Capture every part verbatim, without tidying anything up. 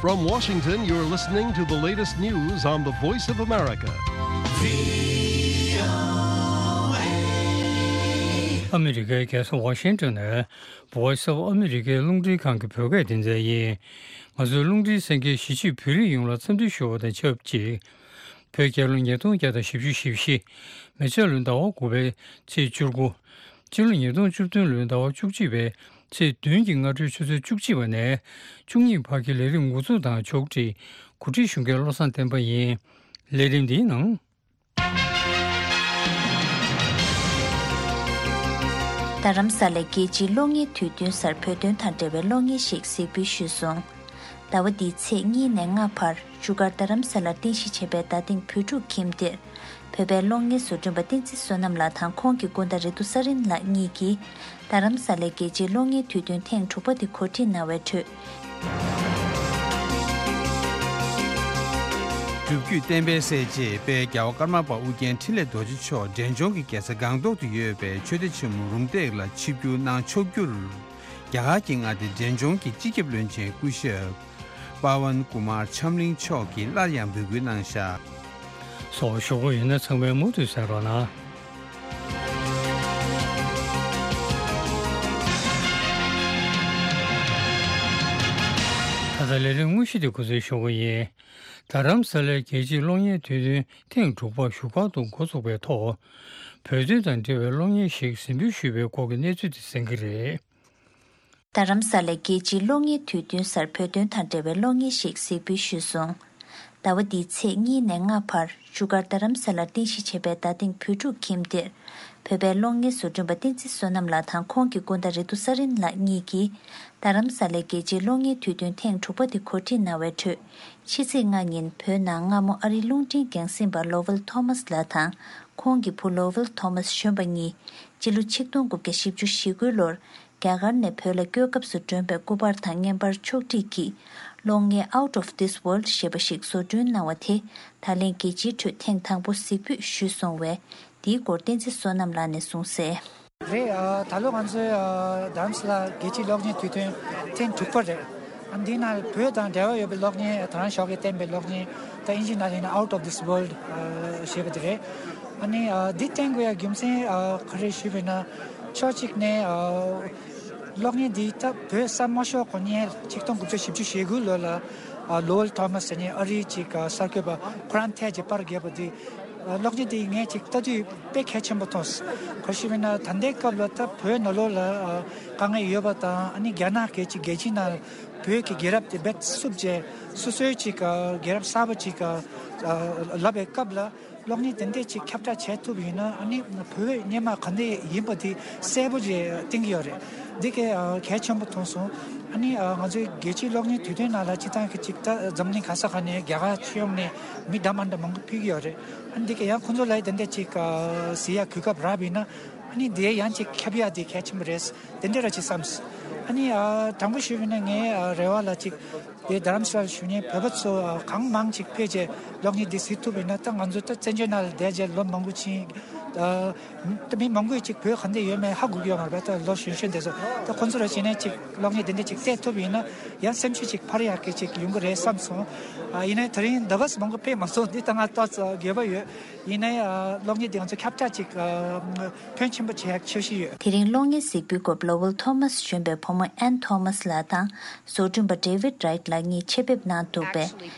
From Washington, you're listening to the latest news on the Voice of America. ཨ་མི་རི་ཀའི་རྒྱལ་ས་ཝ་ཤིང་ཊོན་ནས་Voice of America རླུང་འཕྲིན་ཁང་གི་བོད་སྐད་སྡེ་ཚན་ཡིན། ང་ཚོའི་རླུང་འཕྲིན་གསན་མཁན་གཞིས་བྱེས་བོད་རིགས་ཡོངས་ལ་འཚམས་འདྲི་ཞུ་བ་དང་ཆབས་ཅིག་བོད་རྒྱལ་ལོ་ཉིས་སྟོང་བརྒྱ་དང་བཞི་བཅུ་ཞེ་བཞི། མེ་བྱ་ལོའི་ཟླ་བ་དགུ་པའི་ཚེས་བཅུ་དགུ། སྤྱི་ལོ་ཉིས་སྟོང་བཅུ་བདུན་ལོའི་ཟླ་བ་བཅུ་གཅིག་པའི་ཚེས་བདུན་གྱི་སྔ་དྲོའི་ཆུ་ཚོད་བཅུ་གཅིག་པ་ནས་བཅུ་གཉིས་བར་གྱི་ལས་རིམ་འགོ་འཛུགས་དང་ཕྱོགས་སྒྲིག་གོ་སྒྲིག་ཞུ་མཁན་བློ་བཟང་བསྟན་པ་ཡིན། ལས་རིམ་འདིའི་ནང་། རྡ་རམ་ས་ལའི་རྒྱལ་སྤྱིའི་གློག་བརྙན་དུས་སྟོན་སར་བོད་དོན་དང་འབྲེལ་བའི་གློག་བརྙན་ཞིག་གཟིགས་འབུལ་ཞུས་སོང་། ཟླ་བ་འདིའི་ཚེས་གཉིས་ནས་ལྔ་བར་བཞུགས་སྒར་རྡ་རམ་ས་ལར་རྟེན་གཞི་བྱས་པའི་རྡ་སྟེང་བོད་ཕྲུག་ཁྱིམ་སྡེར། བོད་པའི་གློག་བརྙན་བཟོ་སྐྲུན་པ་བསྟན་འཛིན་བསོད་ནམས་ལགས་དང་ཁོང་གི་སྐུ་ཟླ་རེ་ཏུ་ས་རིན་ལགས་གཉིས་ཀྱིས། རྡ་རམ་ས་ལའི་རྒྱལ་སྤྱིའི་གློག་བརྙན་དུས་སྟོན་ཐེངས་དྲུག་པ་དེ་གོ་སྒྲིག་གནང་བའི་ཁྲོད། སྒྲུབ་བརྒྱུད་བསྟན་པའི་སྲས་ཅེས་དཔལ་རྒྱལ་བ་ཀརྨ་པ་ཨུ་རྒྱན་འཕྲིན་ལས་རྡོ་རྗེ་མཆོག་འབྲས་ལྗོངས་ཀྱི་རྒྱལ་ས་སྒང་ཏོག་ཏུ་ཡོད་པའི་ཆོས་སྡེ་ཆེན་མོ་རུམ་བཏེག་ལ་ཆིབས་བསྒྱུར་གནང་ཕྱོགས་བསྒྱུར། རྒྱ་གར་གྱི་མངའ་སྡེ་འབྲས་ལྗོངས་ཀྱི་སྤྱི་ཁྱབ་བློན་ཆེན་སྐུ་ཞབས་པ་ཝན་ཀུ་མར་ཆམ་གླིང་མཆོག་གིས་སླར་ཡང་འབོད་སྐུལ་གནང་བཞག་སོགས་ཞུ་གི་ཡོད་ན་ཚང་མས་མུ་མཐུད་གསན་རོགས་གནང་། ད་ལྟ་ལས་རིམ་དངོས་གཞི་དེ་འགོ་འཛུགས་ཞུ་གི་ཡིན། རྡ་རམ་ས་ལའི་རྒྱལ་སྤྱིའི་གློག་བརྙན་དུས་སྟོན་ཐེངས་དྲུག་པ་བཞུགས་སྒར་དུ་འགོ་ཚུགས་པའི་ཐོག་བོད་དོན་དང་འབྲེལ་བའི་གློག་བརྙན་ཞིག་གཟིགས་འབུལ་ཞུས་པའི་སྐོར་གྱི་གནས་ཚུལ་དེ་གསན་གྱི་རེད། རྡ་རམ་ས་ལའི་རྒྱལ་སྤྱིའི་གློག་བརྙན་དུས་སྟོན་སར་བོད་དོན་དང་འབྲེལ་བའི་གློག་བརྙན་ཞིག་གཟིགས་འབུལ་ཞུས་སོང་། ཟླ་བ་འདིའི་ཚེས་གཉིས་ནས་ལྔ་བར་བཞུགས་སྒར་རྡ་རམ་ས་ལར་རྟེན་གཞི་བྱས་པའི་རྡ་སྟེང་བོད་ཕྲུག་ཁྱིམ་སྡེར། བོད་པའི་གློག་བརྙན་བཟོ་སྐྲུན་པ་བསྟན་འཛིན་བསོད་ནམས་ལགས་དང་ཁོང་གི་སྐུ་ཟླ་རེ་ཏུ་ས་རིན་ལགས་གཉིས་ཀྱིས། རྡ་རམ་ས་ལའི་རྒྱལ་སྤྱིའི་གློག་བརྙན་དུས་སྟོན་ཐེངས་དྲུག་པ་དེ་གོ་སྒྲིག་གནང་བའི་ཁྲོད། ཕྱི་ཚེས་ལྔ་ཉིན་བོད་ནང་སྔ་མོ་ཨ་རིའི་རླུང་འཕྲིན་འགན་འཛིན་པ་ལོ་ཝེལ་ཐོ་མཱས་ལགས་དང་། ཁོང་གི་བུ་ལོ་ཝེལ་ཐོ་མཱས་གཞོན་པ་གཉིས། སྤྱི་ལོ་ཆིག་སྟོང་དགུ་བརྒྱ་བཞི་བཅུ་ཞེ་དགུའི་ལོར། རྒྱ་གར་ནས་བོད་ལ་སྐྱོད་སྐབས་སུ་བསྒྲོན་པའི་སྐུ་པར་དང་བརྙན་པར་ཕྱོགས་སྒྲིག་གིས། གློག་བརྙན་Out of This World ཞེས་པ་ཞིག་བཟོ་སྐྲུན་གནང་བ་དེ། ད་ལན་རྒྱལ་སྤྱིའི་ཁྲོད་ཐེངས་དང་པོ་གཟིགས་འབུལ་ཞུས་སོང་བས། འདིའི་སྐོར་བསྟན་འཛིན་བསོད་ནམས་ལགས་ནས་གསུངས་གསལ། རེད། ཨ། ད་ལོ་ང་ཚོའི་ཨ་རྡ་རམ་ས་ལ་རྒྱལ་སྤྱིའི་གློག་བརྙན་དུས་སྟོན་ཐེངས་དྲུག་པ་རེད། ཨ། འདི་ནང་བོད་དང་འབྲེལ་བ་ཡོད་པའི་གློག་བརྙན། ད་རང་ཞོགས་ཀས་བསྟན་པའི་གློག་བརྙན། ད་དབྱིན་ཇིའི་ནང་ལ་ཡིན་ན་Out of This World ཨ་ཞེས་པ་དེ་རེད། ཨ་ནི་ཨ་འདི་བསྟན་དགོས་ཡ་རྒྱུ་མཚན་ཨ་ག་རེ་ཞུས་པ་ཡིན་ན། ཕྱོགས་གཅིག་ནས་ཨ་གློག་བརྙན་འདི་ད་བོད་ས་མ་ཤོར་གོང་ནས་ཆིག་སྟོང་དགུ་བརྒྱ་བཞི་བཅུ་ཞེ་དགུ་ལོ་ལ་ཨ་ལོ་ཝེལ་ཐོ་མཱས་ཟེར་མཁན་ཨ་རིའི་ཅིག་ཨ་གསར་འགོད་པ་ཁོ་རང་ཐད་ཀྱི་པར་བརྒྱབ་པ་འདི། ཨ་གློག་བརྙན་འདི་ངས་ཅིག་ལྟ་དུས་དཔེ་གལ་ཆེན་པོ་མཐོང་སོང་། ག་རེ་ཞུས་པ་ཡིན་ན་ད་ལྟའི་སྐབས་ལ་ད་བོད་ནང་ལོགས་ལ་ཨ་དཀའ་ངལ་ཡོད་པ་དང་། ཨ་ནི་རྒྱ་ནག་གི་ཅིག་རྒྱལ་སྤྱིའི་ནང་བོད་ཀྱི་རྒྱལ་རབས་དེ་རྦད་བསུབས་བྱས། སོ་སོའི་ཅིག་ཨ་རྒྱལ་རབས་གསར་པ་ཅིག་ཨ་ལབ་པའི་སྐབས་ལ། གློག་བརྙན་དེ་འདྲས་ཅིག་ཁྱབ་བསྒྲགས་བྱེད་ཐུབ་ཡིན་ན། ཨ་ནི་བོད་སྔོན་མ་ག་འདྲས་ཡིན་པ་དེ་གསལ་པོ་ཅིག་བསྟན་གྱི་ཡོད་རེད། འདི་གས་ཨ་གལ་ཆེན་པོ་མཐོང་སོང་། ཨ་ནི་ཨ་ང་ཚོའི་རྒྱལ་སྤྱིའི་གློག་བརྙན་དུས་སྟོན་ནང་ལ་སྤྱིར་བཏང་གི་ཅིག་ད་འཛམ་གླིང་ག་ས་ག་ནས་རྒྱ་གར་སྤྱི་ཡོངས་ནས་མི་འདྲ་མ་འདྲ་མང་པོ་ཕེབས་ཀྱི་ཡོད་རེད། ཨ་ནི་འདི་གས་ཡང་ཁོང་ཚོ་ལ་དེ་འདྲས་ཅིག་ཨ་གཟིགས་ཡ་གོ་སྐབས་རག་པ་ཡིན་ན། ཨ་ནི་དེ་ཡང་ཅིག་ཁྱབ་ཡ་དེ་གལ་ཆེན་པོ་རེད། དེ་འདྲ་ར་ཅིག་བསམས། ཨ་ནི་ཨ་དྲང་པོ་ཞུས་པ་ཡིན་ན་ངའི་ཨ་རེ་བ་ལ་ཅིག་དེ་རྡ་རམ་ས་ལར་བཞུགས་མཁན་བོད་པ་ཚོ་ཨ་གང་མང་ཅིག་ཕེབས་བྱས་གློག་བརྙན་འདི་གཟིགས་ཐུབ་པ་ཡིན་ན། ད་ང་ཚོ་ད་བཙན་བྱོལ་ནང་ལ་བསྡད་བྱས་ལོ་མང་པོ་ཕྱིན། ཨ་ད་མི་མང་པོས་ཅིག་བོད་ག་འདྲ་ཡོད་མེད་ཧ་གོ་གི་ཡོད་མ་རེད་པ། ད་ལོ་གཞོན་གཞོན་དེ་ཚོ། ད་ཁོང་ཚོ་ར་བྱས་ནས་ཅིག་གློག་བརྙན་དེ་འདྲ་ཅིག་བལྟས་ཐུབ་པ་ཡིན་ན་ཡང་སེམས་ཤུགས་ཅིག་འཕར་ཡག་གི་ཅིག་ཡོང་གི་རེད་བསམས་སོང་། ཨ་ཡིན་ནའི་དེ་རིང་ཟླ་བ་མང་པོ་ཕེབས་མ་སོང་། འདི་ད་ང་ཏོག་ཙམ་འགྱོད་པ་ཡོད། ཡིན་ནའི་ཨ་གློག་བརྙན་འདི་ང་ཚོ་ཁྱབ་བསྒྲགས་ཅིག་ཨ་ཕོན་ཆེན་པོ་བྱེད་ཡག་འཆར་གཞི་ཡོད། དེ་རིང་གློག་བརྙན་གཟིགས་འབུལ་སྐབས་ལོ་ཝེལ་ཐོ་མཱས་གཞོན་པའི་བུ་མོ་ཨན་ཐོ་མཱས་ལགས་དང་བཟོ་སྐྲུན་པ་ཌེ་ཝིད་རའིཊ་ལགས་གཉིས་ཆེད་ཕེབས་གནང་འདུག་པས།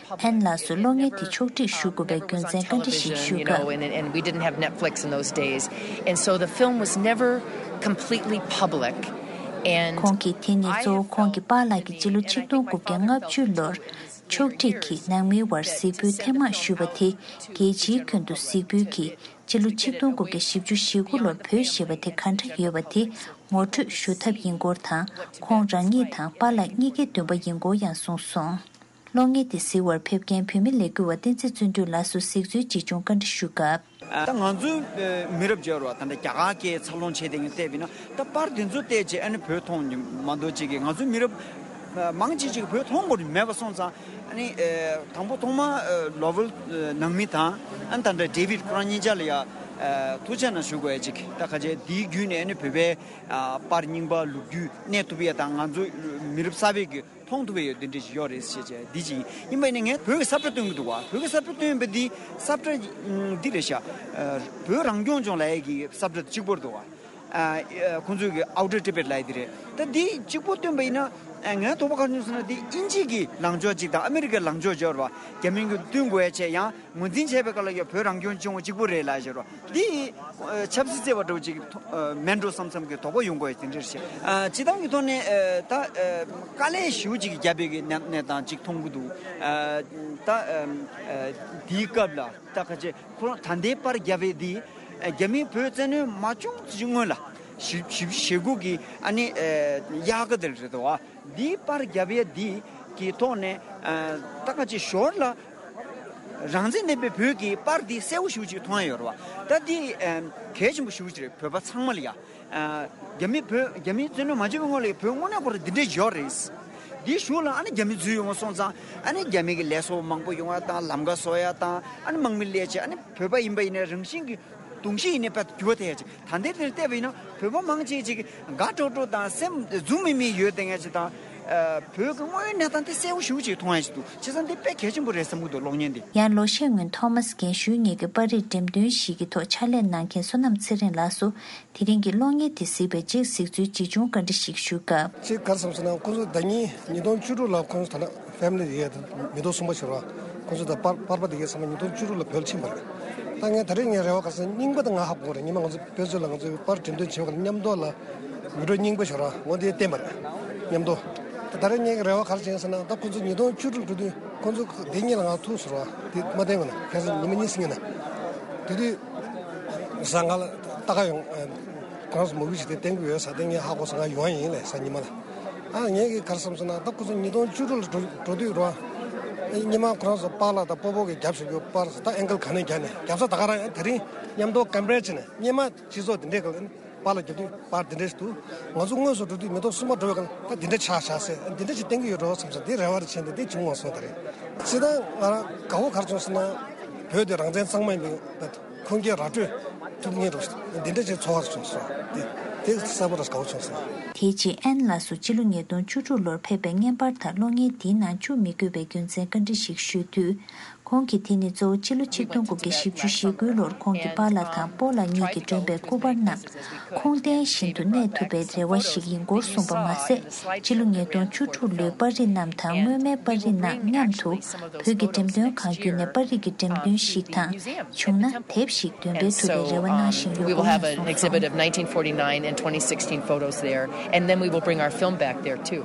ཨན་ལགས་སུ་གློག་བརྙན་དེ་ཕྱོགས་སྒྲིག་ཞུ་དགོས་པའི་རྒྱུ་མཚན་བཀའ་འདྲི་ཞིག་ཞུས་སྐབས། And, and we didn't have Netflix in those days. And so the film was never completely public. And ཁོང་གིས་དེ་ནི་གཙོ་བོ་ཁོང་གི་པཱ་ལགས་ཀྱིས་སྤྱི་ལོ་ཆིག་སྟོང་དགུ་བརྒྱ་ལྔ་བཅུ་ལོར་ཕྱོགས་སྒྲིག་གིས་ནང་མིའི་དབར་གཟིགས་འབུལ་ཐེངས་མང་ཞུས་པ་དེ་རྒྱལ་སྤྱིའི་ཁྱོན་དུ་གཟིགས་འབུལ་གྱིས་སྤྱི་ལོ་ཆིག་སྟོང་དགུ་བརྒྱ་བཞི་བཅུ་ཞེ་དགུ་ལོར་བོད་ཞེས་པ་དེ་ག་འདྲ་ཡོད་པ་དེ་ངོ་སྤྲོད་ཞུ་ཐབས་ཡིན་སྐོར་དང་། ཁོང་རང་ཉིད་དང་པཱ་ལགས་གཉིས་ཀའི་འདུན་པ་ཡིན་སྐོར་ཡང་གསུངས་སོང་། གློག་བརྙན་དེ་གཟིགས་པར་ཕེབས་མཁན་བོད་མི་ལས་འགུལ་བ་བསྟན་འཛིན་བརྩོན་འགྲུས་ལགས་སུ་གཟིགས་ཚུལ་ཅིག་བྱུང་བཀའ་འདྲི་ཞུ་སྐབས། ད་ང་ཚོའི་མི་རབས་བརྗེ་བ་ད་ལྟ་རྒྱ་གར་སྐད་འཚར་ལོངས་བྱས་དེ་ངས་བལྟས་པ་ཡིན་ན། ད་པར་དེ་ཚོ་བལྟས་རྗེས་ཨ་ནི་བོད་མཐོང་མ་གཏོགས་ཅིག་གིས་ང་ཚོའི་མི་རབས་མང་ཆེ་ཅིག་བོད་མཐོང་དགོས་མེད་པ་སོང་ཙང་། ཨ་ནི་དང་པོ་ཐོག་མ་ལོ་ཝེལ་ནང་མི་དང་། ཨ་ནི་ད་ལྟ་ཌེ་ཝིད་ཁོ་རང་གཉིས་ཆ་ལ་ཡ་ ཐུགས་རྗེ་གནང་ཞུ་དགོས་ཡ་ཅིག་ད་ཁ་ཆེ་འདིའི་བརྒྱུད་ནས་ནི་བོད་པའི་ཨ་པར་རྙིང་པ་ལོ་རྒྱུས་གནས་ཐུབ་ཡ་དང་ང་ཚོ་མི་རབས་གསར་པའི་གི་མཐོང་ཐུབ་ཡ་ཡོད་འདི་འདྲ་ཞིག་ཡོད་རེད་ཞེས་བྱས་འདི་ཅིག་ཡིན་པ་ཡིན་ན་ངས་བོད་ཀྱི་ས་བཀྲ་སྟོན་གི་འདུག་བ། བོད་ཀྱི་ས་བཀྲ་སྟོན་པ་འདི་ས་བཀྲ་འདི་རེད་ཤག་བོད་རང་སྐྱོང་ལྗོངས་ལབ་ཡ་གི་ས་བཀྲ་གཅིག་པོ་རེད་འདུག་བ། ཁོང་ཚོའི་གི་Outer Tibet ལབ་ཡ་འདི་རེད། ད་འདི་གཅིག་པོ་སྟོན་པ་ཡིན་ན་ངའི་དོགས་པ་ག་རེ་བྱུང་ཟེར་ན་འདི་དབྱིན་ཇི་གི་ལངས་ཕྱོགས་གཅིག་དང་ཨ་མི་རི་ཀའི་ལངས་ཕྱོགས་གཅིག་ཡོད་རེད་བ། རྒྱ་མིའི་གི་སྟོན་དགོས་ཡ་བྱས་ཡང་། ངོས་འཛིན་བྱས་པའི་སྐབས་ལ་ཡང་བོད་རང་སྐྱོང་ལྗོངས་གཅིག་པུ་རེད་ལབ་བཤད་རོགས་འདི་ཆབ་སྲིད་བརྩེ་བ་འདྲ་བོ་ཅིག་མེད་འགྲོ་བསམ་བསམ་གྱི་དོགས་པ་ཡོང་གི་ཡོད་དེ་འདྲ་རེད་ཤག་སྤྱི་བཏང་གི་ཐོག་ནས་ད་དཀའ་ལས་ཞེ་པོ་ཅིག་བརྒྱབ་པའི་གི་གནས་གནས་སྟངས་ཅིག་མཐོང་གི་འདུག་ད་དེའི་སྐབས་ལ་ད་ཁ་ཆེ་ཁོ་རང་ད་ལྟའི་པར་བརྒྱབ་པའི་འདི་རྒྱ་མིས་བོད་བཙན་གནོན་མ་བྱུང་ཙམ་སྔོན་ལ་བཞི་བཞི་བཅུ་ཞེ་དགུ་གི་ཨ་ནི་དབྱར་ཁ་དེ་རེད་དོ། འདིའི་པར་བརྒྱབ་ཡ་འདི་གི་ཐོག་ནས་ད་ག་ཅིག་ཞོར་ལ་རང་བཙན་ལྡན་པའི་བོད་ཀྱི་པར་འདི་གསལ་པོ་ཞེ་པོ་ཅིག་མཐོང་ཡ་ཡོད་རེད་བ། ད་འདི་གལ་ཆེན་པོ་ཞེ་པོ་ཅིག་རེད་བོད་པ་ཚང་མ་ལ་ཡ། རྒྱ་མི་བོད་རྒྱ་མིའི་བཙན་གནོན་མ་བྱས་པའི་སྔོན་ལ་བོད་དངོས་གནས་ཁོ་རང་འདི་འདྲས་ཡོད་རེད། འདིའི་གཞུག་ལ་ཨ་ནི་རྒྱ་མི་འཛུལ་ཡོང་བ་སོང་ཙང་ཨ་ནི་རྒྱ་མི་གི་ལས་བཟོ་མང་པོ་ཡོང་ཡ་དང་ལམ་ཁ་བཟོ་ཡ་དང་ཨ་ནི་དམག་མི་སླེབས་བྱས་ཨ་ནི་བོད་པ་ཡིན་པ་ཡིན་ནའི་རང་བཞིན་གྱི་གདུང་ཤེས་ཡིན་ནའི་དཔེ་འགྱུར་བ་ཐེབས་ཡ་ཅིག་ད་ལྟའི་དེར་བལྟས་པ་ཡིན་ན་བོད་པ་མང་ཆེ་ཅིག་དགའ་སྤྲོ་སྤྲོ་དང་སེམས་འཛུམ་མིག་མིག་ཡོད་བསྡད་མཁན་ཅིག་དང་། བོད་ཀྱི་དངོས་ཡོད་གནས་སྟངས་དེ་གསལ་པོ་ཞེ་པོ་ཅིག་མཐོང་ཡ་ཅིག་འདུག་བྱས་ཙང་འདི་དཔེ་གལ་ཆེན་པོ་རེད་བསམ་གྱི་འདུག་གློག་བརྙན་འདི། ཡང་ལོ་ཤས་སྔོན་ཐོ་མཱས་རྒན་ཤོས་གཉིས་ཀྱི་པར་རིས་འགྲེམས་སྟོན་ཞིག་གི་ཐོག་ཕྱག་ལས་གནང་མཁན་བསོད་ནམས་ཚེ་རིང་ལགས་སུ་དེ་རིང་གི་གློག་བརྙན་དེ་གཟིགས་པའི་རྗེས་གཟིགས་ཚུལ་ཇི་བྱུང་བཀའ་འདྲི་ཞིག་ཞུས་སྐབས། ཅིག་ག་རེ་བསམ་སོང་ན་ཁོང་ཚོ་ཟླ་ཉིན་ཉིས་སྟོང་བཅུ་དྲུག་ལ་ཁོང་ཚོ་ད་ལྟ་ཕེ་མི་ལི་ཡས་མི་ཐོག་གསུམ་པ་ཞོར་བ་ཁོང་ཚོ་ད་པར་པར་པ་དེ་གས་ཚང་མ་ཉིས་སྟོང་བཅུ་དྲུག་ལ་བོད་ལ་ཕྱིན་པ་རེད། ད་ངས་ད་རེས་ངའི་རེ་བ་ག་རེ་ཟེར་རྙིང་པ་དང་ང་ཧ་གོ་རེད། ཉི་མ་ང་ཚོ་དཔེ་མཛོད་ལ་ང་ཚོའི་པར་འགྲེམས་སྟོན་བྱེད་པ་ལ་མཉམ་དུ་ལ་མི་འགྲོ་རྙིང་པ་ཞོར་བ་ངོ་དེ་བསྟན་པ་རེད་མཉམ་དུ། ད་ད་རེས་ངའི་རེ་བ་ག་རེ་བྱས་ཟེར་ན་ད་ཁོང་ཚོ་ཉིས་སྟོང་བཅུ་དྲུག་འགྲོ་དུས་ཁོང་ཚོ་དེ་གཉིས་ལ་ང་ཐུག་ཟེར་བ་དེ་མ་བསྟན་གོ་ན་ཁ་སང་ཉི་མ་གཉིས་སྲིང་ངེ་ན་དེ་དུས་ཟ་ང་ལ་ལྟ་ག་ཡོང་ཁོ་རང་ཚོ་མོ་གུ་ཞིག་དེ་བསྟན་གི་ཡོད་ས་དེ་ངས་ཧ་གོ་སོང་། ང་ཡོང་ཡིན་ལས་ས་ཉི་མ་ལ། ཨ་ངས་གི་ག་རེ་བསམ་སོང་ན་ད་ཁོ་ཚོ་ཉིས་སྟོང་བཅུ་དྲུག་ལ་འགྲོ་འགྲོ་དུས་རོ། སྙེ་མ་ཁོ་རང་ཚོ་པཱ་ལགས་དང་སྤོ་བོ་གི་རྒྱབ་ཞུགས་རྒྱུ་པཱ་ལགས་ད་ཨེང་གལ་ག་ནས་རྒྱག་ནས་རྒྱབ་ས་ད་ག་རང་ཡང་དེ་རིང་མཉམ་དུ་ཀམ་པེར་བྱས་ནས་སྙེ་མ་སྤྱི་ཚོགས་དེ་འདྲས་གི་པཱ་ལགས་རྒྱབ་དུས་པཱ་དེ་འདྲས་ཞིག་འདུག་ང་ཚོ་དངོས་སུ་འགྲོ་དུས་མི་ཐོག་གསུམ་པ་འགྲོ་བའི་སྒང་ད་དེ་འདྲས་ཆགས་ཆགས་སེ་དེ་འདྲས་ཞིག་བསྟན་གི་ཡོད་འགྲོ་བསམ་སོང་། དེ་རེ་བ་རེ་བྱས་ནས་དེ་བྱུང་བ་སོང་ད་རེད། སྤྱིར་བཏང་ང་རང་དགའ་བོ་ག་རེ་བྱུང་ཟེར་ན་བོད་དེ་རང་བཙན་གཙང་མ་ཡིན་པའི་ཁུངས་སྐྱེལ་ར་སྤྲོད་ཐུབ་ངེས་རེད། འདི་འདྲ་ཅིག་ཚོར་བ་རེ་བྱུང་སོང་། དེ་དེ་གསལ་པོ་རེ་དགའ་བོ་བྱུང་སོང་། དེའི་རྗེས་ཨན་ལགས་སུ་སྤྱི་ལོ་ཉིས་སྟོང་བཅུ་དྲུག་ལོར་ཕེབས་པའི་བརྙན་པར་དག་གློག་བརྙན་འདིའི་ནང་བཅུག་མི་དགོས་པའི་རྒྱུ་མཚན་བཀའ་འདྲི་ཞིག་ཞུས་དུས། ཁོང་གིས་དེ་ནི་གཙོ་བོ་སྤྱི་ལོ་ཆིག་སྟོང་དགུ་བརྒྱ་བཞི་བཅུ་ཞེ་དགུ་ལོར་ཁོང་གི་པཱ་ལགས་དང་སྤོ་ལགས་གཉིས་ཀྱིས་བསྒྲོན་པའི་སྐུ་པར་རྣམས་ཁུངས་ལྡན་ཞིག་ཏུ་གནས་ཐུབ་པའི་རེ་བ་ཞིག་ཡིན་སྐོར་གསུངས་པ་མ་ཟད། སྤྱི་ལོ་ཉིས་སྟོང་བཅུ་དྲུག་ལོའི་པར་རིས་རྣམས་དང་སྔོན་མའི་པར་རིས་རྣམས་མཉམ་དུ་བོད་ཀྱི་འགྲེམས་སྟོན་ཁང་བརྒྱུད་ནས་པར་རིས་ཀྱི་འགྲེམས་སྟོན་ཞིག་དང་། བྱུང་ན་དེབ་ཞིག་འདོན་སྤེལ་ཐུབ་པའི་རེ་བ་གནང་བཞིན་ཡོད་སྐོར་གསུངས་སོང་། Of nineteen forty-nine and twenty sixteen photos there, and then we will bring our film back there too.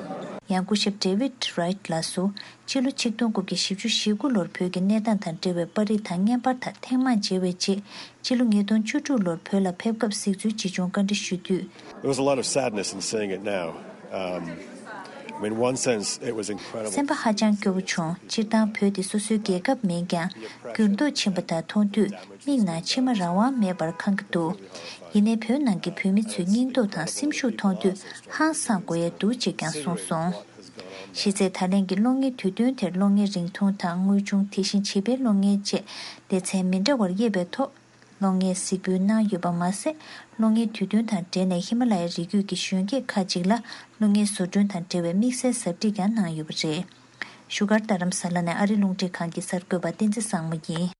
ཡང་སྐུ་ཞབས་David Wright ལགས་སུ། སྤྱི་ལོ་ཆིག་སྟོང་དགུ་བརྒྱ་བཞི་བཅུ་ཞེ་དགུ་ལོར་བོད་ཀྱི་གནས་སྟངས་དང་འབྲེལ་བའི་པར་རིས་དང་བརྙན་པར་དག་ཐེངས་མང་མཇལ་བའི་རྗེས། སྤྱི་ལོ་ཉིས་སྟོང་བཅུ་དྲུག་ལོར་བོད་ལ་ཕེབས་སྐབས་གཟིགས་ཚུལ་ཇི་བྱུང་བཀའ་འདྲི་ཞུ་དུས། There was a lot of sadness in seeing it now. Um, I mean, one sense, it was incredible. སེམས་པ་ཧ་ཅང་སྐྱོ་བོ་བྱུང་། སྤྱིར་བཏང་བོད་དེ་སོ་སོའི་རྒྱལ་ཁབ་མིན་ཀྱང་འགྱུར་ལྡོག་ཕྱིན་པ་དག་མཐོང་དུས་མིག་ནང་མཆི་མ་རང་དབང་མེད་པར་ཁེངས་ཀྱི་འདུག་ཡིན་ནའི་བོད་ནང་གི་བོད་མི་ཚོའི་སྙིང་སྟོབས་དང་སེམས་ཤུགས་མཐོང་དུས་ཧང་སང་དགོས་ཡ་འདུག་ཅེས་ཀྱང་གསུངས་སོང་། གཞི་རྩའི་ད་ལན་གྱི་གློག་བརྙན་དུས་སྟོན་དེར་གློག་བརྙན་རིང་ཐུང་དང་དངོས་བྱུང་དེ་བཞིན་བྱིས་པའི་གློག་བརྙན་བཅས་སྡེ་ཚན་མི་འདྲ་བར་དབྱེ་བའི་ཐོག་གློག་བརྙན་གཟིགས་འབུལ་གནང་ཡོད་པ་མ་ཟད། གློག་བརྙན་དུས་སྟོན་དང་འབྲེལ་ནས་ཧི་མ་ལ་ཡའི་རི་རྒྱུད་ཀྱི་གཞོན་སྐྱེས་ཁག་ཅིག་ལ་གློག་བརྙན་བཟོ་སྐྲུན་དང་འབྲེལ་བའི་དམིགས་བསལ་ཟབ་ཁྲིད་ཀྱང་གནང་ཡོད་པ་རེད། བཞུགས་སྒར་རྡ་རམ་ས་ལ་ནས་ཨ་རི་རླུང་འཕྲིན་ཁང་གི་གསར་འགོད་པ་བསྟན་འཛིན་བཟང་མོ་ཡིན།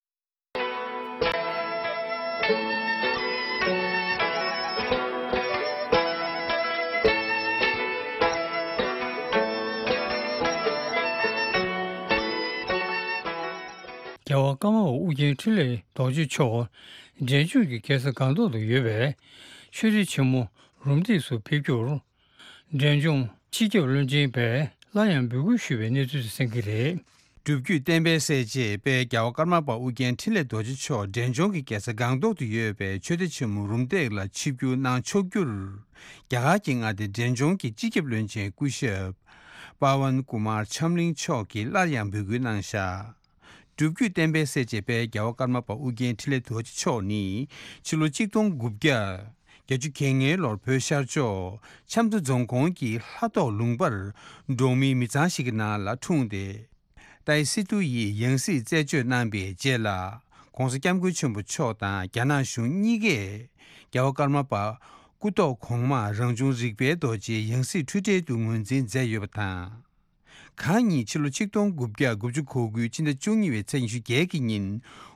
རྒྱལ་བ་ཀརྨ་པ་ཨུ་རྒྱན་འཕྲིན་ལས་རྡོ་རྗེ་མཆོག་འབྲས་ལྗོངས་ཀྱི་རྒྱལ་ས་སྒང་ཏོག་ཏུ་ཡོད་པའི་ཆོས་སྡེ་ཆེན་མོ་རུམ་བཏེག་སུ་ཕེབས་རྒྱུར། འབྲས་ལྗོངས་སྤྱི་ཁྱབ་བློན་ཆེན་པས་སླར་ཡང་འབོད་སྐུལ་ཞུས་པའི་གནས་ཚུལ་དེ་གསན་གྱི་རེད། སྒྲུབ་བརྒྱུད་བསྟན་པའི་གསལ་བྱེད་དཔལ་རྒྱལ་བ་ཀརྨ་པ་ཨུ་རྒྱན་འཕྲིན་ལས་རྡོ་རྗེ་མཆོག་འབྲས་ལྗོངས་ཀྱི་རྒྱལ་ས་སྒང་ཏོག་ཏུ་ཡོད་པའི་ཆོས་སྡེ་ཆེན་མོ་རུམ་བཏེག་ལ་ཆིབས་བསྒྱུར་གནང་ཆོག་རྒྱུར། རྒྱ་གར་གྱི་མངའ་སྡེ་འབྲས་ལྗོངས་ཀྱི་སྤྱི་ཁྱབ་བློན་ཆེན་སྐུ་ཞབས་པ་ཝན་ཀུ་མར་ཆམ་གླིང་མཆོག་གིས་སླར་ཡང་འབོད་སྐུལ་གནང་བཞག་སྒྲུབ་བརྒྱུད་བསྟན་པའི་གསལ་བྱེད་དཔལ་རྒྱལ་བ་ཀརྨ་པ་ཨུ་རྒྱན་འཕྲིན་ལས་རྡོ་རྗེ་མཆོག་ནི་ཕྱི་ལོ་གཅིག་སྟོང་དགུ་བརྒྱ་བརྒྱད་ཅུ་གྱ་ལྔའི་ལོར་བོད་ཤར་ཕྱོགས་ཆབ་མདོ་རྫོང་ཁོངས་ཀྱི་ལྷ་ཐོག་ལུང་པར་འབྲོག་མི་མི་ཚང་ཞིག་གི་ནང་ལ་འཁྲུངས་ཏེ། ཏའི་སི་ཏུ་ཡིས་ཡང་སྲིད་རྩད་གཅོད་གནང་པའི་རྗེས་ལ། ༸གོང་ས་༸སྐྱབས་མགོན་ཆེན་པོ་མཆོག་དང་རྒྱ་ནག་གཞུང་གཉིས་ཀས་རྒྱལ་བ་ཀརྨ་པ་སྐུ་ཐོག་གོང་མ་རང་བྱུང་རིག་པའི་རྡོ་རྗེའི་ཡང་སྲིད་འཁྲུལ་བྲལ་དུ་ངོས་འཛིན་མཛད་ཡོད་པ་དང་། ཁོང་ཉིད་ཕྱི་ལོ་ཆིག་སྟོང་དགུ་བརྒྱ་དགུ་བཅུ་གོ་དགུ་ཕྱི་ཟླ་བཅུ་གཉིས་པའི་ཚེས་ཉི་ཤུ་བརྒྱད་ཀྱི་ཉིན་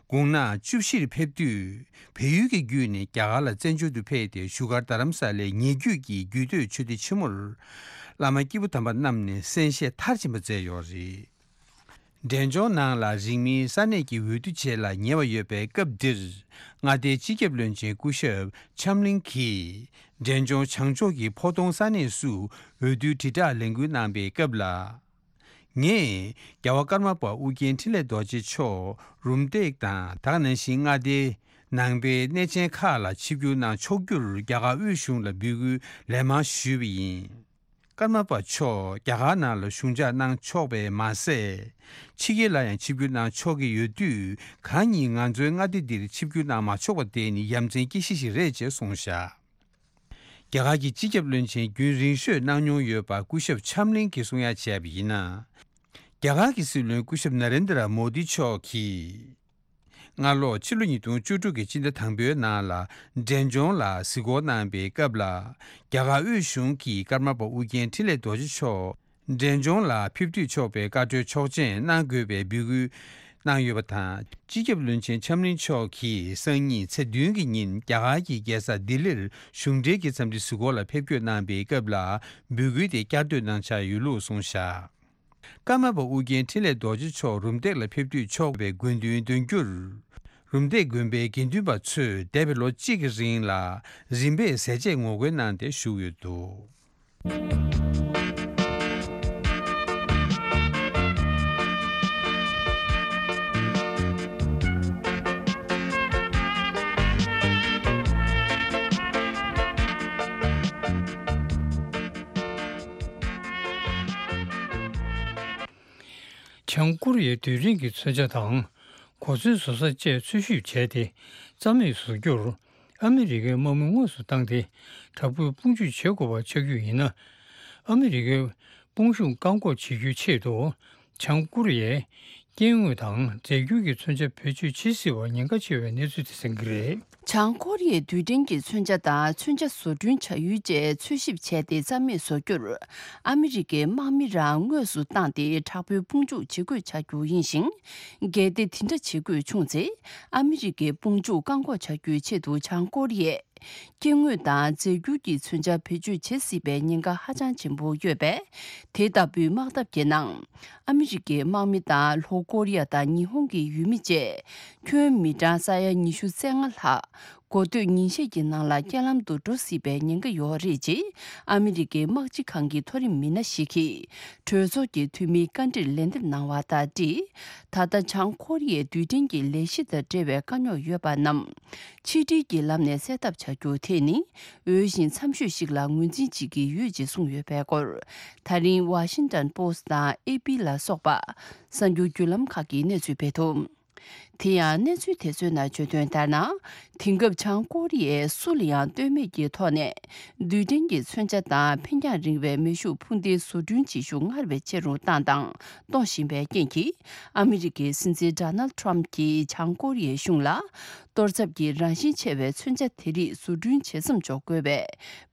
དགུང་ན་བཅུ་བཞིར་ཕེབས་དུས། བལ་ཡུལ་གྱི་བརྒྱུད་ནས་རྒྱ་གར་ལ་བཙན་བྱོལ་དུ་ཕེབས་ཏེ་བཞུགས་སྒར་རྡ་རམ་ས་ལའི་ཉེ་བརྒྱུད་ཀྱི་རྒྱུད་སྟོད་ཆོས་སྡེ་ཆེན་མོར་བླ་མ་སྐྱེས་བུ་དམ་པ་རྣམས་ནས་གསན་བཞེས་མཐར་ཕྱིན་པ་མཛད་ཡོད་རེད། འབྲས་ལྗོངས་ནང་ལ་རིང་མིན་ས་གནས་ཀྱི་འོས་བསྡུ་ཆེད་ལ་ཉེ་བ་ཡོད་པའི་སྐབས་འདིར། མངའ་སྡེའི་སྤྱི་ཁྱབ་བློན་ཆེན་སྐུ་ཞབས་ཆབ་གླིང་གིས། འབྲས་ལྗོངས་བྱང་ཕྱོགས་ཀྱི་ཕོ་ཐོང་ས་གནས་སུ་འོས་བསྡུའི་དྲིལ་བསྒྲགས་ལས་འགུལ་གནང་པའི་སྐབས་ལ། ངས་རྒྱལ་བ་ཀརྨ་པ་ཨུ་རྒྱན་འཕྲིན་ལས་རྡོ་རྗེ་མཆོག་རུམ་བཏེག་དང་། དེ་ག་ནང་བཞིན་མངའ་སྡེའི་ནང་པའི་གནས་ཆེན་ཁག་ལ་ཆིབས་བསྒྱུར་གནང་ཆོག་རྒྱུར་རྒྱ་གར་དབུས་གཞུང་ལ་འབོད་སྐུལ་ལན་མང་ཞུས་པ་ཡིན། ཀརྨ་པ་མཆོག་རྒྱ་གར་ནང་ལ་ཞུགས་འཇགས་གནང་ཆོག་པས་མ་ཟད། ཕྱི་རྒྱལ་ལ་ཡང་ཆིབས་བསྒྱུར་གནང་ཆོག་གི་ཡོད་དུས། གང་ཉིད་ང་ཚོའི་མངའ་སྡེ་འདིར་ཆིབས་བསྒྱུར་གནང་མ་ཆོག་པ་དེ་ནི་ཡ་མཚན་སྐྱེ་གཞི་ཞིག་རེད་ཅེས་གསུངས་བཞག་རྒྱ་གར་གྱི་སྤྱི་ཁྱབ་བློན་ཆེན་རྒྱུན་རིང་ཤོས་གནང་མྱོང་ཡོད་པ་སྐུ་ཞབས་ཆབ་གླིང་གིས་གསུང་ཡ་བྱས་པ་ཡིན་ན། རྒྱ་གར་གྱི་སྲིད་བློན་སྐུ་ཞབས་ན་རེན་དྲ་མོ་དི་མཆོག་གིས། སྔ་ལོ་ཕྱི་ལོ་ཉིས་སྟོང་བཅུ་དྲུག་གི་སྤྱི་ཟླ་དང་པོའི་ནང་ལ་འབྲས་ལྗོངས་ལ་གཟིགས་སྐོར་གནང་པའི་སྐབས་ལ། རྒྱ་གར་དབུས་གཞུང་གིས་ཀརྨ་པ་ཨུ་རྒྱན་འཕྲིན་ལས་རྡོ་རྗེ་མཆོག་འབྲས་ལྗོངས་ལ་ཕེབས་དུས་ཆོག་པའི་བཀའ་འཁྲོལ་ཆོག་མཆན་གནང་དགོས་པའི་འབོད་སྐུལ་གནང་ཡོད་པ་དང་། སྤྱི་ཁྱབ་བློན་ཆེན་ཆབ་གླིང་མཆོག་གིས་སང་ཉིན་ཚེས་བདུན་གྱི་ཉིན་རྒྱ་གར་གྱི་རྒྱལ་ས་ལྡི་ལིར་གཞུང་འབྲེལ་གྱི་འཚམས་འདྲི་གཟིགས་སྐོར་ལ་ཕེབས་སྐྱོད་གནང་པའི་སྐབས་ལ་འབོད་སྐུལ་དེ་བསྐྱར་ཟློས་གནང་འཆར་ཡོད་ལུགས་གསུངས་བཞག་ཀརྨ་པ་ཨུ་རྒྱན་འཕྲིན་ལས་རྡོ་རྗེ་མཆོག་རུམ་བཏེག་ལ་ཕེབས་དུས་ཆོག་པའི་དགོས་འདུན་འདོན་རྒྱུར། རུམ་བཏེག་དགོན་པའི་དགེ་འདུན་པ་ཚོས་འདས་པའི་ལོ་གཅིག་གི་རིང་ལ་རིམ་པས་ཟས་བཅད་ངོ་རྒོལ་གནང་སྟེ་བཞུགས་ཡོད་འདུག་བྱང་ཀོ་རི་ཡའི་རྡུལ་ཕྲན་གྱི་མཚོན་ཆ་དང་། གོ་མཚོན་བཟོ་ས་བཅས་འཚོལ་ཞིབ་བྱས་ཏེ། རྩ་མེད་བཟོ་རྒྱུར་ཨ་མི་རི་ཀའི་དམག་མི་དངོས་སུ་བཏང་སྟེ། དྲག་པོའི་དཔུང་འཇུག་བྱེད་དགོས་པ་ཆགས་རྒྱུ་ཡིན་ན། ཨ་མི་རི་ཀའི་དཔུང་ཤུགས་བཀག་འགོག་བྱེད་རྒྱུའི་ཆེད་དུ། བྱང་ཀོ་རི་ཡས་སྐྱེ་དངོས་དང་རྫས་འགྱུར་གྱི་མཚོན་ཆ་བེད་སྤྱོད་བྱེད་སྲིད་པར་ཉེན་ཁ་ཆེ་བའི་གནས་ཚུལ་དེ་གསན་གྱི་རེད། བྱང་ཀོ་རི་ཡས་རྡུལ་ཕྲན་གྱི་མཚོན་ཆ་དང་མཚོན་ཆ་བཟོ་སྐྲུན་བྱ་ཡུལ་བཅས་འཚོལ་ཞིབ་བྱས་ཏེ་རྩ་མེད་བཟོ་རྒྱུར། ཨ་མི་རི་ཀའི་དམག་མི་རང་དངོས་སུ་བཏང་སྟེ་དྲག་པོའི་དཔུང་འཇུག་བྱེད་དགོས་ཆགས་རྒྱུ་ཡིན་ཞིང་། གལ་ཏེ་དེ་འདྲ་བྱེད་དགོས་བྱུང་ཚེ། ཨ་མི་རི་ཀའི་དཔུང་འཇུག་བཀག་འགོག་བྱ་རྒྱུའི་ཆེད་དུ་བྱང་ཀོ་རི་ཡས། སྐྱེ་དངོས་དང་རྫས་འགྱུར་གྱི་མཚོན་ཆ་བེད་སྤྱོད་བྱེད་སྲིད་པའི་ཉེན་ཁ་ཧ་ཅང་ཆེན་པོ་ཡོད་པས། དེ་ལྟ་བུའི་དམག་འཐབ་ཀྱི་ནང་། ཨ་མི་རི་ཀའི་དམག་མི་དང་ལྷོ་ཀོ་རི་ཡ་དང་ཉི་ཧོང་གི་ཡུལ་མི་བཅས། ཁྱོན་མི་གྲངས་ས་ཡ་ཉི་ཤུ་རྩ་ལྔ་ལྷག་འགོ་སྟོད་ཉིན་ཤས་ཀྱི་ནང་ལ་རྐྱེན་ལམ་དུ་འགྲོ་སྲིད་པའི་ཉེན་ཁ་ཡོད་རེད་ཅེས། ཨ་མི་རི་ཀའི་དམག་སྤྱི་ཁང་གི་མཐོ་རིམ་མི་སྣ་ཞིག་གིས། གྲོས་ཚོགས་ཀྱི་འཐུས་མིའི་བཀའ་འདྲིར་ལན་འདེབས་གནང་བ་དང་འབྲེལ། ད་ལྟ་བྱང་ཀོ་རི་ཡའི་རྡུལ་ཕྲན་གྱི་ལས་གཞི་དང་འབྲེལ་བའི་དཀའ་རྙོག་ཡོད་པ་རྣམས། ཕྱི་འབྲེལ་གྱི་ལམ་ནས་སེལ་ཐབས་བྱ་རྒྱུ་དེ་ནི། འོས་ཤིང་འཚམ་ཤོས་ཤིག་ལ་ངོས་འཛིན་བྱེད་ཀྱི་ཡོད་ཅེས་གསུངས་ཡོད་པའི་སྐོར། ད་རིང་ཝ་ཤིང་ཏོན་པོ་སི་ཊི་དང་ཨེ་པི་ལ་སོགས་པ། གསར་འགྱུར་བརྒྱུད་ལམ་ཁག་གིས་གནས་ཚུལ་སྤེལ་འདུག་དེ་ཡང་གནས་ཚུལ་དེ་ཚོའི་ནང་བརྗོད་དོན་ལྟར་ན། དེང་སྐབས་བྱང་ཀོ་རི་ཡས་སུ་ལ་ཡང་ལྟོས་མེད་ཀྱི་ཐོག་ནས། རྡུལ་ཕྲན་གྱི་མཚོན་ཆ་དང་འཕེན་རྒྱང་རིང་བའི་མེ་ཤུགས་འཕུར་མདེལ་བཟོ་སྐྲུན་བྱེད་ཤུགས་སྔར་བས་ཆེ་རུ་བཏང་དང་གཏོང་བཞིན་པའི་རྐྱེན་གྱིས། ཨ་མི་རི་ཀའི་སྲིད་འཛིན་ཌོ་ནལ་ཌི་ཊརམ་ཕི་གྱིས་བྱང་ཀོ་རི་ཡའི་གཞུང་ལ། གཏོར་ཚབ་ཀྱི་རང་བཞིན་ཆེ་བའི་མཚོན་ཆ་དེ་རིགས་བཟོ་སྐྲུན་བྱེད་མཚམས་འཇོག་དགོས་པའི་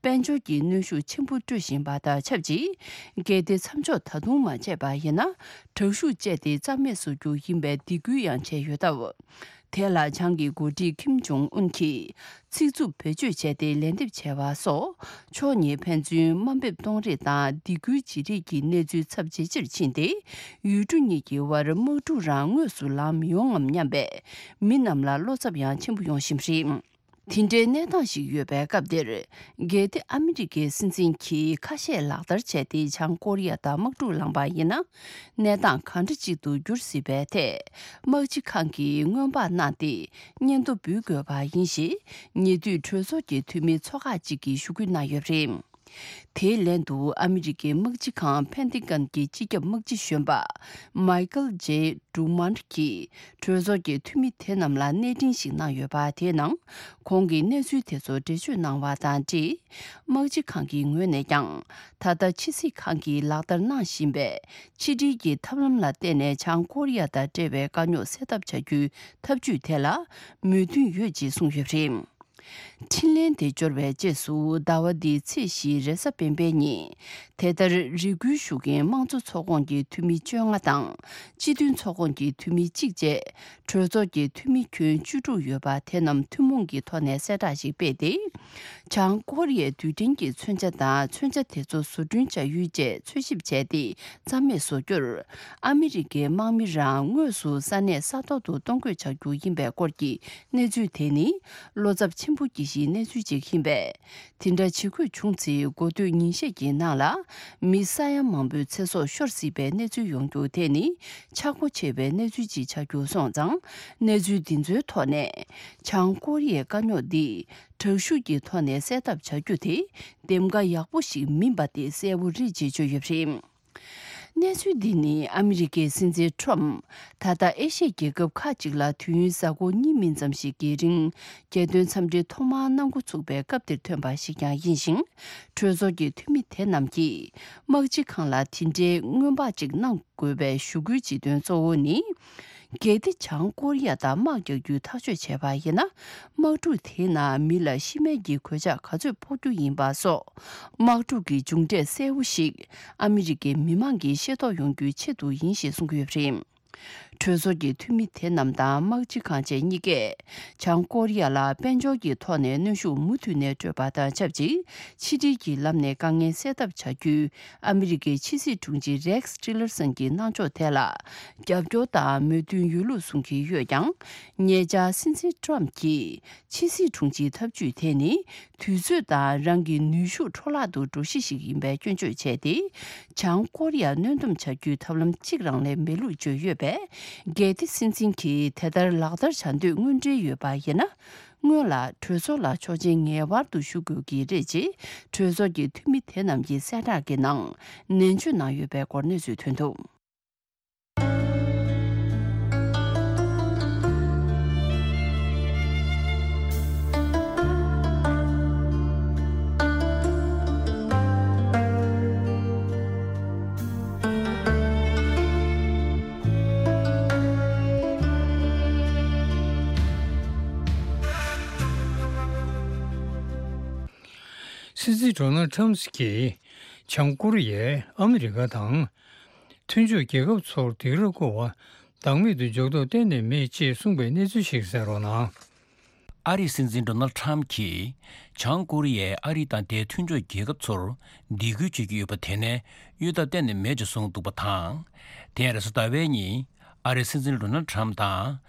དཔལ་འབྱོར་གྱི་གནོན་ཤུགས་ཆེན་པོ་སྤྲོད་བཞིན་པ་དང་ཆབས་ཅིག་གལ་ཏེ་མཚམས་འཇོག་ད་དུང་མ་བྱས་པ་ཡིན་ན། དྲག་ཤུགས་སྤྱད་དེ་རྩ་མེད་བཟོ་རྒྱུ་ཡིན་པའི་སྡིགས་སྐུལ་ཡང་བྱས་ཡོད་སྟབས། དེ་ལ་བྱང་གི་འགོ་ཁྲིད་ཁིམ་ཇོང་ཨུན་གྱིས་ཚིག་རྩུབ་བེད་སྤྱོད་བྱས་ཏེ་ལན་འདེབས་བྱས་པ་སོགས། ཕྱོགས་གཉིས་ཕན་ཚུན་དམའ་འབེབས་གཏོང་རེས་དང་སྡིགས་སྐུལ་བྱེད་རེས་ཀྱི་གནས་ཚུལ་ཚབས་ཇེ་ཆེར་ཕྱིན་ཏེ། ཡུལ་གྲུ་གཉིས་ཀྱི་བར་དམག་འཁྲུག་རང་དངོས་སུ་ལངས་མི་ཡོང་ངམ་སྙམ་པའི་མི་རྣམས་ལ་བློ་འཚབ་ཡང་ཆེན་པོ་ཡོང་བཞིན་པ་རེད། དེ་འདྲའི་གནས་སྟངས་ཤིག་ཡོད་པའི་སྐབས་འདིར། གལ་ཏེ་ཨ་མི་རི་ཀའི་སྲིད་འཛིན་གྱིས་ཁ་ཤས་ལག་བསྟར་བྱས་ཏེ་བྱང་ཀོ་རི་ཡ་དང་དམག་འཁྲུག་ལངས་པ་ཡིན་ན། གནས་སྟངས་གང་འདྲ་ཅིག་ཏུ་འགྱུར་སྲིད་པའི་ཐད། དམག་སྤྱི་ཁང་གིས་སྔོན་དཔག་གནང་སྟེ། སྙན་ཐོ་འབུལ་དགོས་པ་ཡིན་ཞེས། ཉེ་དུས་གྲོས་ཚོགས་ཀྱི་འཐུས་མི་ཚོ་ཁག་ཅིག་གིས་ཞུ་སྐུལ་གནང་ཡོད་པ་རེད། དེའི་ལན་དུ་ཨ་མི་རི་ཀའི་དམག་སྤྱི་ཁང་ཕན་ཏི་ཀན་གྱི་སྤྱི་ཁྱབ་དམག་སྤྱི་གཞོན་པ་མའི་ཀལ་ཇེ་ཌུ་མཱན་གྱིས་གྲོས་ཚོགས་ཀྱི་འཐུས་མི་དེ་རྣམས་ལ་གནས་འཕྲིན་ཞིག་གནང་ཡོད་པ། དེའི་ནང་ཁོང་གིས་གནས་ཚུལ་དེ་ཚོ་འགྲེལ་བརྗོད་གནང་བ་དང་འབྲེལ། དམག་སྤྱི་ཁང་གི་ངོས་ནས་ཀྱང་ད་ལྟ་ཕྱི་སྲིད་ཁང་གིས་ལག་བསྟར་གནང་བཞིན་པའི་ཕྱི་འབྲེལ་གྱི་ཐབས་ལམ་ལ་བརྟེན་ནས་བྱང་ཀོ་རི་ཡ་དང་འབྲེལ་བའི་དཀའ་རྙོག་སེལ་ཐབས་བྱ་རྒྱུའི་ཐབས་ཇུས་དེ་ལ་མོས་མཐུན་ཡོད་ཅེས་གསུངས་ཡོད་པ་རེད། འཕྲིན་ལན་དེ་འབྱོར་བའི་རྗེས་སུ་ཟླ་བ་འདིའི་ཚེས་བཞིའི་རེས་གཟའ་སྤེན་པའི་ཉིན། དེ་ལྟར་རེ་སྐུལ་ཞུ་མཁན་དམངས་གཙོ་ཚོགས་ཁོངས་ཀྱི་འཐུས་མི་བཅོ་ལྔ་དང་སྤྱི་མཐུན་ཚོགས་ཁོངས་ཀྱི་འཐུས་མི་གཅིག་བཅས་གྲོས་ཚོགས་ཀྱི་འཐུས་མི་ཁྱོན་བཅུ་དྲུག་ཡོད་པ་དེ་རྣམས་ཐུན་མོང་གི་ཐོག་ནས་གསལ་བསྒྲགས་ཤིག་སྤེལ་ཏེ། བྱང་ཀོ་རི་ཡའི་རྡུལ་ཕྲན་གྱི་མཚོན་ཆ་དང་མཚོན་ཆ་དེ་ཚོ་བཟོ་སྐྲུན་བྱ་ཡུལ་བཅས་འཚོལ་ཞིབ་བྱས་ཏེ་རྩ་མེད་བཟོ་རྒྱུར། ཨ་མི་རི་ཀའི་དམག་མི་རང་དངོས་སུ་ས་གནས་ས་ཐོག་ཏུ་གཏོང་དགོས་བྱ་རྒྱུ་ཡིན་པའི་སྐོར་གྱི་གནས་ཚུལ་དེ་ནི། བློ་འཚབ་ཆེན་པོ་སྐྱེ་གཞིའི་གནས་ཚུལ་ཅིག་ཡིན་པས། དེ་འདྲ་བྱེད་དགོས་བྱུང་ཚེ། འགོ་སྟོད་ཉིན་ཤས་ཀྱི་ནང་ལ་མི་ས་ཡ་མང་པོའི་ཚེ་སྲོག་ཤོར་སྲིད་པའི་གནས་ཚུལ་ཡོང་རྒྱུ་དེ་ནི་ཆག་སྒོ་ཆེ་བའི་གནས་ཚུལ་ཅིག་ཆགས་རྒྱུ་སོང་ཙང་། གནས་ཚུལ་འདི་ཚོའི་ཐོག་ནས། བྱང་ཀོ་རི་ཡའི་དཀའ་རྙོག་འདི་དྲག་ཤུགས་ཀྱི་ཐོག་ནས་སེལ་ཐབས་བྱ་རྒྱུ་དེ་འདེམས་ཀ་ཡག་པོ་ཞིག་མིན་པ་དེ་གསལ་བོ་རེད་ཅེས་བརྗོད་ཡོད་པ་རེད། གནས་ཚུལ་འདི་ནི་ཨ་མི་རི་ཀའི་སྲིད་འཛིན་ཁྲོམ། ད་ལྟ་ཨེ་ཤི་ཡའི་རྒྱལ་ཁབ་ཁག་ཅིག་ལ་དུས་ཡུན་གཟའ་འཁོར་གཉིས་མིན་ཙམ་ཞིག་གི་རིང་རྒྱལ་དོན་འཚམས་འདྲི་ཐོག་མར་གནང་འགོ་ཚུགས་པའི་སྐབས་དེར་ཐོན་པ་ཞིག་ཀྱང་ཡིན་ཞིང་། གྲོས་ཚོགས་ཀྱི་འཐུས་མི་དེ་རྣམས་ཀྱིས་དམག་སྤྱི་ཁང་ལ་དེ་འདྲའི་སྔོན་དཔག་ཅིག་གནང་དགོས་པའི་ཞུ་སྐུལ་བྱེད་དོན་གཙོ་བོ་ནི། གལ་ཏེ་བྱང་ཀོ་རི་ཡ་དང་དམག་རྒྱག་རྒྱུའི་ཐག་གཅོད་བྱས་པ་ཡིན་ན། དམག་འཁྲུག་དེའི་ནང་མི་ལ་ཤི་རྨས་ཀྱི་གོད་ཆག་ག་ཚོད་ཕོག་རྒྱུ་ཡིན་པ་སོགས། དམག་འཁྲུག་གི་མཇུག་འབྲས་གསལ་བོ་ཞིག་ཨ་མི་རི་ཀའི་མི་མང་གིས་ཤེས་རྟོགས་ཡོང་རྒྱུའི་ཆེད་དུ་ཡིན་ཞེས་གསུངས་ཡོད་པ་རེད། གྲོས་ཚོགས་ཀྱི་འཐུས་མི་དེ་རྣམས་དང་དམག་སྤྱི་ཁང་བཅས་གཉིས་ཀས། བྱང་ཀོ་རི་ཡ་ལ་དཔལ་འབྱོར་གྱི་ཐོག་ནས་གནོན་ཤུགས་མུ་མཐུད་ནས་སྤྲོད་པ་དང་ཆབས་ཅིག་ཕྱི་འབྲེལ་གྱི་ལམ་ནས་དཀའ་ངལ་སེལ་ཐབས་བྱ་རྒྱུའི་ཨ་མི་རི་ཀའི་ཕྱི་སྲིད་དྲུང་ཆེ་རེགས་ཊི་ལར་སན་གྱི་གནང་ཕྱོགས་དེ་ལ་རྒྱབ་སྐྱོར་དང་མོས་མཐུན་ཡོད་ལུགས་གསུང་གི་ཡོད་ཀྱང་། ཉེ་ཆར་སྲིད་འཛིན་ཊྲམ་གྱིས་ཕྱི་སྲིད་དྲུང་ཆེའི་ཐབས་ཇུས་དེ་ནི་དུས་ཚོད་དང་རང་གི་ནུས་ཤུགས་འཕྲོ་བརླག་ཏུ་འགྲོ་གཞི་ཞིག་ཡིན་པའི་སྐྱོན་བརྗོད་བྱས་ཏེ། བྱང་ཀོ་རི་ཡར་གནོན་སྡོམ་བྱ་རྒྱུའི་ཐབས་ལམ་གཅིག་རང་ལས་མེད་ལུགས་བརྗོད་ཡོད་པས། གལ་ཏེ་སྲིད་འཛིན་གྱིས་དེ་ལྟར་ལག་བསྟར་བྱ་འདོད་དངོས་འབྲེལ་ཡོད་པ་ཡིན་ན། སྔོན་ལ་གྲོས་ཚོགས་ལ་ཆོག་མཆན་ངེས་པར་དུ་ཞུ་དགོས་ཀྱི་རེད་ཅེས་གྲོས་ཚོགས་ཀྱི་འཐུས་མི་དེ་རྣམས་ཀྱིས་གསལ་བསྒྲགས་ཀྱི་ནང་ནན་བརྗོད་གནང་ཡོད་པའི་སྐོར་གནས་ཚུལ་ཐོན་འདུག་སྲིད་འཛིན་ཌོ་ནལ་ཌི་ཊྲམ་གྱིས་བྱང་ཀོ་རི་ཡས་ཨ་མི་རི་ཀ་དང་མཐུན་ཕྱོགས་རྒྱལ་ཁབ་ཚོར་སྡིགས་ར་བསྐུལ་བ་བདག་མེད་དུ་འཇོག་ཐབས་གཏན་ནས་མེད་ཅེས་གསུངས་པའི་གནས་ཚུལ་ཞིག་གསན་རོགས་གནང་། ཨ་རིའི་སྲིད་འཛིན་ཌོ་ནལ་ཌི་ཊྲམ་གྱིས་བྱང་ཀོ་རི་ཡས་ཨ་རི་དང་དེའི་མཐུན་ཕྱོགས་རྒྱལ་ཁབ་ཚོར་སྡིགས་སྐུལ་བྱེད་ཀྱི་ཡོད་པ་དེ་ནས་གཡོལ་ཐབས་གཏན་ནས་མེད་ཅེས་གསུངས་འདུག་པ་དང་། དེ་ཡང་རེས་གཟའ་ཟླ་བའི་ཉིན་ཨ་རིའི་སྲིད་འཛིན་ཌོ་ནལ་ཌི་ཊྲམ་དང་།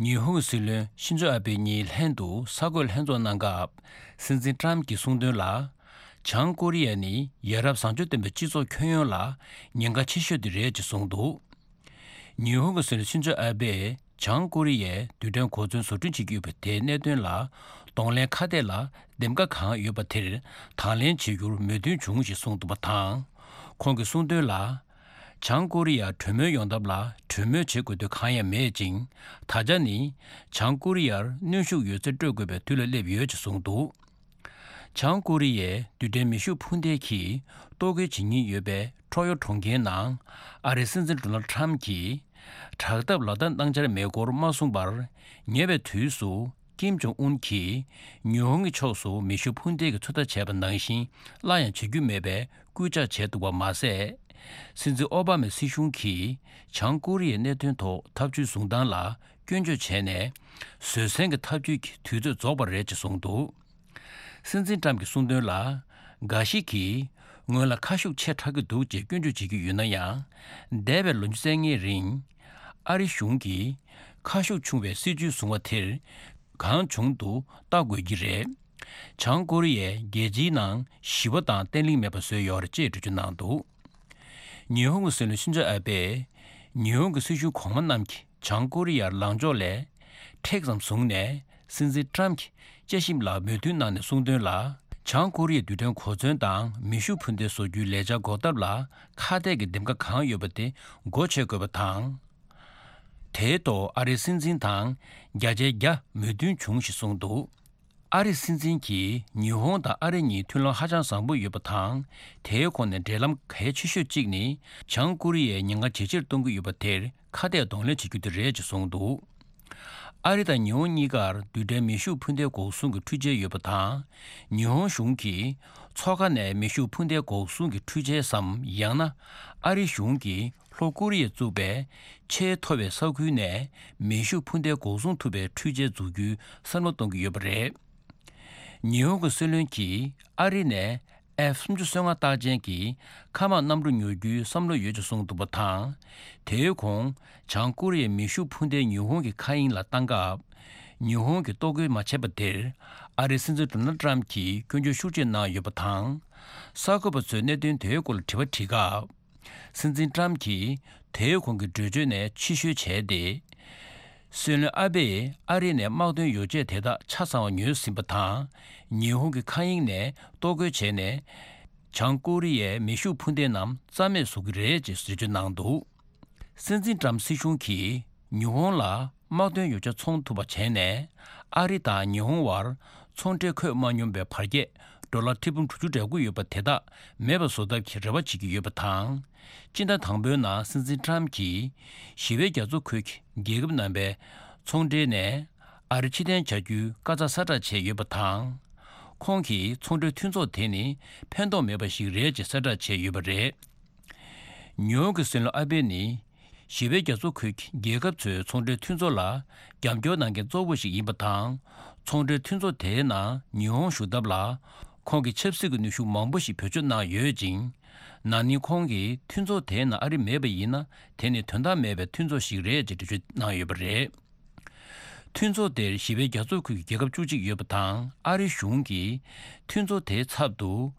ཉི་ཧོང་གི་སྲིད་བློན་ཤིན་ཛོ་ཨ་བྷེ་གཉིས་ལྷན་དུ་གསར་འགོད་ལྷན་ཚོགས་གནང་སྐབས། སྲིད་འཛིན་ཊྲམ་གྱིས་གསུངས་དོན་ལ། བྱང་ཀོ་རི་ཡ་ནི་ཡ་རབས་བཟང་སྤྱོད་ལྡན་པའི་སྤྱི་ཚོགས་ཁྱོན་ཡོངས་ལ་ཉེན་ཁ་ཆེ་ཤོས་དེ་རེད་ཅེས་གསུངས་འདུག་ཉི་ཧོང་གི་སྲིད་བློན་ཤིན་ཛོ་ཨ་བྷེས་བྱང་ཀོ་རི་ཡས་རྡུལ་ཕྲན་གོ་མཚོན་བཟོ་སྐྲུན་བྱེད་ཀྱི་ཡོད་པ་དེའི་གནད་དོན་ལ། གདོང་ལེན་ཁ་གཏད་ལ་འདེམས་ཀ་གང་ཡོད་པ་དེར་དང་ལེན་བྱེད་རྒྱུར་མོས་མཐུན་བྱུང་ཞེས་གསུངས་འདུག་པ་དང་། ཁོང་གིས་གསུངས་དོན་ལ། བྱང་ཀོ་རི་ཡར་གྲོས་མོལ་ཡོང་ཐབས་ལ་གྲོས་མོལ་བྱེད་དགོས་དོན་གང་ཡང་མེད་ཅིང་། ད་ཆ་ནི་བྱང་ཀོ་རི་ཡར་གནོན་ཤུགས་ཡོད་ཚད་སྤྲོད་དགོས་པའི་དུས་ལ་སླེབས་ཡོད་ཅེས་གསུངས་འདུག་བྱང་ཀོ་རི་ཡས་རྡུལ་ཕྲན་མེ་ཤུགས་འཕུར་མདེལ་གྱིས་གཏོར་རྒོལ་བྱེད་ཉེན་ཡོད་པའི་ཁྲོ་ཡོ་གྲོང་ཁྱེར་ནང་ཨ་རིའི་སྲིད་འཛིན་ཌོ་ནལ་ཁྲམ་གྱིས་དྲག་འཐབ་ལག་བསྟར་གནང་འཆར་མེད་སྐོར་མ་གསུངས་པར། ཉེ་བའི་དུས་སུ་ཀིམ་ཇོང་ཨུན་གྱིས་ཉི་ཧོང་གི་ཕྱོགས་སུ་མེ་ཤུགས་འཕུར་མདེལ་གྱི་ཚོད་ལྟ་བྱས་པ་ནང་བཞིན་སླར་ཡང་བྱེད་རྒྱུ་མེད་པའི་སྐུལ་ལྕག་བྱས་འདུག་པ་མ་ཟད། སྲིད་འཛིན་ཨོ་བྷ་མའི་སྲིད་གཞུང་གིས་བྱང་ཀོ་རི་ཡའི་གནད་དོན་ཐོག་ཐབས་ཇུས་བཟུང་སྟངས་ལ་སྐྱོན་བརྗོད་བྱས་ནས། བཟོད་བསྲན་གྱི་ཐབས་ཇུས་ཀྱི་དུས་ཚོད་རྫོགས་པ་རེད་ཅེས་གསུངས་འདུག་སྲིད་འཛིན་ཀྲམ་གྱིས་གསུངས་དོན་ལ། འགའ་ཞིག་གིས་ངོས་ལ་ཁ་ཤུགས་ཆེ་དྲགས་ཀྱི་འདུག་ཅེས་སྐྱོན་བརྗོད་བྱེད་ཀྱི་ཡོད་ན་ཡང་། འདས་པའི་ལོ་ཉི་ཤུ་རྩ་ལྔའི་རིང་། ཨ་རི་གཞུང་གིས་ཁ་ཤུགས་ཆུང་བའི་སྲིད་ཇུས་བཟུང་བ་དེར་གང་བྱུང་དུ་ལྟ་དགོས་ཀྱི་རེད། བྱང་ཀོ་རི་ཡས་རྒྱལ་སྤྱིའི་ནང་ཞི་བ་དང་བརྟན་ལྷིང་མེད་པ་བཟོས་ཡོད་རེད་ཅེས་འགྲེལ་བརྗོད་གནང་འདུག་ཉི་ཧོང་གི་སྲིད་བློན་ཤིན་ཛོ་ཨ་བྷེས་ཉི་ཧོང་གི་སྲིད་གཞུང་གོང་མ་རྣམས་ཀྱིས་བྱང་ཀོ་རི་ཡར་ལངས་ཕྱོགས་ལས་མཁྲེགས་ཙམ་བཟུང་ནས། སྲིད་འཛིན་ཀྲམ་གྱི་དཔྱད་ཞིབ་ལ་མོས་མཐུན་གནང་ནས་གསུངས་དོན་ལ། བྱང་ཀོ་རི་ཡའི་རྡུལ་ཕྲན་གོ་མཚོན་དང་མེ་ཤུགས་འཕུར་མདེལ་བཟོ་རྒྱུའི་ལས་འཆར་འགོག་ཐབས་ལ་ཁ་གཏད་ཀྱི་འདེམས་ཀ་གང་ཡོད་པ་དེ་སྒོ་ཕྱེ་དགོས་པ་དང་། དེའི་ཐོག་ཨ་རིའི་སྲིད་འཛིན་དང་བརྒྱ་ཆའི་བརྒྱ་མོས་མཐུན་བྱུང་ཞེས་གསུངས་འདུག་ཨ་རིའི་སྲིད་འཛིན་གྱིས་ཉི་ཧོང་དང་ཨ་རི་གཉིས་མཐུན་ལམ་ཧ་ཅང་བཟང་པོ་ཡོད་པ་དང་། དེའི་ཁོངས་ནས་འབྲེལ་ལམ་གལ་ཆེ་ཤོས་གཅིག་ནི་བྱང་ཀོ་རི་ཡས་ཉེན་ཁ་ཇེ་ཆེར་གཏོང་གི་ཡོད་པ་དེར་ཁ་གཏད་གདོང་ལེན་བྱེད་རྒྱུ་དེ་རེད་ཅེས་གསུངས་འདུག་ཨ་རི་དང་ཉི་ཧོང་གཉིས་ཀར་རྡུལ་ཕྲན་མེ་ཤུགས་འཕུར་མདེལ་འགོག་སྲུང་གི་འཕྲུལ་ཆས་ཡོད་པ་དང་། ཉི་ཧོང་གཞུང་གིས་མཚོ་ཁ་ནས་མེ་ཤུགས་འཕུར་མདེལ་འགོག་སྲུང་གི་འཕྲུལ་ཆས་སམ། ཡང་ན་ཨ་རི་གཞུང་གིས་ལྷོ་ཀོ་རི་ཡས་བཙུགས་པའི་ཆེས་མཐོ་བའི་ས་ཁུལ་ནས་མེ་ཤུགས་འཕུར་མདེལ་འགོག་སྲུང་ཐུབ་པའི་འཕྲུལ་ཆས་འཛུགས་རྒྱུའི་བསམ་བློ་གཏོང་གི་ཡོད་པ་རེད། ཉི་ཧོང་གི་སྲིད་བློན་གྱིས་ཨ་རི་ནས་ཨེཕ་སུམ་ཅུ་སོ་ལྔ་རྟགས་ཅན་གྱི་མཁའ་དམག་གནམ་གྲུ་ཉོ་རྒྱུའི་བསམ་བློ་ཡོད་ཅེས་གསུངས་འདུག་པ་དང་། དེའི་གོང་བྱང་ཀོ་རི་ཡའི་མེ་ཤུགས་འཕུར་མདེལ་ཉི་ཧོང་གི་མཁའ་དབྱིངས་ལ་བཏང་སྐབས། ཉི་ཧོང་གིས་གཏོར་རྒོལ་མ་བྱས་པ་དེར་ཨ་རིའི་སྲིད་འཛིན་ཌོ་ནལ་ཏྲམ་གྱིས་སྐྱོན་བརྗོད་ཤུགས་ཆེ་གནང་ཡོད་པ་དང་། གསར་འགོད་པ་ཚོས་གནད་དོན་དེའི་སྐོར་ལ་དྲི་བ་དྲིས་སྐབས། སྲིད་འཛིན་ཏྲམ་གྱིས་དེའི་གོང་གི་གྲོས་ཆོད་ནས་ཕྱིར་བཤོལ་བྱས་ཏེ། སྲིད་བློན་ཨ་བེས་ཨ་རི་ནས་དམག་དོན་ཡོ་བྱད་དེ་དག་ཆ་ཚང་བ་ཉོས་ཟིན་པ་དང་། ཉི་ཧོང་གི་མཁའ་དབྱིངས་ནས་གཏོར་རྒོལ་བྱས་ནས། བྱང་ཀོ་རི་ཡའི་མེ་ཤུགས་འཕུར་མདེལ་རྣམས་རྩ་མེད་བཟོ་གི་རེད་ཅེས་འགྲེལ་བརྗོད་གནང་འདུག་སྲིད་འཛིན་ཏྲམ་སྲིད་གཞུང་གིས་ཉི་ཧོང་ལ་དམག་དོན་ཡོ་བྱད་འཚོང་ཐུབ་པ་བྱས་ནས། ཨ་རི་དང་ཉི་ཧོང་བར་ཚོང་འབྲེལ་འཁོད་མ་མྱོང་པའི་བར་ཁྱད་ཌོ་ལར་ཁྲི་འབུམ་དྲུག་ཅུ་འགྲོ་གི་ཡོད་པ་དེ་དག་མེད་པ་བཟོ་ཐབས་ཀྱི་རེ་བ་བྱེད་ཀྱི་ཡོད་པ་དང་། སྤྱི་ཟླ་དང་པོའི་ནང་སྲིད་འཛིན་ཏྲམ་གྱིས་ཞི་བའི་རྒྱ་མཚོ་ཁུལ་གྱི་རྒྱལ་ཁབ་རྣམ་པའི་ཚོང་འབྲེལ་ནས་ཨ་རི་ཕྱིར་འཐེན་བྱ་རྒྱུའི་བཀའ་རྩ་གསལ་བསྒྲགས་བྱས་ཡོད་པ་དང་། ཁོང་གིས་ཚོང་འབྲེལ་མཐུན་ཚོགས་དེ་ནི་ཕན་ཐོགས་མེད་པ་ཞིག་རེད་ཅེས་གསལ་བསྒྲགས་བྱས་ཡོད་པ་རེད། ཉོ་གི་སྲིད་བློན་ཨ་བེ་ནི་ཞི་བའི་རྒྱ་མཚོ་ཁུལ་གྱི་རྒྱལ་ཁབ་ཚོའི་ཚོང་འབྲེལ་མཐུན་ཚོགས་ལ་རྒྱབ་སྐྱོར་གནང་མཁན་གཙོ་བོ་ཞིག་ཡིན་པ་དང་། ཚོང་འབྲེལ་མཐུན་ཚོགས་དེའི་ནང་ཉི་ཧོང་ཞུགས་ཐབས་ལ་ཁོང་གིས་ཆབ་སྲིད་ཀྱི་ནུས་ཤུགས་མང་པོ་ཞིག་བེད་སྤྱོད་གནང་ཡོད་ཅིང་། ན་ནིང་ཁོང་གིས་མཐུན་ཚོགས་དེའི་ནང་ཨ་རི་མེད་པ་ཡིན་ན་དེ་ནི་དོན་དག་མེད་པའི་མཐུན་ཚོགས་ཤིག་རེད་ཅེས་འགྲེལ་བརྗོད་གནང་ཡོད་པ་རེད། མཐུན་ཚོགས་དེར་ཞི་བའི་རྒྱ་མཚོ་ཁུལ་གྱི་རྒྱལ་ཁབ་བཅུ་གཅིག་ཡོད་པ་དང་། ཨ་རི་གཞུང་གིས་མཐུན་ཚོགས་དེའི་ཚབ་ཏུ་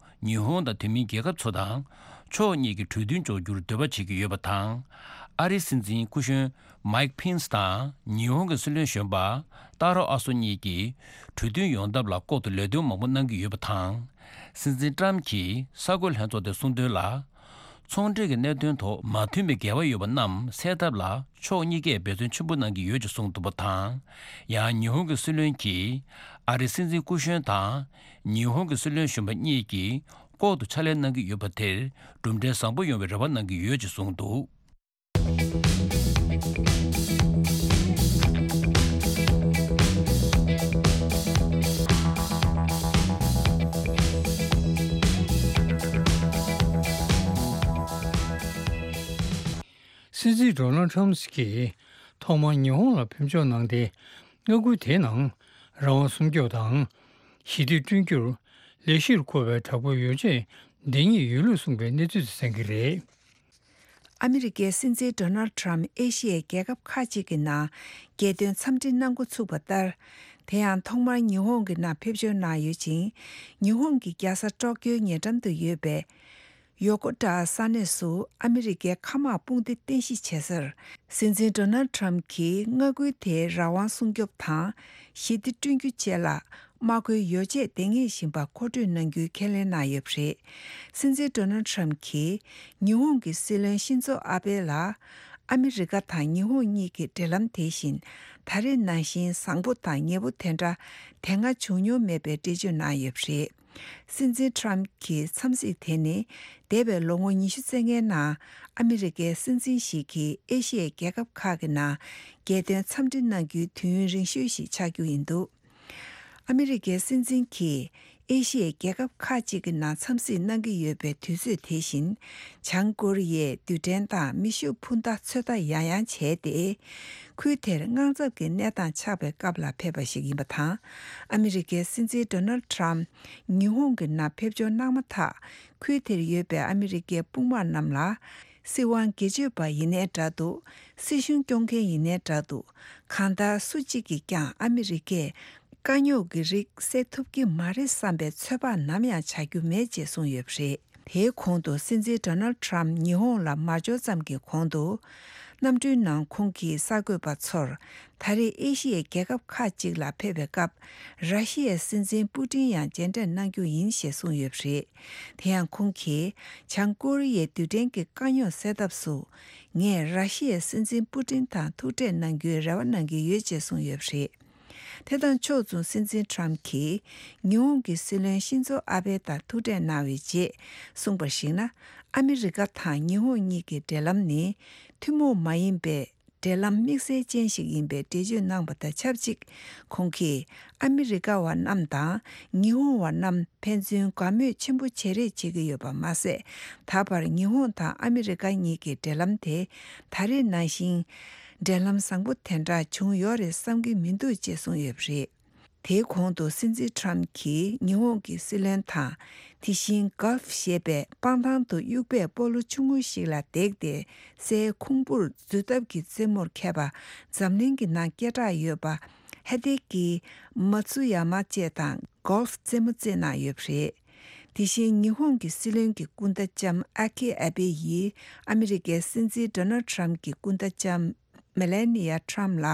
ཉི་ཧོང་དང་དེ་མིན་རྒྱལ་ཁབ་ཚོ་དང་ཕྱོགས་གཉིས་ཀྱི་གྲོས་མཐུན་འཇོག་རྒྱུར་འདོད་པ་བྱེད་ཀྱི་ཡོད་པ་དང་། ཨ་རིའི་སྲིད་འཛིན་སྐུ་གཞོན་མཱིག་ཕིན་སི་དང་ཉི་ཧོང་གི་སྲིད་བློན་གཞོན་པ་ཏཱ་རོ་ཨ་སོ་གཉིས་ཀྱིས་གྲོས་མཐུན་ཡོང་ཐབས་ལ་ལྐོག་ཏུ་ལས་དོན་མང་པོ་གནང་གི་ཡོད་པ་དང་། སྲིད་འཛིན་ཏྲམ་གྱིས་གསར་འགོད་ལྷན་ཚོགས་དེར་གསུངས་དོན་ལ། ཚོང་འབྲེལ་གྱི་གནད་དོན་ཐོག་མ་མཐུན་པའི་འགལ་བ་ཡོད་པ་རྣམས་སེལ་ཐབས་ལ་ཕྱོགས་གཉིས་ཀས་འབད་བརྩོན་ཆེན་པོ་གནང་གི་ཡོད་ཅེས་གསུངས་འདུག་པ་དང་། ཡང་ཉི་ཧོང་གི་སྲིད་བློན་གྱིས་ཨ་རིའི་སྲིད་འཛིན་སྐུ་གཞོན་དང་ཉི་ཧོང་གི་སྲིད་བློན་གཞོན་པ་གཉིས་ཀྱིས་ལྐོག་ཏུ་ཕྱག་ལས་གནང་གི་ཡོད་པ་དེར་གྲུབ་འབྲས་བཟང་པོ་ཡོང་བའི་རེ་བ་གནང་གི་ཡོད་ཅེས་གསུངས་འདུག་སྲིད་འཛིན་ཌོ་ནལ་ཁྲམ་གྱིས་ཐོག་མར་ཉི་ཧོང་ལ་ཕེབས་འབྱོར་གནང་སྟེ། མངའ་ཁུལ་དེའི་ནང་རང་དབང་སྲུང་སྐྱོབ་དང་། ཞི་བདེ་བསྐྲུན་རྒྱུར་ལས་གཞིར་བཀོད་པའི་དྲག་པོའི་ཡོ་བྱད་འདི་ཉིད་ཡོད་ལུགས་གསུངས་པའི་གནས་ཚུལ་དེ་གསན་གྱི་རེད། ཨ་མི་རི་ཀའི་སྲིད་འཛིན་ཌོ་ནལ་ཁྲམ་ཨེ་ཤི་ཡའི་རྒྱལ་ཁབ་ཁག་ཅིག་གི་ནང་རྒྱལ་དོན་འཚམས་འདྲི་གནང་འགོ་ཚུགས་པ་ལྟར། དེ་ཡང་ཐོག་མར་ཉི་ཧོང་གི་ནང་ཕེབས་འབྱོར་གནང་ཡོད་ཅིང་། ཉི་ཧོང་གི་རྒྱལ་ས་ཀྲོག་ཀྱོའི་ཉེ་འགྲམ་དུ་ཡོད་པའི་ཡོ་ཀོ་ཏཱ་ས་གནས་སུ་ཨ་མི་རི་ཀའི་མཁའ་དམག་དཔུང་སྡེ་རྟེན་གཞི་བྱེད་སར། སྲིད་འཛིན་ཌོ་ནལ་ཁྲམ་གྱིས་མངའ་ཁུལ་དེའི་རང་དབང་སྲུང་སྐྱོབ་དང་། ཞི་བདེ་བསྐྲུན་རྒྱུ་བཅས་ལ། དམག་མཁོའི་ཡོ་བྱད་འདེང་ངེས་བཞིན་པ་མཁོ་སྤྲོད་གནང་རྒྱུའི་ཁས་ལེན་གནང་ཡོད་པ་རེད། སྲིད་འཛིན་ཌོ་ནལ་ཁྲམ་གྱིས་ཉི་ཧོང་གི་སྲིད་བློན་ཤིན་ཛོ་ཨ་བྷེ་ལ། ཨ་མི་རི་ཀ་དང་ཉི་ཧོང་གཉིས་ཀྱི་འབྲེལ་ལམ་དེ་བཞིན་ད་རེས་ནང་བཞིན་བཟང་པོ་དང་ཉེ་པོ་དེ་འདྲ་དེ་སྔ་བྱུང་མྱོང་མེད་པའི་འགྲེལ་བརྗོད་གནང་ཡོད་པ་རེད། སྲིད་འཛིན་ཁྲམ་གྱི་འཚམས་གཟིགས་དེ་ནི་འདས་པའི་ལོ་ངོ་ཉི་ཤུ་རྩ་ལྔའི་ནང་ཨ་མི་རི་ཀའི་སྲིད་འཛིན་ཞིག་གིས་ཨེ་ཤི་ཡའི་རྒྱལ་ཁབ་ཁག་གི་ནང་རྒྱལ་དོན་འཚམས་འདྲི་གནང་རྒྱུའི་དུས་ཡུན་རིང་ཤོས་ཤིག་ཆགས་རྒྱུ་ཡིན་འདུག་ཨ་མི་རི་ཀའི་སྲིད་འཛིན་གྱིས་ཨེ་ཤི་ཡའི་རྒྱལ་ཁབ་ཁག་ཅིག་གི་ནང་འཚམས་གཟིགས་གནང་གི་ཡོད་པའི་དུས་ཚོད་དེ་བཞིན། བྱང་ཀོ་རི་ཡས་རྡུལ་ཕྲན་དང་མེ་ཤུགས་འཕུར་མདའ་ཚོད་ལྟ་ཡང་ཡང་བྱས་ཏེ། ཁུལ་དེར་དངངས་འཚབ་ཀྱི་གནས་སྟངས་ཆགས་པའི་སྐབས་ལ་ཕེབས་པ་ཞིག་ཡིན་པ་དང་། ཨ་མི་རི་ཀའི་སྲིད་འཛིན་ཌོ་ནལ་ཁྲམ་ཉི་ཧོང་གི་ནང་ཕེབས་འབྱོར་གནང་མ་ཐག་ཁུལ་དེར་ཡོད་པའི་ཨ་མི་རི་ཀའི་དཔུང་དམག་རྣམས་ལ། སྲིད་དབང་སྒེར་གཅོད་པ་ཡིན་ནའི་འདྲ་འདུག་སྲིད་གཞུང་སྐྱོང་མཁན་ཡིན་ནའི་འདྲ་འདུག་གང་ལྟར་སུ་གཅིག་གིས་ཀྱང་ཨ་མི་རི་ཀས་དཀའ་རྙོག་གི་རིགས་སེལ་ཐུབ་ཀྱི་མ་རེད་བསམ་པའི་ཚོད་དཔག་ནམ་ཡང་བྱ་རྒྱུ་མེད་ཅེས་གསུངས་ཡོད་པ་རེད། དེའི་གོང་དུ་སྲིད་འཛིན་ཌོ་ནལ་ཁྲམ་ཉི་ཧོང་ལ་མ་འབྱོར་ཙམ་གྱི་གོང་དུ། གནམ་གྲུའི་ནང་ཁོང་གིས་གསར་འགོད་པ་ཚོར། ད་རེས་ཨེ་ཤི་ཡའི་རྒྱལ་ཁབ་ཁག་ཅིག་ལ་ཕེབས་པའི་སྐབས། ར་ཤི་ཡའི་སྲིད་འཛིན་པུ་ཏིན་ཡང་མཇལ་འཕྲད་གནང་རྒྱུ་ཡིན་ཞེས་གསུངས་ཡོད་པ་རེད། དེ་ཡང་ཁོང་གིས། བྱང་ཀོ་རི་ཡའི་རྡུལ་ཕྲན་གྱི་དཀའ་རྙོག་སེལ་ཐབས་སུ། ངས་ར་ཤི་ཡའི་སྲིད་འཛིན་པུ་ཏིན་དང་ཐུག་འཕྲད་གནང་རྒྱུའི་རེ་བ་གནང་གི་ཡོད་ཅེས་གསུངས་ཡོད་པ་རེད། དེ་དང་ཕྱོགས་མཚུངས། སྲིད་འཛིན་ཁྲམ་གྱིས་ཉི་ཧོང་གི་སྲིད་བློན་ཤིན་ཛོ་ཨ་བྷེ་དང་ཐུག་འཕྲད་གནང་བའི་རྗེས་གསུངས་པར་གཞིགས་ན། ཨ་མི་རི་ཀ་དང་ཉི་ཧོང་གཉིས་ཀྱི་འབྲེལ་ལམ་ནི་ཐུན་མོང་མ་ཡིན་པའི་འབྲེལ་ལམ་དམིགས་བསལ་ཅན་ཞིག་ཡིན་པའི་འགྲེལ་བརྗོད་གནང་བ་དང་ཆབས་ཅིག། ཁོང་གིས་ཨ་མི་རི་ཀ་བ་རྣམས་དང་ཉི་ཧོང་བ་རྣམས་ཕན་ཚུན་དགའ་མོས་ཆེན་པོ་བྱེད་རེས་བྱེད་ཀྱི་ཡོད་པ་མ་ཟད། ད་བར་ཉི་ཧོང་དང་ཨ་མི་རི་ཀ་གཉིས་ཀྱི་འབྲེལ་ལམ་དེ་ད་རེས་ནང་བཞིན། འབྲེལ་ལམ་བཟང་པོ་དེ་འདྲ་བྱུང་ཡོད་རེད་བསམ་གྱི་མི་འདུག་ཅེས་གསུངས་ཡོད་པ་རེད། དེའི་གོང་དུ་སྲིད་འཛིན་ཁྲམ་གྱིས་ཉི་ཧོང་གི་སྲིད་བློན་དང་། དེ་བཞིན་གཱལཕ་ཞེས་པའི་སྤང་ཐང་དུ་དབྱུག་པའི་སྤོ་ལོ་ཆུང་ངུ་ཞིག་ལ་བརྡེགས་ཏེ། སའི་ཁུང་བུར་འཛུལ་ཐབས་ཀྱི་རྩེད་མོར་མཁས་པ། འཛམ་གླིང་གི་ནང་སྐད་གྲགས་ཡོད་པ། ཧ་ཏེ་ཀི་མ་ཚུ་ཡ་མ་བཅས་དང་གཱལཕ་རྩེད་མོ་རྩེད་གནང་ཡོད་པ་རེད། དེ་བཞིན་ཉི་ཧོང་གི་སྲིད་བློན་གྱི་སྐུ་ཟླ་ལྕམ་ཨ་ཁི་ཨ་བེ་ཡིས་ཨ་མི་རི་ཀའི་སྲིད་འཛིན་ཌོ་ནལ་ཁྲམ་གྱི་སྐུ་ཟླ་ལྕམ་མེ་ལེ་ནི་ཡ་ཁྲམ་ལ་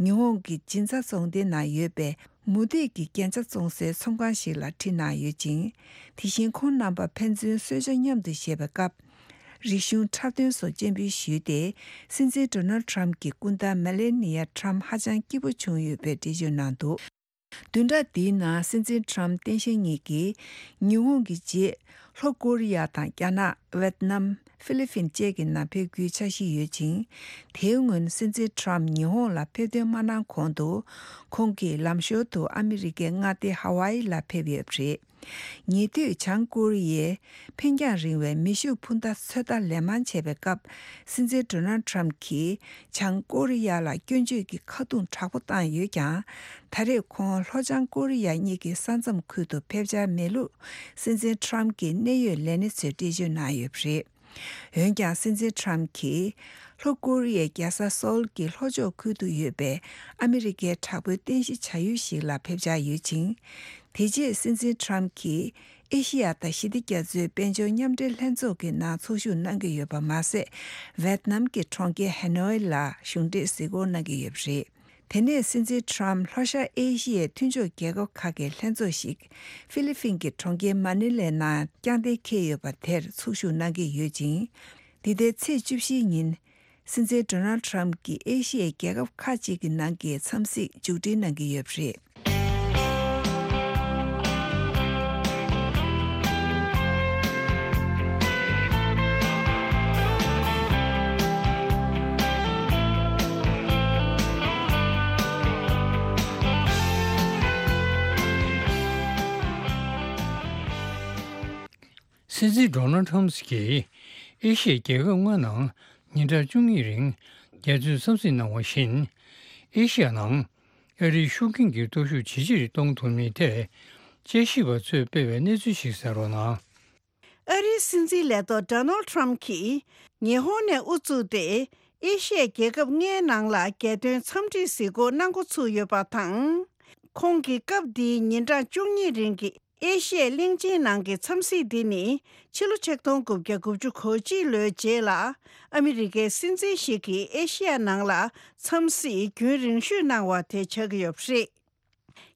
ཉི་ཧོང་གི་ཇིན་ཚ་རྫོང་སྡེ་ནང་ཡོད་པའི་མུ་སྟེགས་ཀྱི་རྒྱན་ཆ་བཙོང་སའི་ཚོང་ཁང་ཞིག་ལ་ཁྲིད་གནང་ཡོད་ཅིང་། དེ་བཞིན་ཁོང་རྣམ་པ་ཕན་ཚུན་གསོལ་ཇ་མཉམ་དུ་བཞེས་པའི་སྐབས། རིག་གཞུང་འཁྲབ་སྟོན་སོགས་སྤྱན་འབུལ་ཞུས་ཏེ། སྲིད་འཛིན་ཌོ་ནལ་ཁྲམ་གྱི་སྐུ་ཟླ་མེ་ལེ་ནི་ཡ་ཁྲམ་ཧ་ཅང་སྐྱིད་པོ་བྱུང་ཡོད་པའི་འགྲེལ་བརྗོད་གནང་འདུག། བདུན་ཕྲག་འདིའི་ནང་སྲིད་འཛིན་ཁྲམ་སྟངས་དཔྱལ་གཉིས་ཀྱིས་ཉི་ཧོང་གི་རྗེས་ལྷོ་ཀོ་རི་ཡ་དང་རྒྱ་ནག་ཝེད་ནམ། ཧྥི་ལི་ཕིན་བཅས་ཀྱི་ནང་ཕེབས་རྒྱུའི་འཆར་གཞི་ཡོད་ཅིང་། དེའི་སྔོན་སྲིད་འཛིན་ཁྲམ་ཉི་ཧོང་ལ་ཕེབས་ཐོན་མ་གནང་གོང་དུ། ཁོང་གིས་ལམ་ཞོར་དུ་ཨ་མི་རི་ཀའི་མངའ་སྡེ་ཧ་ཝཱ་ཡི་ལ་ཕེབས་ཡོད་པ་རེད། ཉེ་དུས་བྱང་ཀོ་རི་ཡས་འཕེན་རྒྱང་རིང་བའི་མེ་ཤུགས་འཕུར་མདའ་ཚོད་ལྟ་ལན་མང་བྱས་པའི་སྐབས། སྲིད་འཛིན་ཌོ་ནལ་ཁྲམ་གྱིས་བྱང་ཀོ་རི་ཡ་ལ་སྐྱོན་བརྗོད་ཀྱི་ཁ་རྡུང་དྲག་པོ་བཏང་ཡོད་ཀྱང་། ད་རེས་ཁོང་ལྷོ་བྱང་ཀོ་རི་ཡ་གཉིས་ཀྱི་ས་མཚམས་ཁུལ་དུ་ཕེབས་འཆར་མེད་ལུགས། སྲིད་འཛིན་ཁྲམ་གྱི་གནད་ཡོད་ལས་སྣེ་ཚོས་འགྲེལ་བརྗོད་གནང་ཡོད་པ་རེད། འོན་ཀྱང་སྲིད་འཛིན་ཁྲམ་གྱིས་ལྷོ་ཀོ་རི་ཡའི་རྒྱལ་ས་སོལ་གྱི་ལྷོ་ཕྱོགས་ཁུལ་དུ་ཡོད་པའི་ཨ་མི་རི་ཀའི་དྲག་པོའི་རྟེན་གཞི་བྱ་ཡུལ་ཞིག་ལ་ཕེབས་འཆར་ཡོད་ཅིང་། དེ་རྗེས་སྲིད་འཛིན་ཁྲམ་གྱིས་ཨེ་ཤི་ཡ་དང་ཞི་བདེ་རྒྱ་མཚོའི་དཔལ་འབྱོར་མཉམ་འབྲེལ་ལྷན་ཚོགས་ཀྱི་ནང་ཚོགས་ཞུགས་གནང་གི་ཡོད་པ་མ་ཟད། ཝེད་ནམ་གྱི་གྲོང་ཁྱེར་ཧ་ནོའི་ལ་གཞུང་འབྲེལ་གཟིགས་སྐོར་གནང་གི་ཡོད་པ་རེད། དེ་ནས་སྲིད་འཛིན་ཁྲམ་ལྷོ་ཤར་ཨེ་ཤི་ཡའི་མཐུན་ཕྱོགས་རྒྱལ་ཁབ་ཁག་གི་ལྷན་ཚོགས་ཤིག་ཧྥི་ལི་ཕིན་གྱི་གྲོང་ཁྱེར་མ་ནི་ལའི་ནང་རྐྱང་རྟེན་འཁེལ་ཡོད་པ་དེར་ཚོགས་ཞུགས་གནང་གི་ཡོད་ཅིང་། འདི་ཟླའི་ཚེས་བཅུ་བཞིའི་ཉིན། སྲིད་འཛིན་ཌོ་ནལ་ཁྲམ་གྱིས་ཨེ་ཤི་ཡའི་རྒྱལ་ཁབ་ཁག་ཅིག་གི་ནང་གི་འཚམས་གཟིགས་མཇུག་སྒྲིལ་གནང་གི་ཡོད་པ་རེད། སྲིད་འཛིན་ཌོ་ནལ་ཁྲམ་གྱིས་ཨེ་ཤི་ཡའི་རྒྱལ་ཁབ་ལྔ་ནང་ཉིན་གྲངས་བཅུ་གཉིས་རིང་རྒྱ་མཚོའི་འཚམས་གཟིགས་གནང་བ་བཞིན། ཨེ་ཤི་ཡ་ནང་ཨ་རིའི་ཤུགས་རྐྱེན་གྱི་སྟོབས་ཤུགས་ཇེ་ཆེར་གཏོང་ཐུབ་མིན་ཐད་དཔྱད་ཞིབ་པ་ཚོས་སྤེལ་བའི་གནས་ཚུལ་ཞིག་གསན་རོགས་གནང་། ཨ་རིའི་སྲིད་འཛིན་ལས་ཐོག་ཌོ་ནལ་ཁྲམ་གྱིས་ཉི་ཧོང་ནས་དབུ་བཙུགས་ཏེ་ཨེ་ཤི་ཡའི་རྒྱལ་ཁབ་ལྔའི་ནང་ལ་རྒྱལ་དོན་འཚམས་འདྲིའི་གཟིགས་སྐོར་གནང་འགོ་ཚུགས་ཡོད་པ་དང་། ཁོང་གི་སྐབས་འདིའི་ཉིན་གྲངས་བཅུ་གཉིས་རིང་གི་ཨེ་ཤི་ཡའི་གླིང་ཆེན་ནང་གི་འཚམས་གཟིགས་འདི་ནི་ཕྱི་ལོ་ཆིག་སྟོང་དགུ་བརྒྱ་དགུ་བཅུ་གོ་གཅིག་ལོའི་རྗེས་ལ་ཨ་མི་རི་ཀའི་སྲིད་འཛིན་ཞིག་གིས་ཨེ་ཤི་ཡ་ནང་ལ་འཚམས་གཟིགས་རྒྱུན་རིང་ཤོས་གནང་བ་དེ་ཆགས་ཀྱི་ཡོད་པ་རེད།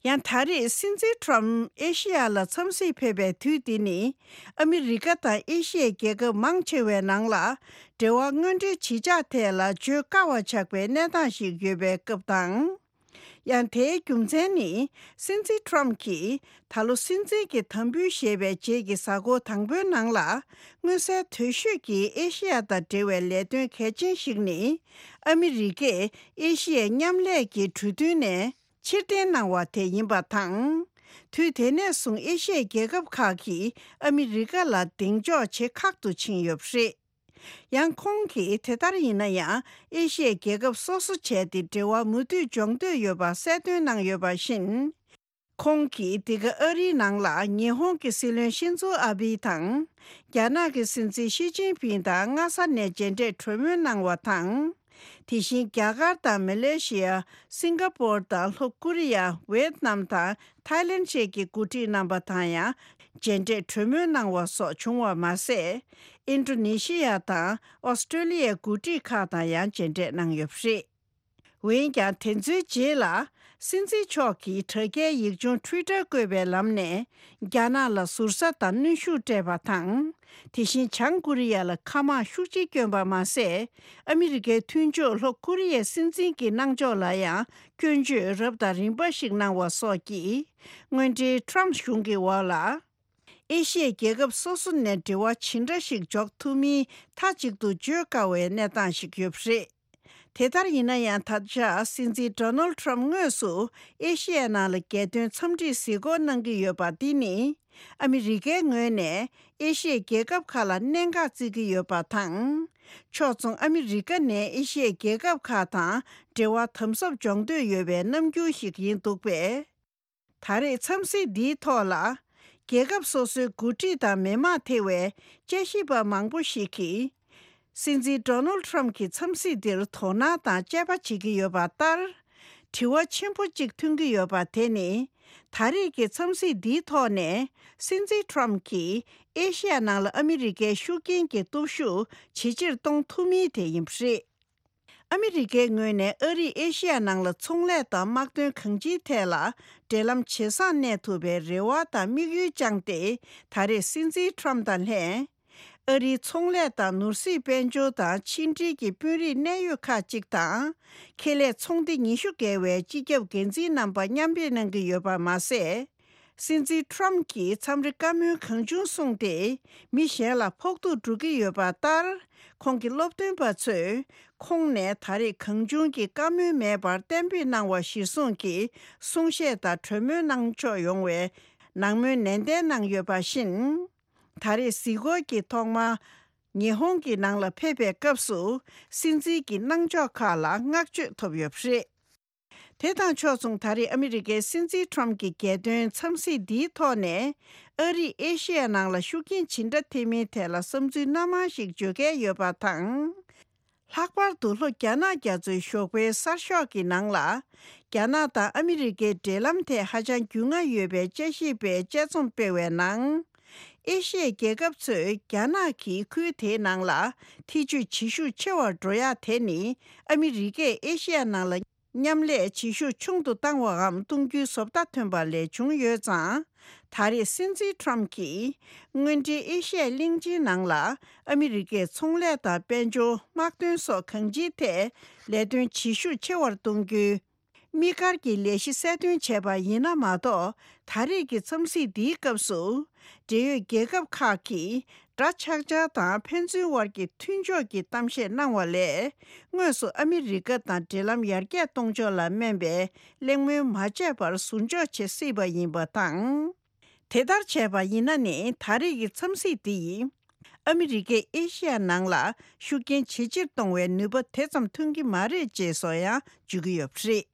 ཡང་ད་རེས་སྲིད་འཛིན་ཁྲམ་ཨེ་ཤི་ཡ་ལ་འཚམས་གཟིགས་ཕེབས་པའི་དུས་འདི་ནི་ཨ་མི་རི་ཀ་དང་ཨེ་ཤི་ཡའི་རྒྱལ་ཁབ་མང་ཆེ་བའི་ནང་ལ་འབྲེལ་བ་དངོས་འབྲེལ་བྱེད་འཆར་ཐད་ལ་བརྗོད་དཀའ་བ་ཆགས་པའི་གནས་སྟངས་ཤིག་ཡོད་པའི་སྐབས་དང་། ཡང་དེའི་རྒྱུ་མཚན་ནི་སྲིད་འཛིན་ཁྲམ་གྱིས་ད་ལོ་སྲིད་འཛིན་གྱི་དམ་འབུལ་བཞེས་པའི་རྗེས་ཀྱི་གཟའ་འཁོར་དང་པོའི་ནང་ལ་མངོན་གསལ་དོད་ཤོས་ཀྱི་ཨེ་ཤི་ཡ་དང་འབྲེལ་བའི་ལས་དོན་གལ་ཆེན་ཞིག་ནི་ཨ་མི་རི་ཀས་ཨེ་ཤི་ཡའི་མཉམ་ལས་ཀྱི་གྲོས་མཐུན་ནས་ཕྱིར་འཐེན་གནང་བ་དེ་ཡིན་པ་དང་། དུས་དེ་ནས་བཟུང་ཨེ་ཤི་ཡའི་རྒྱལ་ཁབ་ཁག་གིས་ཨ་མི་རི་ཀ་ལ་གདེང་འཇོག་བྱེད་ཁག་ཏུ་ཕྱིན་ཡོད་པ་རེད། ཡང་ཁོང་གིས་དེ་ལྟར་ཡིན་ན་ཡང་ཨེ་ཤི་ཡའི་རྒྱལ་ཁབ་སོ་སོ་བྱས་ཏེ་འབྲེལ་བ་མུ་མཐུད་སྦྱོང་འདོད་ཡོད་པ་གསལ་སྟོན་གནང་ཡོད་པ་བཞིན། ཁོང་གིས་འདི་ག་ཨ་རིའི་ནང་ལ་ཉི་ཧོང་གི་སྲིད་བློན་ཤིན་ཛོ་ཨ་བྷི་དང་། རྒྱ་ནག་གི་སྲིད་འཛིན་ཞི་ཅིན་ཕིང་དང་སྔ་ས་ནས་མཇལ་འཕྲད་གྲོས་མོལ་གནང་བ་དང་། དེ་བཞིན་རྒྱ་གར་དང་མ་ལེ་ཤི་ཡ། སིང་ག་པོར་དང་ལྷོ་ཀོ་རི་ཡ། ཝེད་ནམ་དང་ཐའི་ལེན་བཅས་ཀྱི་འགོ་ཁྲིད་རྣམ་པ་དང་ཡང་། མཇལ་འཕྲད་གྲོས་མོལ་གནང་བ་སོགས་བྱུང་བ་མ་ཟད། ཨིན་ཌོ་ནེ་ཤི་ཡ་དང་ཨོ་སི་ཀྲོ་ལི་ཡའི་འགོ་ཁྲིད་ཁག་དང་ཡང་མཇལ་འཕྲད་གནང་ཡོད་པ་རེད། འོན་ཀྱང་དེ་ཚོའི་རྗེས་ལ། སྲིད་འཛིན་མཆོག་གིས་དྲ་རྒྱའི་ཡིག་ཆུང་ཊུའི་ཊར་བཀོད་པའི་ལམ་ནས། རྒྱ་ནག་ལ་ཟུར་ཟ་དང་གནོན་ཤུགས་སྤྲད་པ་དང་། དེ་བཞིན་བྱང་ཀོ་རི་ཡ་ལ་མཁའ་དམག་ཤུགས་ཆེ་བསྐྱོན་པ་མ་ཟད། ཨ་མི་རི་ཀའི་མཐུན་ཕྱོགས་ལྷོ་ཀོ་རི་ཡའི་སྲིད་འཛིན་གྱི་གནང་ཕྱོགས་ལ་ཡང་སྐྱོན་བརྗོད་རབ་དང་རིམ་པ་ཞིག་གནང་བ་སོགས་ཀྱིས། སྔོན་འགྲོའི་ཊམ་གཞུང་གི་འོག་ལ། ཨེ་ཤི་ཡའི་རྒྱལ་ཁབ་སོ་སོ་ནས་འབྲེལ་བ་ཇི་འདྲ་ཞིག་འཇོག་ཐུབ་མིན་མཐའ་གཅིག་ཏུ་བརྗོད་དཀའ་བའི་གནས་སྟངས་ཤིག་ཡོད་པ་རེད། དེ་ལྟར་ཡིན་ན་ཡང་། ད་ཆ་སྲིད་འཛིན་ཌོ་ནལ་ཌི་ཊརམ་ཕ་དངོས་སུ་ཨེ་ཤི་ཡའི་ནང་ལ་རྒྱལ་དོན་འཚམས་འདྲིར་གཟིགས་སྐོར་གནང་གི་ཡོད་པ་འདི་ནི། ཨ་མི་རི་ཀའི་ངོས་ནས་ཨེ་ཤི་ཡའི་རྒྱལ་ཁབ་ཁག་ལ་གནད་འགག་བརྩི་གི་ཡོད་པ་དང་། ཕྱོགས་མཚུངས་ཨ་མི་རི་ཀ་ནས་ཨེ་ཤི་ཡའི་རྒྱལ་ཁབ་ཁག་དང་འབྲེལ་བ་དམ་ཟབ་སྦྱོང་འདོད་ཡོད་པའི་རྣམ་འགྱུར་ཞིག་ཡིན་འདུག་པས། ད་རེས་འཚམས་གཟིགས་འདིའི་ཐོག་ལ། རྒྱལ་ཁབ་སོ་སོའི་འགོ་ཁྲིད་དང་མི་མང་ཐེ་བའི་དཔྱད་ཞིབ་པ་མང་པོ་ཞིག་གིས། སྲིད་འཛིན་ཌོ་ནལ་ཌི་ཊརམ་ཕ་གྱི་འཚམས་གཟིགས་འདིར་དོ་སྣང་དང་དཔྱད་པ་བྱེད་ཀྱི་ཡོད་པ་ལྟར། དྲི་བ་ཆེན་པོ་གཅིག་ཐོན་གྱི་ཡོད་པ་དེ་ནི། ད་རེས་ཀྱི་འཚམས་གཟིགས་འདིའི་ཐོག་ནས། སྲིད་འཛིན་ཊརམ་ཕ་གྱིས་ཨེ་ཤི་ཡ་ནང་ལ་ཨ་མི་རི་ཀའི་ཤུགས་རྐྱེན་གྱི་སྟོབས་ཤུགས་ཇེ་ཆེར་གཏོང་ཐུབ་མིན་དེ་ཡིན་པ་རེད། ཨ་མི་རི་ཀའི་ངོས་ནས་ཨ་རིས་ཨེ་ཤི་ཡ་ནང་ལ་ཚོང་ལས་དང་དམག་དོན་གང་ཅིའི་ཐད་ལ་འབྲེལ་ལམ་ཇེ་བཟང་གནས་ཐུབ་པའི་རེ་བ་དང་དམིགས་ཡུལ་བཅངས་ཏེ། ད་རེས་སྲིད་འཛིན་ཊརམ་ཕ་དང་ལྷན། ཨ་རིའི་ཚོང་ལས་དང་ནོར་སྲིད་དཔལ་འབྱོར་དང་ཕྱི་འབྲེལ་གྱི་དཔོན་རིགས་གནད་ཡོད་ཁག་ཅིག་དང་། ཁེ་ལས་ཚོང་སྡེ་ཉི་ཤུ་བརྒལ་བའི་སྤྱི་ཁྱབ་འགན་འཛིན་རྣམ་པ་མཉམ་ཕེབས་གནང་གི་ཡོད་པ་མ་ཟད། སྲིད་འཛིན་ཊརམ་ཕ་གྱིས་འཚམས་འདྲི་བཀའ་མོལ་གང་བྱུང་གསུངས་ཏེ། མི་གཞན་ལ་ཕོག་ཐུག་འགྲོ་གི་ཡོད་པ་ལྟར། ཁོང་གི་སློབ་སྟོན་པ་ཚོས། ཁོང་ནས་ད་རེས་གང་བྱུང་གི་བཀའ་མོལ་མེད་པར་གཏན་འབེབས་གནང་བ་གཞིར་བཟུང་གིས་གསུང་བཤད་དང་གྲོས་མོལ་གནང་ཕྱོགས་ཡོང་བའི་ནང་མོལ་ནན་ཏན་གནང་ཡོད་པ་བཞིན། ད་རེས་གཟིགས་སྐོར་གྱི་ཐོག་མ། ཉི་ཧོང་གི་ནང་ལ་ཕེབས་པའི་སྐབས་སུ། སྲིད་འཛིན་གྱི་གནང་ཕྱོགས་ཁག་ལ་བསྔགས་བརྗོད་ཐོབ་ཡོད་པ་རེད། དེ་དང་ཕྱོགས་མཚུངས། ད་རེས་ཨ་མི་རི་ཀའི་སྲིད་འཛིན་ཊརམ་ཕ་གྱི་རྒྱལ་དོན་འཚམས་གཟིགས་འདིའི་ཐོག་ནས། ཨ་རིས་ཨེ་ཤེ་ཡ་ནང་ལ་ཤུགས་རྐྱེན་ཇི་འདྲ་ཐེབས་མིན་ཐད་ལ་བསམ་ཚུལ་སྣ་མང་ཞིག་བརྗོད་མཁན་ཡོད་པ་དང་། ལྷག་པར་དུ་ལྷོ་རྒྱ་ནག་རྒྱ་མཚོའི་ཞོགས་པའི་གསར་ཤོག་གི་ནང་ལ། རྒྱ་ནག་དང་ཨ་མི་རི་ཀའི་འབྲེལ་ལམ་ཐད་ཧ་ཅང་རྒྱུས་མངའ་ཡོད་པའི་དཔྱད་ཞིབ་པའི་དཔྱད་རྩོམ་སྤེལ་བའི་ནང་། ཨེ་ཤེ་ཡའི་རྒྱལ་ཁབ་ཚོས་རྒྱ་ནག་གིས་ཁུལ་དེའི་ནང་ལ་ཐེ་ཇུས་བྱེད་ཤུགས་ཆེ་བར་འགྲོ་ཡ་དེ་ནི། ཨ་མི་རི་ཀས་ཨེ་ཤེ་ཡ་ནང་ལ་མཉམ་ལས་བྱེད་ཤུགས་ཆུང་དུ་བཏང་བའམ་གཏོང་རྒྱུའི་བཟོ་ལྟ་ཐོན་པ་ལས་བྱུང་ཡོད་ཙང་། ད་རེས་སྲིད་འཛིན་ཊརམ་ཕ་གྱིས། དངོས་འབྲེལ་ཨེ་ཤེ་ཡའི་གླིང་ཆེན་ནང་ལ་ཨ་མི་རི་ཀས་ཚོང་ལས་དང་དཔལ་འབྱོར། དམག་དོན་སོགས་གང་ཅིའི་ཐད་ལས་དོན་བྱེད་ཤུགས་ཆེ་བར་གཏོང་རྒྱུའི། དམིགས་བཀར་གྱི་ལས་གཞི་གསལ་སྟོན་བྱས་པ་ཡིན་ན་མ་གཏོགས། ད་རེས་ཀྱི་འཚམས་གཟིགས་འདིའི་སྐབས་སུ། འབྲེལ་ཡོད་རྒྱལ་ཁབ་ཁག་གིས་འདྲ་ཆགས་འཆར་དང་ཕན་ཚུན་དབར་གྱི་མཐུན་ཕྱོགས་ཀྱི་གཏམ་བཤད་གནང་བ་ལས། དངོས་སུ་ཨ་མི་རི་ཀ་དང་འབྲེལ་ལམ་ཡར་རྒྱས་གཏོང་ཕྱོགས་ལ་སྨན་པའི་གླེང་མོལ་མ་བྱས་པར་ཟུར་འཇོག་བྱེད་སྲིད་པ་ཡིན་པ་དང་། དེ་ལྟར་བྱས་པ་ཡིན་ན་ནི། ད་རེས་ཀྱི་འཚམས་གཟིགས་འདི་ཡིས། ཨ་མི་རི་ཀས་ཨེ་ཤེ་ཡ་ནང་ལ་ཤུགས་རྐྱེན་ཇེ་ཆེར་གཏོང་བའི་ནུས་པ་དེ་ཙམ་ཐོན་གྱི་མ་རེད་ཅེས་སོགས་ཡང་བརྗོད་ཀྱི་ཡོད་པ་རེད།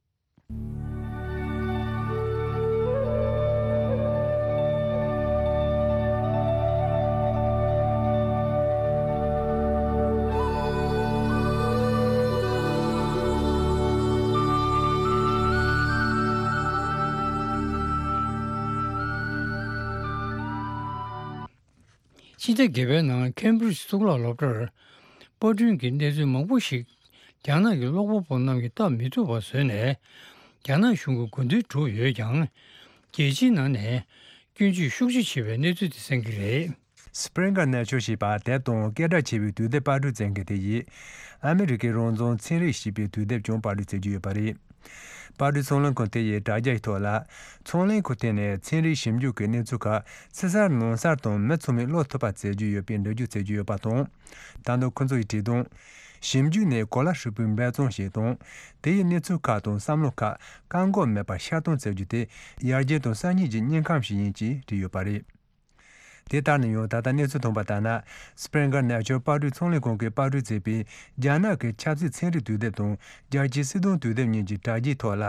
ཕྱི་ཟླ་བརྒྱད་པའི་ནང་ཁེམ་བྷྲིཇ་གཙུག་ལག་སློབ་གྲྭར་པར་སྐྲུན་གྱི་གནས་ཚུལ་མང་པོ་ཞིག་རྒྱ་ནག་གི་ཀློག་པ་པོ་རྣམས་ཀྱིས་སྟབས་མི་ཐུབ་པ་བཟོས་ནས། རྒྱ་ནག་གཞུང་གི་དགོས་འདུན་བསྒྲུབས་ཡོད་ཀྱང་། རྒྱལ་སྤྱིའི་ནང་ནས་སྐྱོན་བརྗོད་ཤུགས་ཆེ་ཆེ་བའི་གནས་ཚུལ་དེ་གསན་གྱི་རེད། Springer Nature ཞེས་པ་དེབ་དང་སྐད་གྲགས་ཆེ་བའི་དུས་དེབ་པར་སྐྲུན་མཛད་མཁན་དེ་ཡིས། ཨ་མི་རི་ཀའི་རང་བཙན་ཚན་རིག་ཞེས་པའི་དུས་དེབ་ཀྱང་པར་སྐྲུན་མཛད་ཀྱི་ཡོད་པ་རེད། པར་སྐྲུན་ཚོང་ལས་ཁང་དེ་ཡི་དྲ་རྒྱའི་ཐོག་ལ། ཚོང་ལས་ཁང་དེ་ནས་ཚན་རིག་ཞིབ་འཇུག་གི་གནས་ཚུལ་ཁག་ཕྱི་གསལ་ནང་གསལ་དང་མི་ཚང་མས་ཀློག་ཐུབ་པ་བྱེད་རྒྱུ་ཡོད་པའི་འགྲེལ་བརྗོད་བྱེད་ཀྱི་ཡོད་པ་དང་། ད་དུང་ཁོ་ཚོ་ཡི་བྲིས་དང་། ཞིབ་འཇུག་ནས་གོ་ལ་ཧྲིལ་པོའི་འབད་བརྩོན་ཞིག་དང་། དེ་ཡི་གནས་ཚུལ་ཁག་དང་བསམ་བློ་ཁག་བཀག་འགོག་མེད་པར་ཤར་གཏོང་བྱེད་རྒྱུ་དེ་ཡར་རྒྱས་དང་གསར་རྙེད་ཀྱི་དངོས་ཁམས་ཤིག་ཡིན་ཅེས་བྲིས་ཡོད་པ་རེད། དེ་ལྟར་ན་ཡང་ད་ལྟ་གནས་ཚུལ་ཐོན་པ་ལྟར་ན། Springer Nature པར་སྐྲུན་ཚོང་ལས་ཁང་གིས་པར་སྐྲུན་བྱས་པའི་རྒྱ་ནག་གི་ཆབ་སྲིད་ཚན་རིག་དུས་དེབ་དང་རྒྱལ་སྤྱིའི་སྲིད་དོན་དུས་དེབ་གཉིས་ཀྱི་དྲ་རྒྱའི་ཐོག་ལ་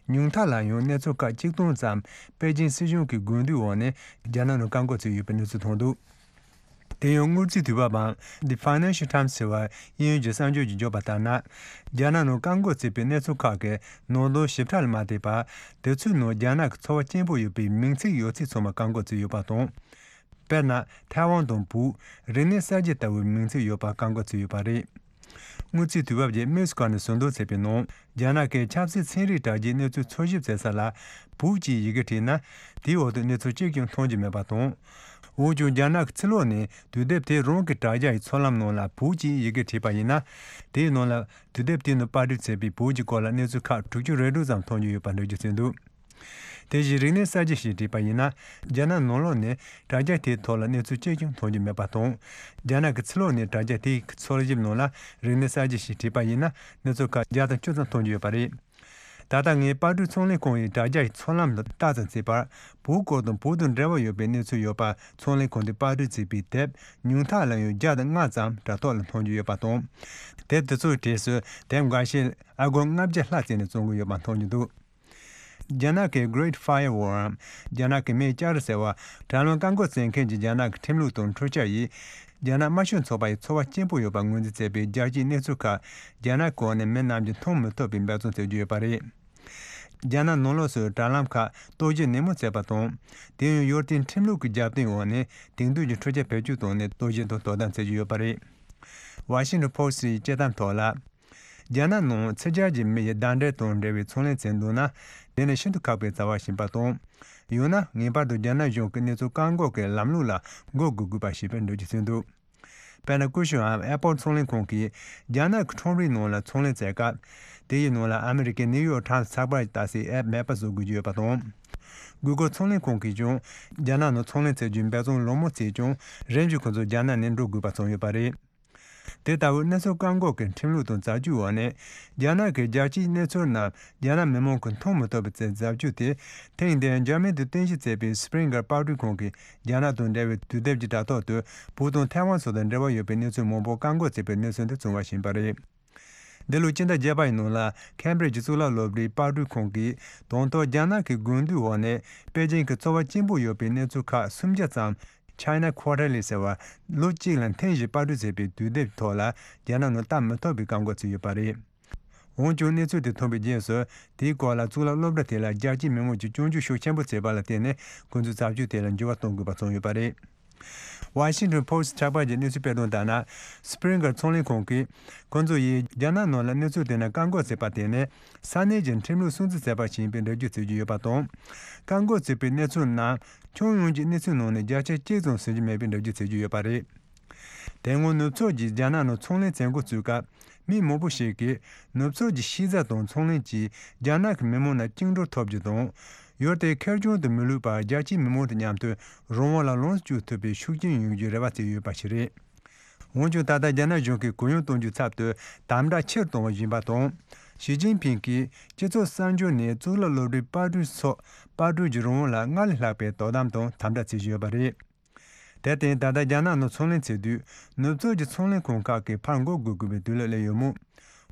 ཉུང་མཐའ་ལ་ཡང་གནས་ཚུལ་ཁག་གཅིག་སྟོང་ཙམ་པེ་ཅིང་སྲིད་གཞུང་གི་དགོས་འདུན་འོག་ནས་རྒྱ་ནག་ནང་བཀག་འགོག་བྱས་ཡོད་པའི་གནས་ཚུལ་ཐོན་འདུག་དེ་ཡང་དངུལ་རྩིས་དུས་བབ་པའམ་The Financial Times ཟེར་བ་དབྱིན་ཡུལ་གྱི་གསར་འགྱུར་གྱིས་བརྗོད་པ་ལྟར་ན། རྒྱ་ནག་ནང་བཀག་འགོག་བྱས་པའི་གནས་ཚུལ་ཁག་གི་ནང་དོན་ཞིབ་ཕྲ་ལ་མ་བལྟས་པར། དེ་ཚོའི་ནང་རྒྱ་ནག་གི་ཚོར་བ་སྐྱེན་པོ་ཡོད་པའི་མིང་ཚིག་ཡོད་ཚད་ཚང་མ་བཀག་འགོག་བྱས་ཡོད་པ་དང་། དཔེར་ན་ཐའེ་ཝན་དང་བོད། རིག་གནས་གསར་བརྗེ་ལྟ་བུའི་མིང་ཚིག་ཡོད་པ་བཀག་འགོག་བྱས་ཡོད་པ་རེད། དངུལ་རྩིས་དུས་བབ་ཀྱིས་མིས་ཀ་ནས་ཟུར་འདོན་བྱས་པའི་ནང་། རྒྱ་ནག་གིས་ཆབ་སྲིད་ཚན་རིག་དྲ་རྒྱའི་གནས་ཚུལ་འཚོལ་ཞིབ་བྱེད་ས་ལ་བོད་ཅེས་ཡི་གེ་བྲིས་ན། དེའི་འོག་ཏུ་གནས་ཚུལ་གཅིག་ཀྱང་མཐོང་རྒྱུ་མེད་པ་དང་། འོན་ཀྱང་རྒྱ་ནག་གི་ཕྱི་ལོགས་ནས་དུས་དེབ་དེ་རང་གི་དྲ་རྒྱ་ཡི་ཚོགས་ལམ་ནང་ལ་བོད་ཅེས་ཡི་གེ་བྲིས་པ་ཡིན་ན། དེའི་ནང་ལ་དུས་དེབ་དེའི་ནང་པར་སྐྲུན་བྱས་པའི་བོད་ཀྱི་སྐོར་ལ་གནས་ཚུལ་ཁག་དྲུག་ཅུ་རེ་དྲུག་ཙམ་མཐོང་རྒྱུ་ཡོད་པ་འགྲེལ་བརྗོད་བྱས་འདུག་དེ་བཞིན་རིག་གནས་གསར་བརྗེ་ཞེས་བྲིས་པ་ཡིན་ན། རྒྱ་ནག་ནང་ལོགས་ནས་དྲ་རྒྱ་དེའི་ཐོག་ལ་གནས་ཚུལ་གཅིག་ཀྱང་མཐོང་རྒྱུ་མེད་པ་དང་། རྒྱ་ནག་གི་ཕྱི་ལོགས་ནས་དྲ་རྒྱ་དེའི་འཚོལ་ཞིབ་ནང་ལ་རིག་གནས་གསར་བརྗེ་ཞེས་བྲིས་པ་ཡིན་ན། གནས་ཚུལ་ཁག་བརྒྱ་དང་བཅུ་ཙམ་མཐོང་རྒྱུ་ཡོད་པ་རེད། ད་ལྟ་ངས་པར་སྐྲུན་ཚོང་ལས་ཁང་ཡི་དྲ་རྒྱ་ཡི་ཚོགས་ལམ་དུ་ལྟ་ཙམ་བྱས་པར། བོད་སྐོར་དང་བོད་དང་འབྲེལ་བ་ཡོད་པའི་གནས་ཚུལ་ཡོད་པ། ཚོང་ལས་ཁང་དེས་པར་སྐྲུན་བྱས་པའི་དེབ་ཉུང་མཐའ་ལ་ཡང་བརྒྱ་དང་ལྔ་ཙམ་དྲ་ཐོག་ལ་མཐོང་རྒྱུ་ཡོད་པ་དང་། དེབ་དེ་ཚོའི་གྲས་སུ་དེབ་འགའ་ཤས་ཨ་སྒོར་ལྔ་བརྒྱ་ལྷག་བཙལ་ནས་བཙོང་གི་ཡོད་པ་མཐོང་རྒྱུ་འདུག་རྒྱ་ནག་གི་Great Firewall འམ། རྒྱ་ནག་གི་མེ་ལྕགས་རི་ཟེར་བ། དྲ་ལམ་བཀག་འགོག་བྱེད་མཁན་གྱི་རྒྱ་ནག་གི་ཁྲིམས་ལུགས་དང་འཕྲུལ་ཆས་ཡིས། རྒྱ་ནག་དམར་ཤོག་ཚོགས་པ་ཡི་ཚོར་བ་སྐྱེན་པོ་ཡོད་པ་ངོས་འཛིན་བྱས་པའི་རྒྱལ་སྤྱིའི་གནས་ཚུལ་ཁག་རྒྱ་ནག་གོ་ནས་མི་རྣམས་ཀྱིས་མཐོང་མི་ཐུབ་པའི་འབད་བརྩོན་བྱེད་ཀྱི་ཡོད་པ་རེད། རྒྱ་ནག་ནང་ལོགས་སུ་དྲ་ལམ་ཁག་གཏོར་བཤིག་ནན་མོ་བྱས་པ་དང་། དེ་ཡང་ཡུལ་དེའི་ཁྲིམས་ལུགས་ཀྱི་རྒྱབ་རྟེན་འོག་ནས་དེང་དུས་ཀྱི་འཕྲུལ་ཆས་བེད་སྤྱོད་བཏང་ནས་གཏོར་བཤིག་དང་དོ་དམ་བྱེད་ཀྱི་ཡོད་པ་རེད། Washington Post ཡི་དཔྱད་གཏམ་ཐོག་ལ། རྒྱ་ནག་ནང་ཕྱི་རྒྱལ་གྱི་མི་ཡི་ཟླ་འབྲེལ་དང་འབྲེལ་བའི་ཚོང་ལས་བྱེད་འདུག་ན། དེ་ནི་ཤིན་ཏུ་ཁག་པའི་བྱ་བ་ཞིག་ཡིན་པ་དང་། ཡང་ན་ངེས་པར་དུ་རྒྱ་ནག་གཞུང་གི་གནས་ཚུལ་བཀག་འགོག་གི་ལམ་ལུགས་ལ་མགོ་སྒུར་དགོས་པ་ཞིག་པའི་འགྲེལ་བརྗོད་བྱས་འདུག་དཔེར་ན། ཀུ་ཤུའམ་Apple ཚོང་ལས་ཁང་གིས་རྒྱ་ནག་གི་ཁྲོམ་རའི་ནང་ལ་ཚོང་ལས་བྱེད་སྐབས། དེ་ཡི་ནང་ལ་ཨ་མི་རི་ཀའི་ནིའུ་ཡོག་ཊའིམ་སི་ཚགས་པར་ལྟ་སའི་ཨེབ་མེད་པ་བཟོ་དགོས་ཀྱི་ཡོད་པ་དང་། Google ཚོང་ལས་ཁང་གིས་ཀྱང་རྒྱ་ནག་ནང་ཚོང་ལས་བྱེད་རྒྱུའི་འབད་བརྩོན་ལོ་མང་བྱས་ཀྱང་། རིམ་བཞིན་ཁོ་ཚོ་རྒྱ་ནག་ནས་འགྲོ་དགོས་པ་བྱུང་ཡོད་པ་རེད། དེ་ལྟ་བུའི་གནས་ཚུལ་བཀག་འགོག་གི་ཁྲིམས་ལུགས་དང་རྩ་ཆོད་འོག་ནས། རྒྱ་ནག་གི་རྒྱལ་སྤྱིའི་གནས་ཚུལ་རྣམས་རྒྱ་ནག་མི་མང་གིས་མཐོང་མི་ཐུབ་པའི་ཆེད་རྩ་ཆོད་དེ། ཐེངས་འདིར་འཇར་མན་དུ་རྟེན་གཞི་བྱས་པའི་Springer པར་སྐྲུན་ཁང་གིས་རྒྱ་ནག་དང་འབྲེལ་བའི་དུས་དེབ་ཀྱི་དྲ་ཐོག་ཏུ་བོད་དང་ཐའེ་ཝན་སོགས་དང་འབྲེལ་བ་ཡོད་པའི་གནས་ཚུལ་མང་པོ་བཀག་འགོག་བྱས་པའི་གནས་ཚུལ་འདི་བྱུང་བ་ཞིག་ཡིན་པ་རེད། འདི་ལོའི་སྤྱི་ཟླ་བརྒྱད་པ་ཡི་ནང་ལ་ཁེམ་བྷྲིཇ་གཙུག་ལག་སློབ་གྲྭའི་པར་སྐྲུན་ཁང་གིས་དང་ཐོག་རྒྱ་ནག་གི་དགོས་འདུན་འོག་ནས་པེ་ཅིང་གི་ཚོར་བ་སྐྱེན་པོ་ཡོད་པའི་གནས་ཚུལ་ཁག་སུམ་བརྒྱ་ཙམ། China Quarterly ཟེར་བ། ལོ་གཅིག་ལ་ཐེངས་བཞི་པར་སྐྲུན་བྱས་པའི་དུས་དེབ་ཐོག་ལ་རྒྱ་ནག་ནང་བལྟ་མི་ཐུབ་པའི་བཀག་འགོག་བྱས་ཡོད་པ་རེད། འོན་ཀྱང་གནས་ཚུལ་དེ་ཐོན་པའི་རྗེས་སུ། དེའི་སྐོར་ལ་གཙུག་ལག་སློབ་གྲྭ་དེ་ལ་རྒྱལ་སྤྱིའི་མི་མང་གིས་སྐྱོན་བརྗོད་ཤུགས་ཆེན་པོ་བྱས་པ་ལ་བརྟེན་ནས། ཁོ་ཚོས་རྩ་ཆོད་དེ་ལ་འགྱུར་བ་གཏོང་དགོས་པ་བྱུང་ཡོད་པ་རེད། Washington Post ཚགས་པར་གྱི་གནས་ཚུལ་སྤེལ་དོན་ལྟར་ན། Springer ཚོང་ལས་ཁང་གིས། ཁོ་ཚོ་ཡིས་རྒྱ་ནག་ནང་ལ་གནས་ཚུལ་དེ་འདྲ་བཀག་འགོག་བྱས་པ་དེ་ནི། ས་གནས་ཀྱི་ཁྲིམས་ལུགས་སྲུང་བརྩི་བྱས་པ་ཞིག་ཡིན་པའི་འགྲེལ་བརྗོད་བྱེད་ཀྱི་ཡོད་པ་དང་། བཀག་འགོག་བྱས་པའི་གནས་ཚུལ་རྣམས་ཁྱོན་ཡོངས་ཀྱི་གནས་ཚུལ་ནང་ནས་བརྒྱ་ཆ་གཅིག་ཙམ་ཟིན་གྱི་མེད་པའི་འགྲེལ་བརྗོད་བྱེད་ཀྱི་ཡོད་པ་རེད། དེ་སྔོན་ནུབ་ཕྱོགས་ཀྱིས་རྒྱ་ནག་ནང་ཚོང་ལས་བྱེད་འགོ་བཙུགས་སྐབས། མི་མང་པོ་ཞིག་གིས་ནུབ་ཕྱོགས་ཀྱི་ཤེས་བྱ་དང་ཚོང་ལས་ཀྱིས་རྒྱ་ནག་གི་མི་མང་རྣམས་བཅིངས་འགྲོལ་ཐོབ་རྒྱུ་དང་། ཡུལ་དེ་ཁེར་རྐྱང་དུ་མི་ལུས་པར་རྒྱལ་སྤྱིའི་མི་མང་དང་མཉམ་དུ་རང་དབང་ལ་ལོངས་སུ་སྤྱོད་ཐུབ་པའི་ཤུགས་རྐྱེན་ཡོང་རྒྱུའི་རེ་བ་བྱས་ཡོད་པ་ཞིག་རེད། འོན་ཀྱང་ད་ལྟ་རྒྱ་ནག་གཞུང་གིས་གུ་ཡངས་གཏོང་རྒྱུའི་ཚབ་ཏུ་དམ་དྲག་ཆེ་རུ་གཏོང་བ་ཡིན་པ་དང་། ཞི་ཅིན་ཕིང་གིས་སྤྱི་ཚོགས་གསར་འགྱུར་ནས་གཙུག་ལག་སློབ་གྲྭའི་པར་སྐྲུན་སོགས་པར་སྐྲུན་གྱི་རང་དབང་ལ་སྔར་ལས་ལྷག་པའི་དོ་དམ་དང་དམ་དྲག་བྱེད་བཞིན་ཡོད་པ་རེད། དེར་བརྟེན། ད་ལྟ་རྒྱ་ནག་ནང་ཚོང་ལས་བྱེད་དུས། ནུབ་ཕྱོགས་ཀྱི་ཚོང་ལས་ཁང་ཁག་གིས་ཕར་འགོ་དགོས་དགོས་པའི་དུས་ལ་སླེབས་ཡོད་མོད།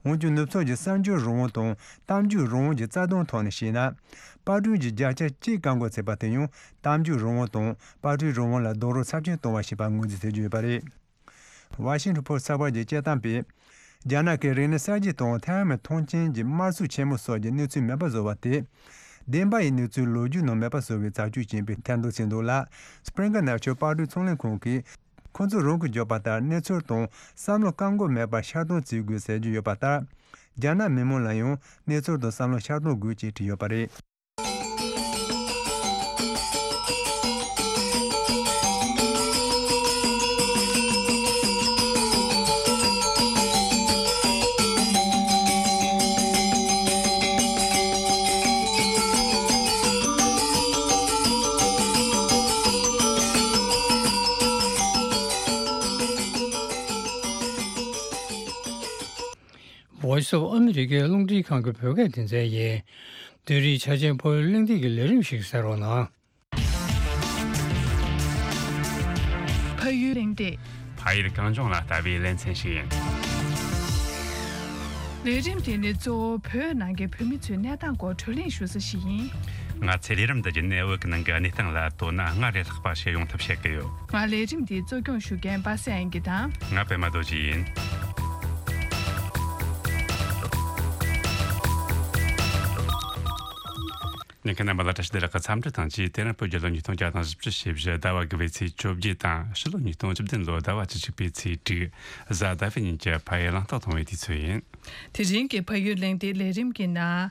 འོན་ཀྱང་། ནུབ་ཕྱོགས་ཀྱི་གསར་འགྱུར་རང་དབང་དང་གཏམ་རྒྱུད་རང་དབང་གི་རྩ་དོན་ཐོག་ནས་བཤད་ན། པར་སྐྲུན་གྱི་བརྒྱ་ཆ་གཅིག་བཀག་འགོག་བྱས་པ་དེ་ཡང་གཏམ་རྒྱུད་རང་དབང་དང་པར་སྐྲུན་རང་དབང་ལ་རྡོག་རོལ་ཚབས་ཆེན་གཏོང་བ་ཞིག་ཡིན་པར་ངོས་འཛིན་བྱེད་ཀྱི་ཡོད་པ་རེད། Washington Post ཚགས་པར་གྱི་དཔྱད་གཏམ་པས། རྒྱ་ནག་གིས་རིག་གནས་གསར་བརྗེ་དང་ཐའེ་ཝན་མཐོང་ཆེན་གྱི་དམར་གསོད་ཆེན་མོ་སོགས་ཀྱི་གནས་ཚུལ་མེད་པ་བཟོ་བ་དེ། བདེན་པ་ཡི་གནས་ཚུལ་ལོ་རྒྱུས་ནང་མེད་པ་བཟོ་བའི་རྩ་ཆོད་ཅན་པའི་ཐེར་འདོན་བྱས་འདུག་ལ། Springer Nature པར་སྐྲུན་ཚོང་ལས་ཁང་གིས། ཁོ་ཚོས་རང་གིས་བརྗོད་པ་ལྟར་གནས་ཚུལ་དང་བསམ་བློ་བཀག་འགོག་མེད་པར་ཤར་གཏོང་བྱེད་དགོས་ཟེར་གྱི་ཡོད་པ་ལྟར། རྒྱ་ནག་མི་མང་ལ་ཡང་གནས་ཚུལ་དང་བསམ་བློ་ཤར་གཏོང་དགོས་ཅེས་བྲིས་ཡོད་པ་རེད། Voice of America རླུང་འཕྲིན་ཁང་གི་བོད་སྐད་སྡེ་ཚན་ཡིན། བོད་རིགས་ཆ་ཅན་ཕ་ཡུལ་གླེང་སྟེགས་ཀྱི་ལས་རིམ་ཞིག་གསན་རོགས་གནང་། ཕ་ཡུལ་གླེང་སྟེགས། ཕ་ཡུལ་གངས་ལྗོངས་ལ་ལྟ་བའི་ལེ་ཚན་ཞིག་ཡིན། ལས་རིམ་དེ་ནི་གཙོ་བོ་བོད་ནང་གི་བོད་མི་ཚོའི་གནས་སྟངས་སྐོར་བགྲོ་གླེང་ཞུ་ས་ཞིག་ཡིན། ང་ཚོས་ལས་རིམ་འདི་བརྒྱུད་ནས་བོད་ཀྱི་ནང་གི་གནས་སྟངས་ལ་དོ་སྣང་སྔར་ལས་ལྷག་པ་ཞིག་ཡོང་ཐབས་བྱེད་ཀྱི་ཡོད། ང་ལས་རིམ་འདི་གཙོ་སྐྱོང་ཞུ་མཁན་པ་སངས་དབྱངས་སྐྱིད་དང་། ང་པད་མ་རྡོ་རྗེ་ཡིན། ཉན་མཁན་རྣམ་པ་ལ་བཀྲ་ཤིས་བདེ་ལེགས་ཀྱི་འཚམས་འདྲི་དང་བཅས། དེ་རིང་བོད་རྒྱལ་ལོ་ཉིས་སྟོང་བརྒྱ་དང་བཞི་བཅུ་ཞེ་བཞི་ཟླ་བ་དགུ་པའི་ཚེས་བཅོ་བརྒྱད་དང་། ཕྱི་ལོ་ཉིས་སྟོང་བཅུ་བདུན་ལོ་ཟླ་བ་བཅུ་གཅིག་པའི་ཚེས་དྲུག་གཟའ་ཟླ་བའི་ཉིན་གྱི་ཕ་ཡུལ་གླེང་སྟེགས་གཏོང་བའི་དུས་ཚོད་ཡིན། དེ་རིང་གི་ཕ་ཡུལ་གླེང་སྟེགས་ལས་རིམ་གྱི་ནང་།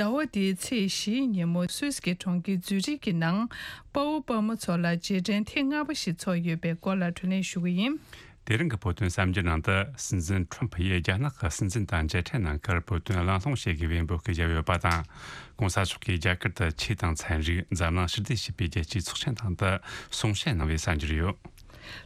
ཟླ་བ་འདིའི་ཚེས་བཞིའི་ཉིན་མོ་སུད་སི་གི་གྲོང་ཁྱེར་ཛུ་རིག་གི་ནང་། དཔའ་བོ་དཔའ་མོ་ཚོ་ལ་རྗེས་དྲན་ཐེངས་ལྔ་པ་ཞིག་ཚོགས་ཡོད་པའི་སྐོར་ལ་བགྲོ་གླེང་ཞུ་གི་ཡིན། དེ་རིང་གི་བོད་དོན་གསར་འགྱུར་ནང་དུ། སྲིད་འཛིན་ཁྲོམ་ཕུ་ཡིས་རྒྱ་ནག་གི་སྲིད་འཛིན་དང་མཇལ་འཕྲད་གནང་ཁར་བོད་དོན་གླེང་སློང་བྱེད་དགོས་པའི་འབོད་སྐུལ་བརྒྱབ་ཡོད་པ་དང་། གོང་ས་མཆོག་གིས་རྒྱ་གར་དུ་ཆོས་དང་ཚན་རིག། འཛམ་གླིང་ཞི་བདེ་ཞེས་པའི་རྒྱལ་སྤྱིའི་ཚོགས་ཆེན་སྟེང་དུ་གསུང་བཤད་གནང་བའི་གསར་འགྱུར་ཡོད།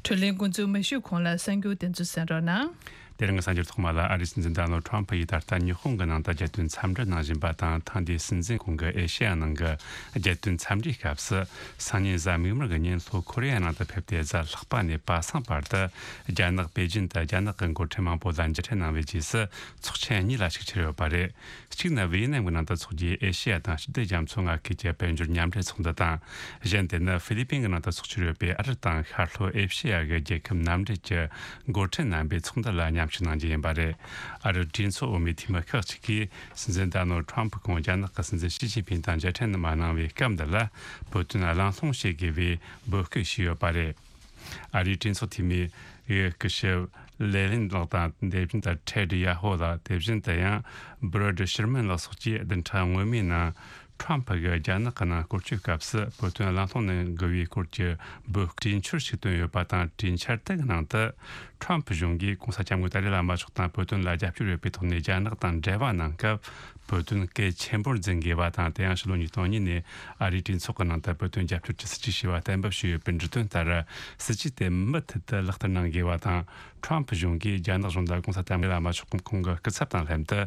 བགྲོ་གླེང་འགོ་འཛུགས་མ་ཞུས་གོང་ལ་གསར་འགྱུར་དེ་ཚོ་གསན་རོགས་གནང་། དེ་རིང་གི་གསར་འགྱུར་ཐོག་མ་ལ། ཨ་རིའི་སྲིད་འཛིན་ཌོ་ནལ་ཁྲོམ་ཕུ་ཡིས་ད་ལྟ་ཉི་ཧོང་གི་ནང་དུ་རྒྱལ་དོན་འཚམས་འདྲི་གནང་བཞིན་པ་དང་། ཐེངས་འདིའི་སྲིད་འཛིན་ཁོང་གི་ཨེ་ཤེ་ཡ་ནང་གི་རྒྱལ་དོན་འཚམས་འདྲིའི་སྐབས་སུ། སང་ཉིན་གཟའ་མིག་དམར་གྱི་ཉིན་ལྷོ་ཁོ་རེ་ཡ་ནང་དུ་ཕེབས་ཏེ། གཟའ་ལྷག་པ་ནས་པ་སངས་བར་དུ་རྒྱ་ནག་པེ་ཅིན་དུ་རྒྱ་ནག་གི་འགོ་ཁྲིད་མང་པོ་ལ་མཇལ་འཕྲད་གནང་བའི་རྗེས་སུ། ཚོགས་ཆེན་གཉིས་ལ་ཞུགས་འཆར་ཡོད་པ་རེད། གཅིག་ནི་ཝེ་ཡེ་ནམ་གྱི་ནང་དུ་འཚོགས་རྒྱུའི་ཨེ་ཤེ་ཡ་དང་ཞི་བདེ་རྒྱ་མཚོ་མངའ་ཁུལ་གྱི་དཔལ་འབྱོར་མཉམ་འབྲེལ་ཚོགས་འདུ་དང་། གཞན་དེ་ནི་ཧྥི་ལི་པིན་གྱི་ནང་དུ་འཚོགས་འཆར་ཡོད་པའི་ཨ་རི་དང་ཤར་ལྷོ་ཨེ་ཤེ་ཡ་གི་རྒྱལ་ཁབ་མཉམ་འབྲེལ་གྱི་འགོ་ཁྲིད་རྣམ་པའི་ཚོགས་འདུ་ལ་མཉམ་ཞུགས་གནང་རྒྱུ་ཡིན་པ་རེད། ཨ་རིའི་གྲོས་ཚོགས་འོག་མའི་འཐུས་མི་ཁག་ཅིག་གིས། སྲིད་འཛིན་ཌོ་ནལ་ཁྲོམ་ཕུ་ཁོང་རྒྱ་ནག་གི་སྲིད་འཛིན་ཞི་ཅིན་ཕིང་དང་མཇལ་འཕྲད་མ་གནང་བའི་སྐབས་འདི་ལ། བོད་དོན་གླེང་སློང་བྱེད་དགོས་པའི་འབོད་སྐུལ་ཞུས་ཡོད་པ་རེད། ཨ་རིའི་གྲོས་ཚོགས་འཐུས་མི་ཡི་སྐུ་ཞབས་ལེ་ལིན་ལགས་དང་། དེ་བཞིན་དུ་ཁྲེ་ཌི་ཡ་ཧོ་ལགས། དེ་བཞིན་དུ་ཡང་བྷི་རེད་ཤར་མན་ལགས་སོགས་ཀྱིས་བདུན་ཕྲག་སྔོན་མའི་ནང་ཁྲོམ་ཕུ་གིས་རྒྱ་ནག་གི་ནང་སྐོར་སྐྱོད་སྐབས་སུ་བོད་དོན་གླེང་སློང་གནང་དགོས་པའི་སྐོར་གྱི་འབོད་སྐུལ་གྲོས་འཆར་ཞིག་བཏོན་ཡོད་པ་དང་། གྲོས་འཆར་དེ་གི་ནང་དུ། ཁྲོམ་ཕུ་གཞུང་གིས་གོང་ས་སྐྱབས་མགོན་ཏཱ་ལའི་བླ་མ་མཆོག་དང་བོད་དོན་ལ་རྒྱབ་སྐྱོར་ཡོད་པའི་ཐོག་ནས་རྒྱ་ནག་དང་འབྲེལ་བ་གནང་སྐབས། བོད་དོན་གལ་ཆེན་པོར་འཛིན་དགོས་པ་དང་། དེ་ཡང་ཕྱི་ལོ་ཉིས་སྟོང་གཉིས་ནས་ཨ་རིའི་གྲོས་ཚོགས་ཀྱི་ནང་དུ་བོད་དོན་རྒྱབ་སྐྱོར་གྱི་སྲིད་ཇུས་ཞེས་པ་གཏན་འབེབས་བྱས་ཡོད་པའི་འབྲུ་དོན་ལྟར། སྲིད་ཇུས་དེ་མུ་མཐུད་དུ་ལག་བསྟར་གནང་དགོས་པ་དང་། ཁྲོམ་ཕུ་གཞུང་གིས་རྒྱ་ནག་གཞུང་ལ་གོང་ས་སྐྱབས་མགོན་བླ་མ་མཆོག་གམ་ཁོང་གི་སྐུ་ཚབ་དང་ལྷན་དུ།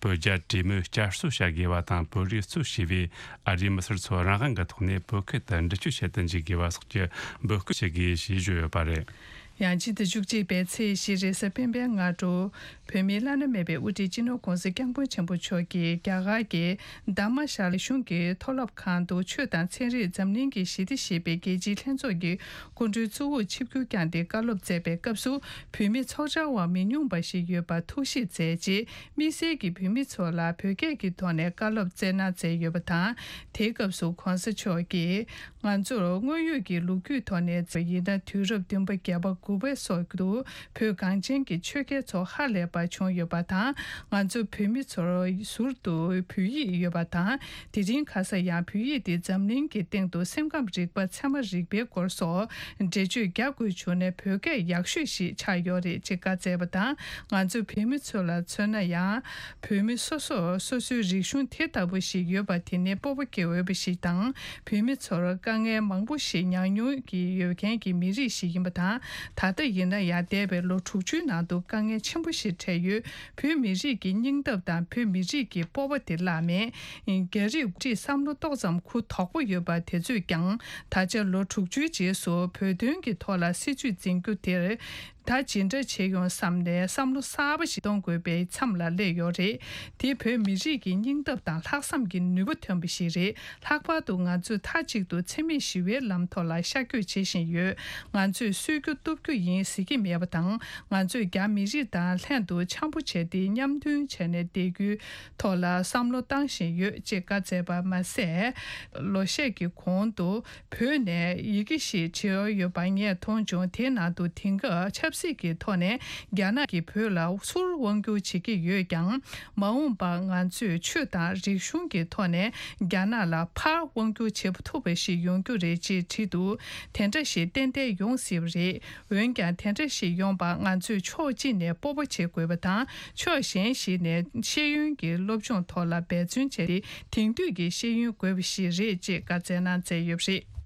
བོད་རྒྱ་གྲོས་མོལ་བསྐྱར་གསོ་བྱ་དགོས་པ་དང་། བོད་རིགས་གཙོས་བྱས་པའི་ཨ་རིའི་མི་སེར་ཚོ་རང་དབང་གི་ཐོག་ནས་བོད་ཁུལ་དུ་འགྲུལ་སྐྱོད་བྱེད་དུ་འཇུག་དགོས་པ་སོགས་ཀྱི་འབོད་སྐུལ་བྱེད་དགོས་ཞེས་བརྗོད་ཡོད་པ་རེད། ཡང་ཕྱི་ཟླ་བཅུ་གཅིག་པའི་ཚེས་བཞི་རེས་གཟའ་སྤེན་པའི་སྔ་དྲོ། བོད་མིའི་བླ་ན་མེད་པའི་དབུ་ཁྲིད་སྤྱི་ནོར་༧གོང་ས་༧སྐྱབས་མགོན་ཆེན་པོ་མཆོག་གིས་རྒྱ་གར་གྱི་དྷརྨ་ཤཱ་ལ་གཞུང་གི་མཐོ་སློབ་ཁང་དུ་ཆོས་དང་ཚན་རིག་འཛམ་གླིང་གི་ཞི་བདེ་ཞེས་པའི་རྒྱལ་སྤྱིའི་ལྷན་ཚོགས་ཀྱི་སྐུ་མགྲོན་གཙོ་བོར་ཆིབས་བསྒྱུར་བསྐྱངས་ཏེ་བཀའ་སློབ་སྩལ་བའི་སྐབས་སུ། བོད་མི་ཚོགས་བཅར་བ་མི་ཉུང་བ་ཞིག་ཡོད་པར་ཐུགས་ཞིབ་མཛད་རྗེས། དམིགས་བསལ་གྱིས་བོད་མི་ཚོ་ལ་བོད་སྐད་ཀྱི་ཐོག་ནས་བཀའ་སློབ་སྩལ་གནང་མཛད་ཡོད་པ་དང་། དེའི་སྐབས་སུ་༧གོང་ས་མཆོག་གིས། ང་ཚོར་དངོས་ཡོད་ཀྱི་ལོ་རྒྱུས་ཐོག་ནས་ཡིན་ན། དུས་རབས་བདུན་པ་བརྒྱད་པ་དགུ་པའི་སོགས་སུ་བོད་གངས་ཅན་གྱི་ཆོས་རྒྱལ་ཚོ་ཧ་ལས་པ་བྱུང་ཡོད་པ་དང་། ང་ཚོ་བོད་མི་ཚོར་ཟུར་དུ་བོད་ཡིག་ཡོད་པ་དང་། དེ་རིང་ཁ་སང་ཡང་བོད་ཡིག་དེ་འཛམ་གླིང་གི་སྟེང་དུ་སེམས་ཁམས་རིག་པ། ཚད་མ་རིག་པའི་སྐོར་སོགས་འགྲེལ་བརྗོད་རྒྱག་དགོས་བྱུང་ན་བོད་སྐད་ཡག་ཤོས་ཤིག་ཆགས་ཡོད་རེད་ཅེས་བཀའ་སྩལ་བ་དང་། ང་ཚོ་བོད་མི་ཚོ་ལ་མཚོན་ན་ཡང་། བོད་མི་སོ་སོར་སོ་སོའི་རིག་གཞུང་དེ་ལྟ་བུ་ཞིག་ཡོད་པ་དེ་ནི་སྤོབས་པ་སྐྱེ་འོས་པ་ཞིག་དང་། བོད་མི་ཚོར་དཀའ་ངལ་མང་པོ་ཞིག་མྱངས་མྱོང་གི་ཡོད་མཁན་གྱི་མི་རིགས་ཤིག་ཡིན་པ་དང་། ད་ལྟ་ཡིན་ན་ཡང་འདས་པའི་ལོ་དྲུག་ཅུའི་ནང་དུ་དཀའ་ངལ་ཆེན་པོ་ཞིག་འཕྲད་ཡོད། བོད་མི་རིགས་ཀྱི་སྙིང་སྟོབས་དང་བོད་མི་རིགས་ཀྱི་སྤོབས་པ་དེ་བརླག་མེད། རྒྱ་རིགས་འགོ་ཁྲིད་བསམ་བློ་ཏོག་ཙམ་འཁུར་དོག་པོ་ཡོད་པ་དེ་ཚོས་ཀྱང་། ད་ཆ་ལོ་དྲུག་ཅུའི་རྗེས་སུ་བོད་དོན་གྱི་ཐོག་ལ་སྲིད་བྱུས་འཛིན་རྒྱུ་དེར། ད་ཇི་འདྲ་བྱེད་ཡོང་བསམ་ནས་བསམ་བློ་གསར་པ་ཞིག་གཏོང་དགོས་པའི་མཚམས་ལ་སླེབས་ཡོད་རེད། དེ་བོད་མི་རིགས་ཀྱི་སྙིང་སྟོབས་དང་ལྷག་བསམ་གྱི་ནུས་པ་ཐོན་པ་ཞིག་རེད། ལྷག་པར་དུ་ང་ཚོས་མཐའ་གཅིག་ཏུ་འཚེ་མེད་ཞི་བའི་ལམ་ཐོག་ལ་ཤར་བསྐྱོད་བྱེད་བཞིན་ཡོད། ང་ཚོས་གསོད་རྒྱུ་གཏུབ་རྒྱུ་ཡིན་ཟེར་གྱི་མེད་པ་དང་། ང་ཚོས་རྒྱ་མི་རིགས་དང་ལྷན་དུ་འཆམ་པོ་བྱས་ཏེ་མཉམ་མཐུན་བྱས་ནས་བསྡད་རྒྱུའི་ཐོག་ལ་བསམ་བློ་བཏང་བཞིན་ཡོད་ཅེས་བཀའ་སྩལ་པ་མ་ཟད། ལོ་ཤས་ཀྱི་གོང་དུ། བོད་ནས་ཡི་གེ་ཞིག་བྲིས་ཡོད་པ་ངས་མཐོང་བྱུང་། དེའི་ནང་དུ་དེང་སྐབས་ཆབ་སྲིད་ཀྱི་ཐོག་ནས་རྒྱ་ནག་གིས་བོད་ལ་ཚུར་དབང་བསྒྱུར་བྱེད་ཀྱི་ཡོད་ཀྱང་། མ་འོངས་པར་ང་ཚོས་ཆོས་དང་རིག་གཞུང་གི་ཐོག་ནས་རྒྱ་ནག་ལ་ཕར་དབང་བསྒྱུར་བྱེད་ཐུབ་པ་ཞིག་ཡོང་རྒྱུ་རེད་ཅེས་བྲིས་འདུག་དེ་འདྲ་ཞིག་ཏན་ཏན་ཡོང་སྲིད་པ་རེད། འོན་ཀྱང་དེ་འདྲ་ཞིག་ཡོང་བར་ང་ཚོས་ཕྱོགས་གཅིག་ནས་སྤོབས་པ་བྱེད་དགོས་པ་དང་། ཕྱོགས་གཞན་ཞིག་ནས་ཤེས་ཡོན་གྱི་སློབ་སྦྱོང་ཐོག་ལ་འབད་བརྩོན་བྱས་ཏེ་དེང་དུས་ཀྱི་ཤེས་ཡོན་དགོས་པ་ཞིག་རེད་ཅེས་བཀའ་སྩལ་གནང་མཛད་ཡོད་པ་རེད།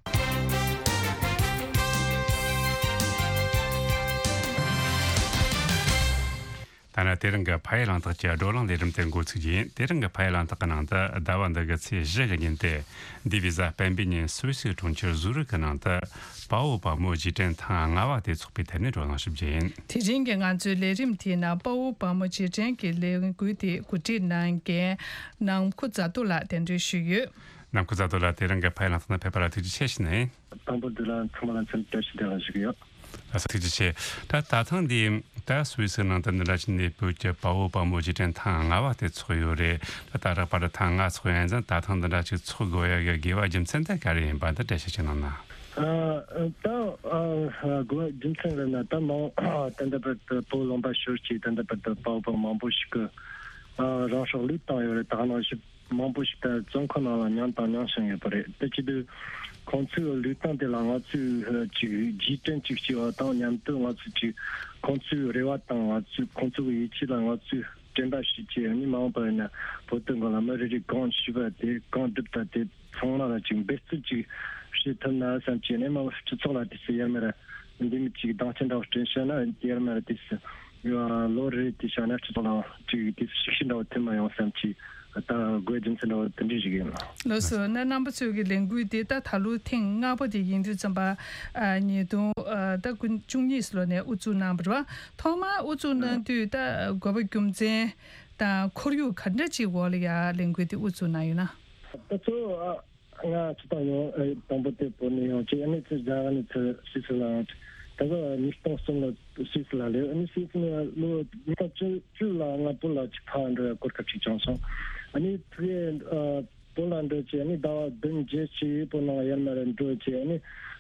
ད་ནི་དེ་རིང་གི་ཕ་ཡུལ་གླེང་སྟེགས་ཀྱི་བགྲོ་གླེང་ལས་རིམ་དེ་འགོ་ཚུགས་རྒྱུ་ཡིན། དེ་རིང་གི་ཕ་ཡུལ་གླེང་སྟེགས་ཀྱི་ནང་དུ་ཟླ་བ་འདི་གི་ཚེས་བཞི་གི་ཉིན་ཏེ། འདས་པའི་གཟའ་སྤེན་པའི་ཉིན་སུད་སི་གྲོང་ཁྱེར་ཟུ་རིག་གི་ནང་དུ་དཔའ་བོ་དཔའ་མོ་རྗེས་དྲན་ཐེངས་ལྔ་བ་དེ་ཚོགས་པའི་ཐད་ནས་བགྲོ་གླེང་ཞུ་རྒྱུ་ཡིན། དེ་རིང་གི་ང་ཚོའི་ལས་རིམ་དེའི་ནང་དཔའ་བོ་དཔའ་མོ་རྗེས་དྲན་གྱི་ལས་འགུལ་དེ་གོ་སྒྲིག་གནང་མཁན་ནམ་མཁའ་རྫ་རྡོ་ལགས་གདན་འདྲེན་ཞུས་ཡོད། ནམ་མཁའ་རྫ་རྡོ་ལགས་དེ་རིང་གི་ཕ་ཡུལ་གླེང་སྟེགས་ནང་ཕེབས་པ་ལ་ཐུགས་རྗེ་ཆེ་ཞུ་ནས། དང་པོ་འདི་ལ་ཚང་མ་ལ་འཚམས་འདྲི་བཀྲ་ཤིས་བདེ་ལེགས་ཞུ་གི་ཡོད། ལགས་སོ། ཐུགས་རྗེ་ཆེ། ད་ད་ཐེངས་འདི་ད་སུད་སི་ནང་དུ་འདི་འདྲ་ཅིག་གནས་སྤོས་ཀྱི་དཔའ་བོ་དཔའ་མོ་རྗེས་དྲན་ཐེངས་ལྔ་པ་དེ་ཚོགས་ཡོད་རེད། ད་ད་རག་པ་ད་ཐེངས་ལྔ་ཚོགས་ཡོད་ཡིན་ཙང་ད་ཐེངས་འདི་འདྲ་ཅིག་ཚོགས་དགོས་ཡ་གི་དགོས་པ་རྒྱུ་མཚན་དེ་ག་རེ་ཡིན་པ་འདི་འགྲེལ་བཤད་ཅིག་གནང་ན། ཨ་ད་ཨ་དགོས་པ་རྒྱུ་མཚན་ལབ་ན་ད་མང་ད་ལྟ་བར་དུ་བོད་ལུང་པ་ཤོར་ཅིག་ད་ལྟ་བར་དུ་དཔའ་བོ་དཔའ་མོ་མང་པོ་ཞིག་གིས་ཨ་རང་སྲོག་བློས་བཏང་ཡོད་རེད། ད་ག་ནང་བཞིན་མང་པོ་ཞིག་ད་བཙོན་ཁང་ནང་ལ་མྱངས་དང་མྱངས་བཞིན་ཡོད་པ་རེད། དེ་བྱེད་དུས་ཁོང་ཚོའི་ལུས་སྟེང་དེ་ལ་ང་ཚོས་ཅིག་རྗེས་དྲན་ཅིག་བྱས་པ་དང་མཉམ་དུ་ང་ཚོས་ཅིག་ཁོང་ཚོའི་རེ་བ་དང་ང་ཚོས་ཁོང་ཚོ་གི་ཡིད་ཆེས་ལ་ང་ཚོས་དྲན་པ་ཞིག་བྱས། ཨ་ནི་མ་འོངས་པར་ཡིན་ན་བོད་དོན་སྒང་ལ་མི་རེ་རེ་གང་ཤེས་པ་དེ་གང་སྒྲུབ་ད་དེ་ཚང་མ་ལ་ཅིག་འབད་བརྩོན་ཅིག་བྱེད་ཐུབ་ན་བསམ་གྱི། ཨ་ནི་མ་སྤྱི་ཚོགས་ལ་དེ་ཚོ་ཡར་མར་འདི་མི་ཅིག་སྡང་ཆེན་འདྲ་བོ་སྤྲད་བཞག་ན་ཡར་མར་དེ་ཚོ་ལོ་རེ་རེ་དེ་བཞག་ན་སྤྱི་ཚོགས་ལ་ཅིག་དེ་ཚོ་ཤུགས་ཆེན་འདྲ་བོ་ཐེབས་མ་ཡོང་བསམ་གྱི། ད་དགོས་རྒྱུ་མཚན་འདྲ་བོ་དེ་འདྲ་ཞིག་ཡིན་ལ། ལགས་སོ། ན་རྣམ་པ་ཚོའི་གི་ལས་འགུལ་དེ་ད་ད་ལོ་ཐེངས་ལྔ་པ་དེ་ཡིན་དུས་ཙམ་པ་ཨ་ཉིས་སྟོང་ཨ་ད་དགུ་བཅུ་གཉིས་ལོ་ནས་དབུ་འཛུགས་གནང་བ་རེད་བ། ཐོག་མར་དབུ་འཛུགས་གནང་དུས་ད་དགོས་པ་རྒྱུ་མཚན་དང་ཁོར་ཡུག་ག་འདྲ་ཅིག་འོག་ལ་ཡ་ལས་འགུལ་དེ་དབུ་འཛུགས་གནང་ཡོད་ན། ད་ཚོ་ཨ་ང་ཚོ་ད་ཡོང་ཨ་དང་པོ་དེ་བོད་ནས་ཡོང་ཅིག་ཨ་ནི་ཚོ་རྒྱ་གར་ནས་ཚུར་སུད་སི་ལ་ཡོང་ཅིག་ད་ག་ཉིས་སྟོང་གསུམ་ལ་སུད་སི་ལ་སླེབས། ཨ་ནི་སུད་སི་ནས་ལོ་ཉིས་སྟོང་བཅུ་བཅུ་ལ་ང་བོད་ལ་ཅིག་ཕར་འགྲོ་ཡ་གོ་སྐབས་ཅིག་བྱུང་སོང་། ཨ་ནི་ཕ་གིར་ཨ་བོད་ལ་འགྲོ་ཅིག་ཨ་ནི་ཟླ་བ་བདུན་བརྒྱད་ཅིག་བོད་ནང་ཡར་མར་འགྲོ་ཅིག་ཨ་ནི་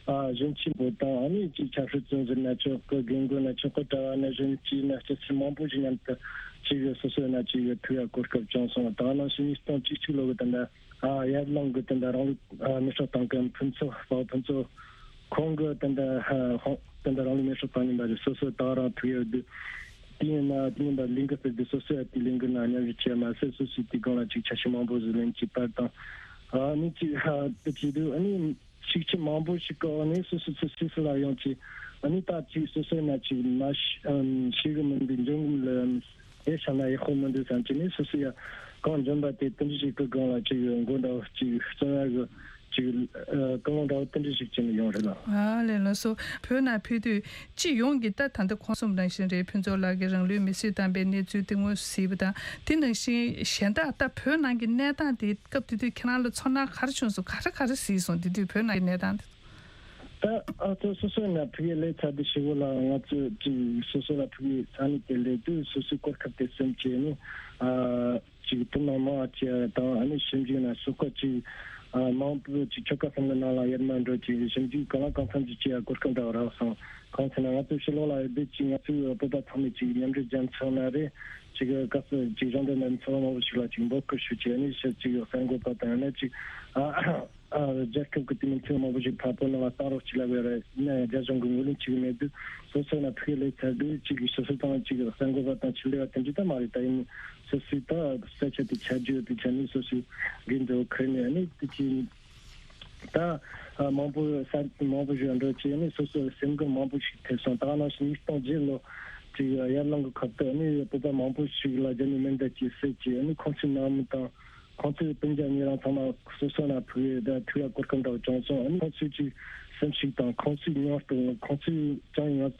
ཨ་གཞོན་སྐྱེས་བོད་དང་ཨ་ནི་ཅིག་ཆབ་སྲིད་བཙོན་ཟུར་ན་ཆོག་གི། རྒན་རྒོན་ན་ཆོག་གི། གྲྭ་བ་ན་གཞོན་སྐྱེས་ན་སྐྱ་སེར་མང་པོ་ཞིག་མཉམ་དུ་ཅིག་སོ་སོ་ན་ཅིག་ཐུག་ཡ་གོ་སྐབས་བྱུང་སོང་། ད་ག་ནང་བཞིན་ཉིས་སྟོང་བཅུ་གཅིག་ལོ་གི་ད་ལྟ་ཨ་ཡར་ལུང་གི་དེ་འདྲ་རང་ལུགས་ཨ་མི་སྲོག་བཏང་མཁན་ཕུན་ཚོགས་དཔའ་བོ་ཕུན་ཚོགས་ཁོང་གི་དེ་འདྲ་ཨ་ཁོང་དེ་འདྲ་རང་ལུགས་མི་སྲོག་བཏང་ཉིན་པ་རེད། སོ་སོ་ད་རང་ཐུག་ཡོད་དུས་དེ་ཡིན་ན་དེ་ཡིན་པ་ལས་འགུལ་སྤེལ་དུས་སོ་སོ་ཡ་དེ་ལས་འགུལ་ན་མཉམ་ཞུགས་བྱས་མ་ཟད་སོ་སོའི་དེ་སྒང་ལ་ཅིག་ཆ་ཤས་མང་པོ་ཟིག་ལེན་གྱི་པར་དང་ཨ་ནི་ཅིག་ཨ་དེ་བྱེད་དུས་ཨ་ནི་ཤུགས་ཆེ་མང་པོ་ཞིག་གི་འོག་ནས་སོ་སོ་ཚོ་སུད་སི་ལ་ཡོང་ཅིག་ཨ་ནི་ད་ཅིག་སོ་སོ་ན་ཅིག་མ་ཤི་ཨམ་ཤི་གི་མི་འདུག་འབྱུང་གི་མི་ལ་ཨེ་ཤ་ན་ཡག་པོ་མི་འདུག་བསམ་གྱི་ནས་སོ་སོ་ཡ་གང་འཇོན་པ་དེ་དེ་འདྲ་ཞིག་གི་སྒང་ལ་ཅིག་མགོ་འདྲ་བོ་ཅིག་བརྩོན་ཡ་གི་ཅིག་ཨ་ཀུན་སློང་འདྲ་བོ་དེ་འདྲ་ཞིག་བྱས་ནས་ཡོང་རེད་ལ། ཨ་ལས་ལགས་སོ། བོད་ནང་ཕེབས་དུས་སྤྱི་ཡོངས་ཀྱི་ད་ད་ལྟ་ཁོང་གསུམ་ནང་བཞིན་རེད། ཕུན་ཚོགས་ལགས་ཀྱིས་རང་ལུས་མེར་སྲེག་བཏང་པའི་གནས་ཚུལ་དེ་ངོས་སུ་གཟིགས་པ་དང་དེ་ནང་བཞིན་གཞན་དག་ད་བོད་ནང་གི་གནས་སྟངས་དེ་སྐབས་དེ་དུས་ཁྱེད་རང་ལ་ཚོར་སྣང་ག་རེ་བྱུང་སོང་། ག་རེ་ག་རེ་གཟིགས་སོང་། དེ་དུས་བོད་ནང་གི་གནས་སྟངས་དེ། ད་ཨ་ཚོ་སོ་སོའི་ནང་ཕ་གིར་སླེབས་ཚར་དུས་ཞི་བོ་ལ་ང་ཚོ་ཅིག་སོ་སོ་ལ་ཕ་གིའི་ས་གནས་དེ་སླེབས་དུས་སོ་སོའི་གོ་སྐབས་དེ་སེམས་བྱས་ནས་ཨ་ཅིག་དོ་སྣང་མང་བ་བྱས་དང་ཨ་ནི་ཞིབ་འཇུག་ན་སོ་ཁ་ཅིག་ཨ་མང་པོ་ཅིག་ཆོལ་ཁ་གསུམ་གི་ནང་ལ་ཡར་མར་འགྲོ་ཅིག་ཞིབ་འཇུག་གང་ལ་གང་འཚམ་ཅིག་བྱེད་ཡ་གོ་སྐབས་འདྲ་བ་རག་སོང་། གང་ཟེར་ན་ང་ཚོ་ཕྱི་ལོགས་ལ་ཡོད་དུས་ཅིག་ང་ཚོའི་བོད་པ་ཚང་མས་ཅིག་མཉམ་འབྲེལ་རྒྱལ་ཚོགས་ན་རེད། ཅིག་ག་ས་ཅིག་གཞུང་འབྲེལ་མེད་ཚོགས་པ་མང་པོ་ཞིག་ལ་ཅིག་འབོད་སྐུལ་ཞུ་ཅིག་ཨ་ནི་ཕྱིར་ཅིག་གསར་འགོད་པ་དང་ཡང་ན་ཅིག་ཨ། ཨ་རྒྱལ་ཁབ་ཀྱི་དེ་མིན་ཐེངས་མང་པོ་ཞིག་ཕར་བོད་ནང་ལ་གཏོང་རོགས་བྱེད་ལབ་ཡོད་རེད། ཡིན་ན་ཡང་རྒྱ་གཞུང་གིས་ངོས་ལེན་བྱེད་ཀྱི་མེད་དུས་སོ་སོ་ན་ཕུགས་ལས་ཚར་དུས་གཅིག་གིས་སོ་སོ་དང་གཅིག་གིས་གསར་འགོད་པ་དང་ཆེད་ལས་པ་དེ་འདྲ་ད་མ་རེད། ད་ཡིན་སོ་སོའི་ད་ས་ཆ་དེ་ཆ་རྒྱུས་ཡོད་པའི་ཆ་ནས་སོ་སོའི་འགན་དེ་འཁུར་ནས་ནི་དེ་གྱིས་ད་མང་པོ་ས་མང་པོ་ཞིག་འགྲོ་བྱས་ནས་སོ་སོ་སེམས་འགུལ་མང་པོ་ཞིག་ཐེབས་སོང་། ད་ག་ནང་བཞིན་ཉིས་སྟོང་བརྒྱད་ལོ་གཅིག་ཡར་ལུང་གི་ཁབ་ཏུ་ནི་བོད་པ་མང་པོ་ཞིག་ལ་རྒྱ་མིའི་མེ་མདའ་གྱིས་བསད་ཀྱིས་ནི་ཁོང་ཚོའི་ནང་མི་དང་། ཁོང་ཚོའི་སྤུན་ཀྱག་ཉེ་རིང་ཚང་མ་སོ་སོ་ན་ཕུགས་ཡོད་ད་ཐུག་ཡ་གོ་སྐབས་འདྲ་བོ་བྱུང་སོང་། ཨ་ནི་ཁོང་ཚོའི་ཅིག་སེམས་ཤུགས་དང་ཁོང་ཚོའི་མྱོང་སྟངས་ཁོང་ཚོའི་ཀྱང་ཡིན་ང་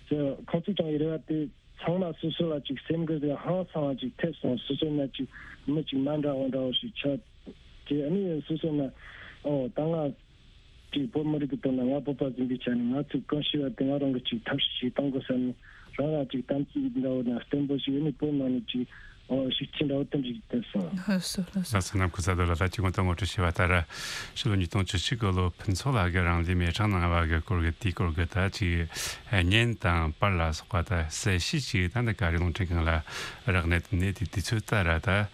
ཚོ་ཁོང་ཚོའི་ཀྱང་ཡིན་རེ་བ་དེ་ཚང་མ་སོ་སོ་ལ་ཅིག་སེམས་འགུལ་དེ་ཧང་སང་བ་ཅིག་ཐེབས་སོང་། སོ་སོ་ན་ཅིག་མི་ཅིག་མ་འདྲ་བ་འདྲ་བོ་ཞིག་ཆགས་ཏེ་ཨ་ནི་སོ་སོ་ན་ཨོ་ད་ང་། ཅིག་བོད་མི་རིགས་ཀྱི་དོན་ལ་ང་བོད་པ་ཟིན་པའི་ཆ་ནས་ང་ཚོས་གང་ཤེས་པ་དེ་ང་རང་གིས་ཅིག་ཐབས་ཤེས་ཤིག་གཏང་དགོས་བསམ་ནས་རང་ལ་ཅིག་དམ་ཚིག་འདྲ་བོ་དང་བརྟན་པོ་ཞིག་ཡོད་ནས་བོད་ནང་ནས་ཅིག་ཨོ་ཤུགས་ཆེན་འདྲ་བོ་ཐོན་ཅིག་བསྟན་སོང་། ལགས་སོ་ལགས་སོ། ལགས་སོ། ནམ་མཁའ་ས་རྡོ་ལ་ད་ཅིག་ངོ་ཐོག་ངོ་སྤྲོད་བྱས་པ་ལྟར་ཕྱི་ལོ་ཉིས་སྟོང་བཅུ་གཅིག་གི་ལོ་ཕུན་ཚོགས་ལགས་ཀྱིས་རང་ལུས་མེ་བསྲེགས་གནང་བ་གི་སྐོར་གྱི་དེའི་སྐོར་གྱི་ད་ཅིག་བརྙན་དང་པར་ལ་སོགས་པ་ད་གསལ་བཤད་ཅིག་ད་ནི་ག་རེ་རླུང་འཕྲིན་ཁང་ལ་རག་གནས་ཐོན་ནས་དེ་དུས་ཚོད་ལྟར་ད།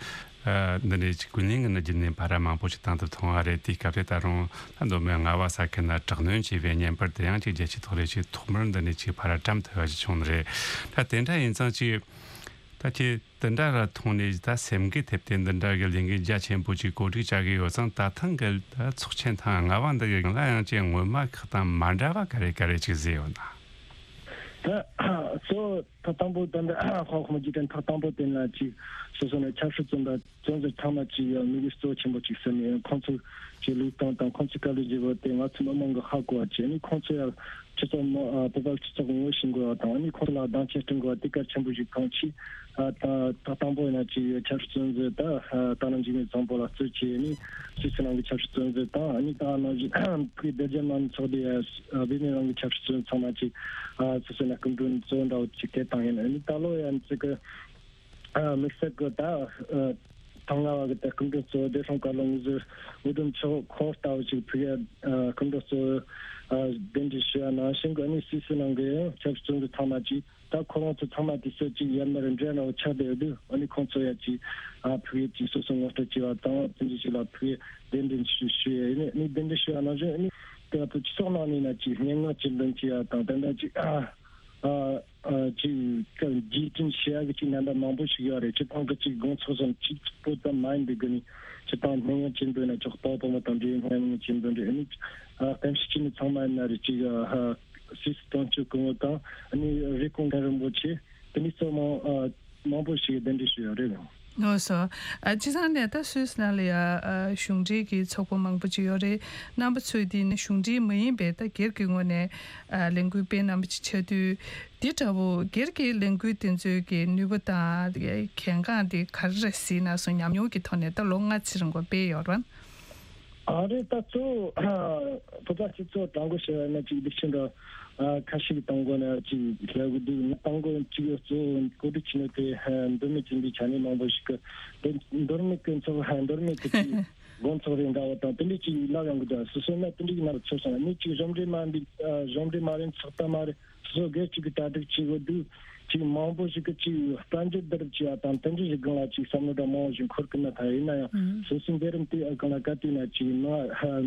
ཨ་འདི་འདྲའི་ཅིག་ཀུན་གླེང་གི་ནི་བརྒྱུད་ནས་ཕར་མང་པོ་ཞིག་བཏང་ཐུབ་ཐུབ་པ་རེད། དེའི་སྐབས་དེ་ད་རུང་ད་མདོ་སྨད་རྔ་བ་ས་ཁུལ་ན་དྲག་གནོན་བྱས་པའི་བརྙན་པར་དེ་ཡང་ཅིག་རྒྱལ་སྤྱིའི་ཐོག་ལས་ཅིག་ཐོག་མར་འདི་ནས་ཅིག་ཕར་བཀྲམ་ཐུབ་པ་ཞིག་བྱུང་ནི་རེད། ད་དེ་འདྲ་ཡིན་ཙང་ཅིག་ད་ཁྱེད་དེ་འདྲ་ལ་མཐོང་ནས་ད་སེམས་འགུལ་ཐེབས་ཏེ་འདི་འདྲ་གི་ལས་འགུལ་རྒྱ་ཆེན་པོ་ཅིག་གོ་སྒྲིག་བྱ་གི་ཡོད་ཙང་ད་ཐེངས་གི་ད་ཚོགས་ཆེན་ཐེངས་ལྔ་པ་འདི་གི་སྒང་ལ་ཡང་ཅིག་སྔོན་མ་ཁག་དང་མ་འདྲ་བ་ག་རེ་ག་རེ་ཅིག་གཟིགས་ཡོད་ན། ད་གཙོ། ཐོག་དང་པོ་དེ་འདྲ་ཧྭ་ཧུང་རྗེས་དྲན་ཐོག་དང་པོ་དེ་ལ་ཅིག་སོ་སོ་ནས་ཆབ་སྲིད་བཙོན་པ་བཙོན་ཟུར་ཚང་མ་ཅིག་དམིགས་ཡུལ་གཙོ་ཆེན་པོ་ཅིག་ཟིན་ནས་ཁོང་ཚོ་ཅིག་ལུས་སྟངས་དང་ཁོང་ཚོའི་དཀའ་ལས་བརྗོད་པ་དེ་ང་ཚོ་མི་མང་གིས་ཧ་གོ་བ་བྱས་ནས་ཁོང་ཚོ་ཡང་སྤྱི་ཚོགས་མི་ཨ་བོད་པ་སྤྱི་ཚོགས་ངོ་ཤེས་དགོས་པ་དང་ཨ་ནི་ཁོང་ཚོ་ལ་སྡིངས་ཆ་སྐྲུན་དགོས་པ་དེ་གལ་ཆེན་པོ་ཞིག་མཐོང་ཆེད་ཨ་ད་ཐོག་དང་པོ་ཡིན་ན་ཅིག་ཆབ་སྲིད་བཙོན་ཟུར་ད་ཨ་ད་ནང་འཇིགས་མེད་བཟང་པོ་ལགས་གཙོས་བྱས་ནས་སུད་སི་ནང་གི་ཆབ་སྲིད་བཙོན་ཟུར་དང་ཨ་ནི་ད་ནང་བཞིན་ཕ་གི་སྡེ་བརྒྱད་མང་ཚོགས་དེ་ཨ་བྷི་མི་རང་གི་ཆབ་སྲིད་བཙོན་ཚང་མ་ཅིག་ཨ་སུད་སི་ནང་སྐུ་མགྲོན་གཙོ་བོ་འདྲ་བོ་ཅིག་དེ་བཏང་ཡིན། ཨ་ནི་ད་ལོ་ཡང་ཅིག་གི་ཨ་དམིགས་བསལ་གྱི་ད་ཨ་ཐང་ང་བ་གི་ད་སྐུ་མགྲོན་གཙོ་བོ་བདེ་སྲུང་བཀའ་བློན་ངོས་ཟུར་འོས་བསྡུ་མཆོག་ཁོང་ལྟ་བུ་ཅིག་ཕུལ་ཡ་ཨ་སྐུ་མགྲོན་གཙོ་བོ་ཨ་གདན་འདྲེན་ཞུ་ཡ་ནང་བཞིན་གྱི་ཨ་ནི་སུད་སི་ནང་གི་ཡང་ཆབ་སྲིད་བཙོན་ཟུར་ཚང་མ་ཅིག་ད་ཁོ་རང་ཚོ་ཚང་མ་དུས་ཚོད་ཅིག་ཡར་མར་འབྲེལ་ནང་ཆགས་བསྡད་ཡོད་དུས་ཨ་ནི་ཁོང་ཚོ་ཡ་ཅིག་ཨ་ཕུལ་ཡ་ཅིག་སོ་སོ་ངོ་སྤྲོད་བྱས་པ་དང་དེ་འདྲ་ཞིག་ལ་ཕུལ་ཡ་གདན་འདྲེན་ཞུ་ཞུ་ཡ་ཨ་ནི་གདན་འདྲེན་ཞུ་ཡ་ནང་བཞིན་ཨ་ནི་ད་བོད་སྤྱི་ཚོགས་ནང་ནས་ན་ཅིག་སྙན་ངག་ཅིག་འདོན་བྱས་ཡ་དང་དེ་འདྲ་ཅིག་ཨ། ཨ་ཨ་ཅིག་རྗེས་དྲན་བྱེད་ཡག་གི་ཅིག་རྣམ་པ་མང་པོ་ཞིག་ཡོད་རེད། སྤྱིར་བཏང་གི་ཅིག་དགོང་ཚོགས་སམ་ཅིག་པོ་ཙམ་མ་ཡིན་པའི་སྒོ་ནས་སྤྱིར་བཏང་སྙན་ངག་ཅིག་འདོན་ན་ཆོག་དཔའ་བོ་དང་འབྲེལ་སྙན་ངག་ཅིག་འདོན་རེད། ཨ་ནི་ཨ་གཏམ་བཤད་བྱེད་མི་ཚང་མ་ཡིན་ན་རེད། ཅིག་ཨ་སུད་སི་དོན་གཅོད་སྐུ་ངོ་དང་ཨ་ནི་རེབ་གོང་མཁན་རིན་པོ་ཆེ་དེ་འདྲའི་ཚོ་མང་ཨ་མང་པོ་ཞིག་གདན་འདྲེན་ཞུས་ཡོད་རེད། ལགས་སོ། ཨ་སྤྱིར་བཏང་ནས་ད་སུད་སི་ནང་ལ་ཡ་ཨ་གཞུང་འབྲེལ་གྱི་ཚོགས་པ་མང་པོ་ཅིག་ཡོད་རེད། རྣམ་པ་ཚོས་འདི་ནི་གཞུང་འབྲེལ་མ་ཡིན་པའི་ད་སྒེར་གྱི་ངོས་ནས་ཨ་ལས་འགུལ་སྤེལ་གནང་བ་ཅིག་ཆགས་དུས་འདི་འདྲ་བོ་སྒེར་གྱི་ལས་འགུལ་དེ་ཚོའི་གི་ནུས་པ་དང་གལ་འགངས་དེ་ག་རེ་རེད་གཟིགས་ན་སོང་ཉམས་མྱོང་གི་ཐོག་ནས་ད་ལོ་ལྔ་ཚན་རིང་པོ་སྤེལ་ཡོད་རེད་བ། ཨ་རེད། ད་གཙོ་བོ་བོད་པ་སྤྱི་ཚོགས་དྲང་པོ་བཤད་ན་ཅིག་སྡིག་ཆེན་འདྲ་ཨ་ཁ་ཤས་ཀྱི་དང་པོ་ན་ཅིག་ལབ་གི་འདུག་ང་དང་པོ་ཅིག་གཙོ་བོ་གོ་སྒྲིག་བྱས་ནས་དེ་མདོ་སྨད་ཅན་པའི་ཆ་ནས་མང་པོ་ཞིག་གི་མདོ་སྨད་ཀྱི་ཚོགས་མདོ་སྨད་ཀྱི་ཅིག་དགོན་ཚོགས་རེ་འདྲ་བ་དང་དེ་འདྲས་ཅིག་ལབ་ཡོང་གི་འདུག་སོ་སོ་ན་དེ་འདྲས་ཀྱི་ནང་ཚོར་སོང་། ནི་ཅིག་གཞུང་འབྲེལ་མ་འདུག་གཞུང་འབྲེལ་མ་རེད། ཚོགས་པ་མ་རེད། སོ་སོ་སྒེར་གཅིག་གི་གྲ་སྒྲིག་བྱེད་དགོས་དུས་ཅིག་མང་པོ་ཞིག་གིས་ཅིག་དཔལ་འབྱོར་བསྡུ་རུབ་བྱེད་ཡ་དང་དེ་འདྲ་ཞིག་སྒང་ལ་ཅིག་བསམ་བློ་འདྲ་མང་བོ་ཞིག་འཁོར་གི་མེད། ད་ཡིན་ན་ཡང་ཨང་། སོ་སོའི་མཛད་རིམ་དེ་སྒང་ལ་ག་དུས་ན་ཅིག་ནང་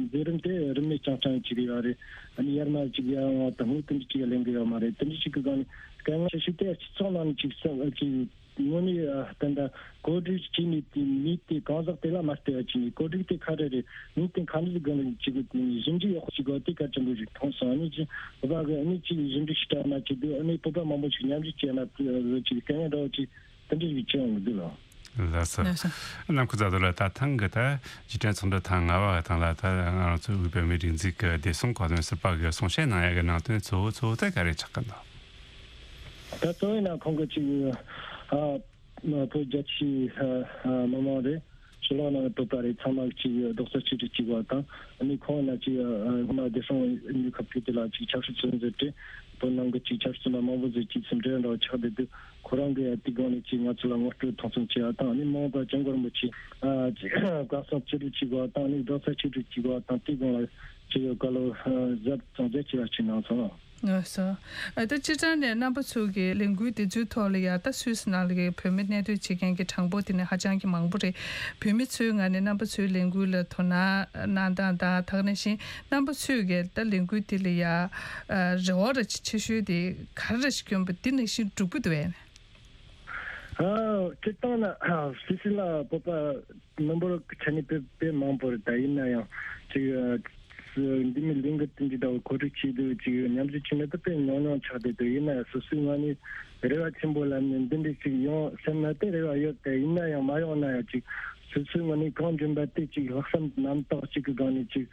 མཛད་རིམ་དེ་རིན་མེད་རྐྱང་རྐྱང་ཅིག་ཡོད་རེད། ཨ་ནི་ཡར་མར་ཅིག་ཡར་འོང་བ་དང་དངུལ་དེ་འདྲ་ཅིག་ལེན་གི་ཡོད་མ་རེད། དེ་འདྲ་ཞིག་གི་སྒང་ནས་དཀའ་ངལ་ཆེ་ཤོས་དེ་སྤྱི་ཚོགས་ནང་ནས་ཅིག་བསམ་ཅིག་དངོས་གནས་ཨ་ད་ལྟ་གོ་སྒྲིག་བྱས་ནས་དེ་མི་དེ་གང་ཟག་དེ་ལ་མ་ལྟོས་པ་བྱས་ནས་གོ་སྒྲིག་དེ་ག་རེ་རེད། མི་དེ་ག་འདྲ་ཞིག་དགོས་ན་ཅིག་དེ་ནས་ཞིབ་འཇུག་ཡག་པོ་ཞིག་དགོས་དེ་གལ་ཆེན་པོ་ཞིག་མཐོང་སོང་། ཨ་ནི་ཅིག་བོད་པ་གི་ཨ་ནི་ཅིག་ཞིབ་འཇུག་ཞིབ་ཕྲ་མ་བྱེད་དུས་ཨ་ནི་བོད་པ་མང་པོ་ཞིག་མཉམ་ཞུགས་བྱས་ན་དེ་ཅིག་དཀའ་ངལ་འདྲ་བོ་ཅིག་དེ་འདྲ་ཞིག་བྱེད་ཡོང་གི་འདུག་ལགས། ལགས་སོ། ལགས་སོ། ནམ་མཁའ་མཛད་དོ་ལགས། ད་ཐེངས་ཀྱི་ད་རྗེས་དྲན་ཚོགས་འདུ་ཐེངས་ལྔ་པ་དང་ལ་ད་ང་རང་ཚོའི་དབུས་བོད་མིའི་སྒྲིག་འཛུགས་ཀྱི་བདེ་སྲུང་བཀའ་བློན་ཟུར་པ་གིས་གསུང་བཤད་གནང་ཡ་གི་ནང་དོན་གཙོ་བོ་གཙོ་བོ་དེ་ག་རེ་ཆགས་ཀྱི་འདུག་ད་གཙོ་བོ་ཡིན་ན་ཁོང་གིས་ཅིག་ཨ་བོད་རྒྱ་ཆེའི་ཨ་མི་མང་རེད། ཕྱི་ལོགས་ནང་བོད་པ་རེད། ཚང་མ་ཅིག་རྡོག་རྩ་གཅིག་སྒྲིལ་གཅིག་པ་དང་ཨ་ནི་ཁོང་ན་ཅིག་ཨ་སྔོན་མ་བདེ་སྲུང་ཡོད་ཁབ་ཀྱི་དེ་ལ་ཅིག་ཆབ་སྲིད་བཙོན་ཟུར་ཏེ་བོད་ནང་གི་ཅིག་ཆབ་སྲིད་བཙོན་པ་མང་པོ་ཟིག་ཅིག་ཟིན་བྲིས་འདྲ་བ་ཆགས་བསྡད་དུས་ཁོ་རང་གི་དེ་སྒང་ནས་ཅིག་ང་ཚོ་ལ་ངོ་སྤྲོད་མཐོང་ཆུང་བྱས་པ་དང་ཨ་ནི་མ་འོངས་པར་སྐྱབས་མགོན་རིན་པོ་ཆེ་ཨ་ཅིག་བཀའ་གསུང་ཅི་སྒྲིལ་གཅིག་པ་དང་ཨ་ནི་རྡོག་རྩ་གཅིག་སྒྲིལ་གཅིག་པ་དང་དེ་སྒང་ལ་ཅིག་བཀའ་སློབ་ཨ་ཟབ་གཙང་མཛད་བྱས་པ་ཅིག་གནང་སོང་། ལགས་སོ། ཨ་ད་སྤྱིར་བཏང་ནས་རྣམ་པ་ཚོ་གི་ལས་འགུལ་འདི་ཚོའི་ཐོག་ལ་ཡ་ད་སུད་སི་ནང་ལ་གི་བོད་མི་གནས་སྡོད་བྱེད་མཁན་གྱི་གྲངས་འབོར་དེ་ནི་ཧ་ཅང་གི་མང་པོ་རེད། བོད་མི་ཚོའི་ངོས་ནས་རྣམ་པ་ཚོའི་ལས་འགུལ་ལ་དོ་སྣང་གནང་སྟངས་དང་ད་ག་ནང་བཞིན་རྣམ་པ་ཚོས་གི་ད་ལས་འགུལ་འདི་ལ་ཡ་ཨ་རེ་བ་ར་ཆེ་ཤོས་དེ་ག་རེ་ར་ཞིག་བསྐྱོན་པ་འདི་ནང་བཞིན་འགྲུབ་ཀྱི་འདུག་གས། ཨ་སྤྱིར་བཏང་ན་ཨ་སུད་སི་ལ་བོད་པ་མི་འབོར་གྱི་ཆ་ནས་དཔེ་དཔེ་མང་པོ་རེད། ད་ཡིན་ན་ཡང་ཅིག་ཨ་འདི་མི་ལིང་གི་དེ་འདྲ་འདྲ་བོ་གོ་སྒྲིག་བྱས་འདུག་ཅིག་མཉམ་ཞུགས་བྱས་ན་ད་དཔེ་ཉུང་ཉུང་ཆགས་བསྡད་འདུག་ཡིན་ན་ཡང་སོ་སོའི་ངོས་ནས་རེ་བ་ཆེན་པོ་ལབ་ནས་འདི་འདྲ་ཅིག་ཡོང་སེམས་ན་དེ་རེ་བ་ཡོད་དེ། ཡིན་ན་ཡང་མ་ཡོང་ན་ཡང་ཅིག་སོ་སོའི་ངོས་ནས་གང་འཇོན་པ་དེ་ཅིག་ལྷག་བསམ་རྣམ་དག་ཅིག་གི་སྒང་ནས་ཅིག་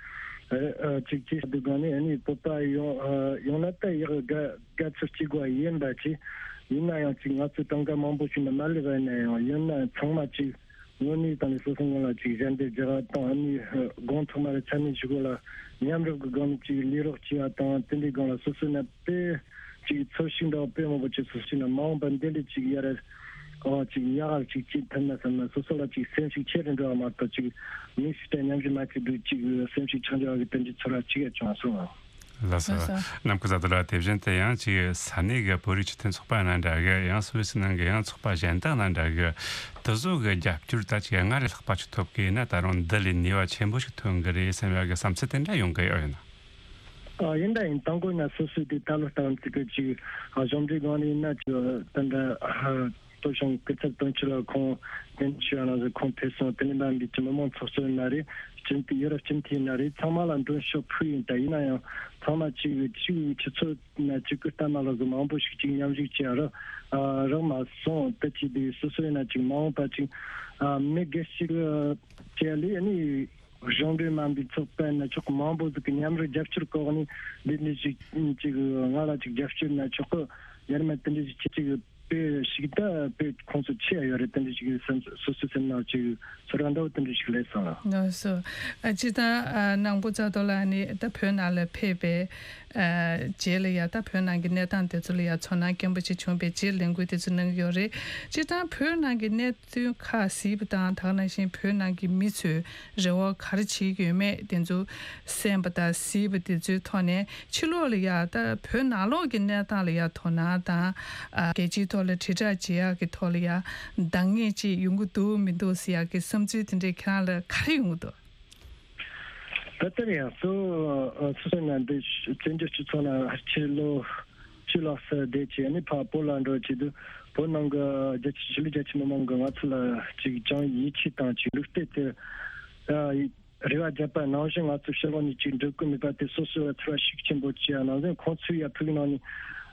ཨ་ཅིག་ཅིག་བྱས་འདུག་སྒང་ནས་ཨ་ནི་བོད་པ་ཡོང་ཨ་ཡོང་ན་ད་ཡག་ག་ག་ཚོད་ཅིག་དགོས་ཡིན་པ་ཅིག་ཡིན་ན་ཡང་ཅིག་ང་ཚོས་གྲངས་ཀ་མང་པོ་ཞིག་ནས་མ་སླེབས་པ་ཡིན་ན་ཡང་ཡིན་ན་ཚང་མ་ཅིག་དངོས་གནས་དང་ནི་སོ་སོ་ངོས་ལ་ཅིག་ཞལ་འདེབས་རྒྱག་པ་དང་ཨ་ནི་དགོང་ཐོག་མ་རེ་ཚ་ནི་ཞིག་གོ་ལ་མཉམ་རུབ་ཀྱི་སྒང་ནས་ཅིག་ལས་རོགས་བྱེད་པ་དང་དེ་འདྲའི་སྒང་ལ་སོ་སོ་ནས་དཔེ་ཅིག་ཚོར་ཤུགས་འདྲ་བ་དཔེ་མང་པོ་ཅིག་སོ་སོ་ནས་མ་འོངས་པ་འདི་འདྲ་ཅིག་ཡར་ཨ་ཅིག་ཡག་ག་ཅིག་ཅིག་ཐུབ་ན་བསམ་ན་སོ་སོ་ལ་ཅིག་སེམས་ཤུགས་ཆེ་རུ་འགྲོ་བ་མ་གཏོགས་ཅིག་མི་ཞིག་དང་མཉམ་ཞུགས་མ་བྱེད་དུས་ཅིག་སེམས་ཤུགས་ཆག་འགྲོ་བ་གི་དེ་འདྲའི་ཚོར་བ་ཅིག་ཡང་བྱུང་སོང་། ལགས་སོ། ལགས་སོ། ནམ་མཁའ་བཟང་དོ་ལགས། དེ་བཞིན་དུ་ཡང་ཅིག་ས་གནས་ཀྱི་བོད་རིགས་སྤྱི་མཐུན་ཚོགས་པ་ནང་འདྲ་གི་ཡང་སུད་སི་ནང་གི་ཡང་ཚོགས་པ་གཞན་དག་ནང་འདྲ་གི་དེ་ཚོ་གི་རྒྱབ་སྐྱོར་ད་ཅིག་སྔར་ལས་ལྷག་པ་ཅིག་ཐོབ་གི་ཡིན་ན་ད་རུང་འདི་ལས་ནུས་པ་ཆེན་པོ་ཞིག་ཐོན་གི་རེད་བསམ་ཡག་གི་བསམ་ཚུལ་དེ་འདྲ་ཡོང་གི་ཡོད་ཡིན་ན། ཨ་ཡིན་ད་ཡིན། དང་པོ་ཡིན་ན་སོ་སོའི་དེ་ད་ལོ་ལྟ་བུ་ཅིག་གི་ཅིག་ཨ་གཞུང་འབྲེལ་སྒང་ནས་ཡིན་ན་ཅིག་དེ་འདྲ་ཨ། སྟོབས་ཤང་སྐུ་ཚབ་དོན་གཅོད་ལ་ཁོང་འདེམས་བྱས་ཡོད་ན་ཟེར། ཁོང་ཕེབས་སོང་། དེ་ནས་འབའ་མི་གི་མི་མང་ཚོགས་གཙོ་ཡིན་ན་རེད། སྤྱི་འཐུས་ཡུ་རོབ་སྤྱི་འཐུས་ཡིན་ན་རེད། ཚང་མ་ལ་མགྲོན་ཤོག་ཕུལ་ཡིན། ད་ཡིན་ན་ཡང་ཚང་མ་གཅིག་གཅིག་ཆུ་ཚོད་ན་གཅིག་གི་ལྟ་ན་ལོག་གི་མང་པོ་ཞིག་གཅིག་མཉམ་ཞུགས་བྱས་ར་རག་མ་སོང་། དེ་བྱས་དུས་སོ་སོ་ཡིན་ན་གཅིག་མ་འོངས་པ་གཅིག་མི་སྒེར་ཞིག་བྱས་ལས་ནི། གཞུང་འབྲེལ་མིན་པའི་ཚོགས་པ་ཡིན་ན་ཆོག་གི། མང་པོ་ཟིག་གི་མཉམ་རུབ་རྒྱབ་སྐྱོར་གོ་གནས་འདི་འདྲ་ཞིག་ཅིག་ང་ལ་ཅིག་རྒྱབ་སྐྱོར་ན་ཆོག་གི། ཡར་མར་དེ་འདྲ་ཞིག་ཅིག་ཅིག་དཔེ་ཞིག་ད་དཔེ་ཁོང་ཚོ་ཆེ་ཡོད་རེད། དེ་འདྲ་ཞིག་སེམས་སོ་སོའི་སེམས་ནང་ཅིག་ཚོར་བ་འདྲ་བོ་དེ་འདྲ་ཞིག་སླེབས་སོང་། ལགས་སོ། ཨ་སྤྱིར་བཏང་ཨ་ནང་པོ་རྩ་ཐོག་ལ་ནི་ད་བོད་ནང་ལ་ཕེབས་པའི་ཨ་རྗེས་ལ་ཡ་ད་བོད་ནང་གི་གནས་སྟངས་དེ་ཚོ་ལ་ཡ་ཚོར་སྣང་སྐྱེན་པོ་ཅིག་བྱུང་བའི་རྗེས་ལས་འགུལ་དེ་ཚོ་གནང་གི་ཡོད་རེད། སྤྱིར་བཏང་བོད་ནང་གི་གནས་ཚུལ་ཁག་གཟིགས་པ་དང་། ད་ག་ནང་བཞིན་བོད་ནང་གི་མི་ཚོའི་རེ་བ་ག་རེ་བྱེད་ཀྱི་ཡོད་མེད་དེ་ཚོ་གསན་པ་དང་གཟིགས་པ་དེ་ཚོའི་ཐོག་ནས། ཕྱི་ལོགས་ལ་ཡ་ད་བོད་ནང་ལོགས་ཀྱི་གནས་སྟངས་ལ་ཡ་དོ་སྣང་དང་། ཨ་རྒྱལ་སྤྱིའི་ཐོག་ལ་དྲིལ་བསྒྲགས་བྱེད་ཡག་གི་ཐོག་ལ་ཡ་འདང་ངེས་ཅིག་ཡོང་གི་འདུག་མི་འདུག་ཟེར་ཡག་གི་བསམ་ཚུལ་དེ་འདྲས་ཁྱེད་རང་ལ་ག་རེ་ཡོང་གི་འདུག་ད་ལྟར་ཡང་སོ་སོ་སོ་ན་འདི་བཙན་བྱོལ་སྤྱི་ཚོགས་ནང་ཕྱི་ལོ་ཕྱི་ལོགས་སུ་བསྡད་བྱས་ནས་ཕར་བོད་ལ་འགྲོ་བྱེད་དུས། བོད་ནང་གི་རྒྱ་ཆེ་ཆོས་ལུགས་རྒྱ་ཆེ་མི་མང་གིས་ང་ཚོ་ལ་ཅིག་ཅང་ཡིད་ཆེས་དང་ཅིག་ལུགས་བསྟེན་དེ་ཨ་རེ་བ་བརྒྱབ་པ་ནང་བཞིན། ང་ཚོ་ཕྱི་ལོགས་ནས་ཅིག་འགྲོ་དགོས་མེད་པ་དེ་སོ་སོའི་ཚོར་བ་ཤུགས་ཆེན་པོ་སྐྱེ་ཡ་ནང་བཞིན། ཁོང་ཚོའི་ཡ་ཕུག་ནང་ནས་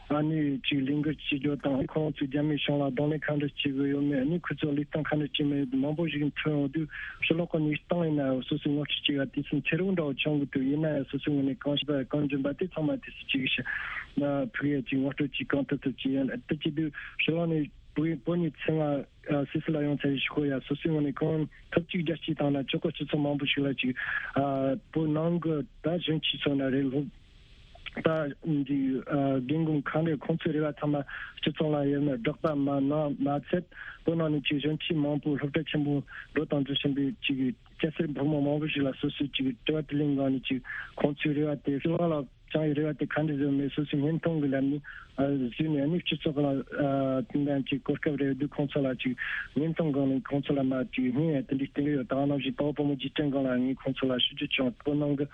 ཨ་ནི་ཅིག་ལས་འགུལ་བྱེད་རྒྱུ་དང་། ཁོང་ཚོས་རྒྱ་མིའི་གཞུང་ལ་གདོང་ལེན་ག་འདྲ་བྱེད་དགོས་ཡོད་མེད། ཨ་ནི་ཁོ་ཚོ་ལུས་སྟངས་ག་འདྲ་བྱེད་མེད་མང་པོ་ཞིག་ཐོན་ཡོང་དུས། ཕྱི་ལོགས་ཀྱི་གནས་སྟངས་ཡིན་ན་སོ་སོའི་ངོ་སྤྲོད་བྱེད་ཡ་དུས་ཚོད་འཚེར་བོ་འདྲ་བོ་བྱུང་གི་འདུག་ཡིན་ན་ཡང་སོ་སོའི་ངོས་ནས་གང་ཤེས་པ་གང་འཇོན་པ་དེ་ཚང་མ་དུས་སུ་ཅིག་ཕུག་ཡ་ཅིག་ངོ་སྤྲོད་ཅིག་གང་ཐུབ་ཐུབ་བྱེད་ཡ། དེ་བྱེད་དུས་ཕྱི་ལོགས་ནས་བོད་བོད་ནས་ཚེ་སྔ་སུད་སི་ལ་ཡོང་ཚར་བའི་ཤོག་ཡ་སོ་སོའི་ངོས་ནས་གང་ཐུབ་ཅིག་རྒྱ་སྐྱེད་བཏང་ན་ཆོག་གི། སྤྱི་ཚོགས་མང་པོ་ཞིག་ལ་ཅིག་ཨ་བོད་ནང་གི་ད་གཞོན་སྐྱེས་ཚོ་ན་རེད། སློབ་ད་འདི་ཨ་རྒན་རྒོན་གང་རེད། ཁོང་ཚོའི་རེ་བ་ཚང་མ་སྤྱི་ཚོགས་ལ་ཡོད་ན་སྦྲགས་པ་མ་གནང་མ་ཚད། བོད་ནང་ནས་ཅིག་གཞོན་སྐྱེས་མང་པོ་སློབ་གྲྭ་ཆེན་པོ་འགྲོ་དང་འཛུལ་བཞིན་པའི་ཅིག་སྐྱ་སེར་ཕོ་མོ་མང་པོ་ཞིག་ལ་སོ་སོའི་ཅིག་དྲི་བ་དྲིས་ལན་སྒང་ནས་ཅིག་ཁོང་ཚོའི་རེ་བ་དེ་ཕྱི་ལོགས་ལ་བཅངས་ཡོད། རེ་བ་དེ་ག་འདྲ་བཟོས་མེད། སོ་སོའི་བརྙན་ཐུང་གི་ལམ་ནས་ཨ་བཟོས་ནས། ཨ་ནི་སྤྱི་ཚོགས་ལ་ཨ་དེ་འདྲ་ཅིག་གོ་སྐབས་རེ་འདུག་ཁོང་ཚོ་ལ་ཅིག་བརྙན་ཐུང་སྒང་ནས་ཁོང་ཚོ་ལ་མ་ཅིག་བརྙན་ཡང་དེ་འདྲའི་སྟོན་གི་ཡོད། ད་ག་ནང་བཞིན་དཔའ་བོ་དཔའ་མོ་རྗེས་དྲན་སྒང་ལ་ངས་ཁོང་ཚོ་ལ་ཞུ་རྒྱུ་བྱུང་། བོད་ནང་གི་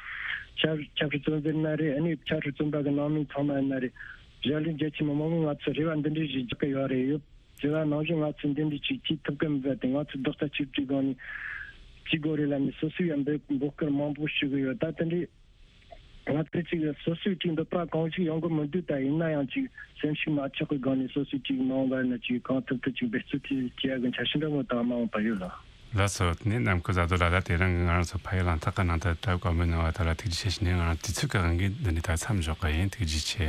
ཆབ་ཆབ་སྲིད་བཙོན་འཛུལ་ན་རེད། ཨ་ནི་ཆབ་སྲིད་བཙོན་པ་གི་ནང་མི་ཚང་མ་ཡིན་ན་རེད། གཞིས་ལུས་རྒྱ་ཆེ་མི་མང་གིས་ང་ཚོ་རེ་བ་འདི་འདྲ་ཞིག་རྒྱག་གི་ཡོད་རེད། ཡོད། དེ་ལ་ནང་བཞིན་ང་ཚོས་འདི་འདྲ་ཅིག་བྱེད་ཐུབ་ཀྱི་མེད་པ་དེ། ང་ཚོས་རྡོག་རྩ་གཅིག་སྒྲིལ་སྒང་ནས་བྱེད་དགོས་རེད་ལབ་ནས་སོ་སོས་ཡང་འབོད་འབོད་སྐུལ་མང་པོ་ཞུ་གི་ཡོད། ད་དེ་འདྲའི་ང་ཚོས་ཅིག་སོ་སོས་ཅིག་འདོད་པ་གང་ཞིག་ཡོང་གི་མི་འདུག་ད་ཡིན་ན་ཡང་ཅིག་སེམས་ཤུགས་མ་ཆག་གི་སྒང་ནས་སོ་སོས་ཅིག་མ་འོངས་པ་ན་ཅིག་གང་ཐུབ་ཐུབ་ཅིག་འབད་བརྩོན་བྱེད་ཡ་གི་འཆར་གཞི་འདྲ་མོ་དང་མ་འོངས་པ་ཡོད་ལ། ལགས་སོ། དེ་ནས་ནམ་མཁའ་བཟའ་རྡོ་ལགས། ད་དེ་རིང་གི་ང་རང་ཚོ་ཕ་ཡུལ་གླེང་སྟེགས་ཀྱི་ནང་དུ་གྲྭ་བ་བཀའ་མོལ་གནང་བ་དེ་ལ་ཐུགས་རྗེ་ཆེ་ཞུ་ནས། ང་རང་དུས་ཚོད་ཀྱི་དབང་གིས་འདི་ནས་ད་མཚམས་འཇོག་གི་ཡིན། ཐུགས་རྗེ་ཆེ།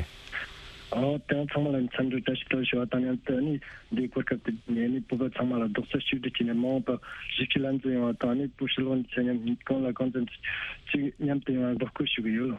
ཨོ། དེ་རིང་ཚང་མ་ལ་འཚམས་འདྲི་བཀྲ་ཤིས་བདེ་ལེགས་ཞུ་བ་དང་མཉམ་དུ། ཨ་ནི་འདིའི་གོ་སྐབས་དེ་ནས་ནི་བོད་པ་ཚང་མ་ལ་རྡོག་རྩ་གཅིག་སྒྲིལ་བྱས་ནས་མ་འོངས་པར་གཞིས་བྱེས་བླ་མཛོད་ཡོང་བ་དང་། ཨ་ནི་བོད་ཕྱི་ལོགས་ནས་ཚེ་མཉམ་གང་ལ་གང་འཚམ་ཅིག་མཉམ་དུ་ཡོང་བར་འབོད་སྐུལ་ཞུ་གི་ཡོད།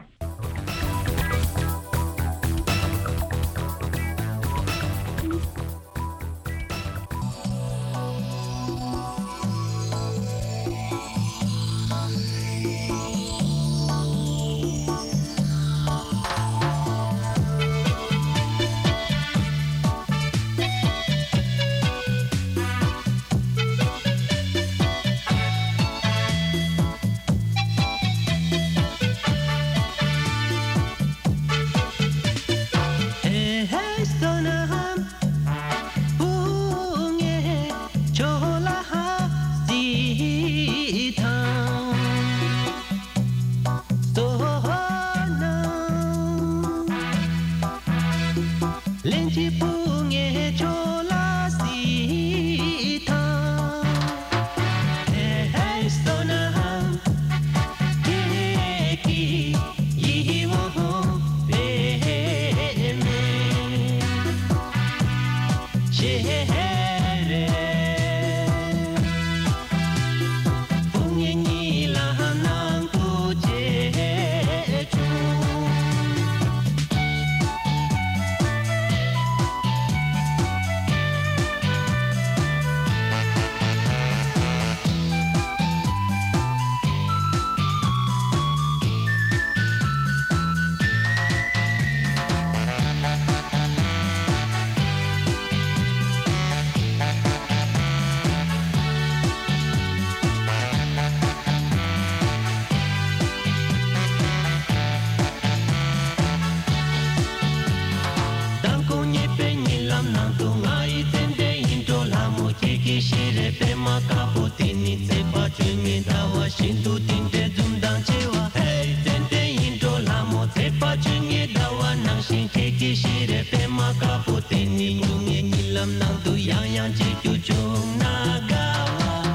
པདྨ་དཀར་པོ་དེ་ནི་ཚེས་པ་བཅོ་ལྔའི་ཟླ་བ་བཞིན་དུ་དེ་འདྲའི་འཛུམ་མདངས་ཆེ་བ། ཧེ་ཙན་དན་ཡིན་འགྲོ་ལྷ་མོ། ཚེས་པ་བཅོ་ལྔའི་ཟླ་བ་ནང་བཞིན་ཁྱེད་ཀྱི་ཤེས་རབ་པདྨ་དཀར་པོ་དེ་ནི་སྨྱུང་གནས་གཉིད་ལམ་ནང་དུ་ཡང་ཡང་མཇལ་རྒྱུ་བྱུང་ན་དགའ་བ།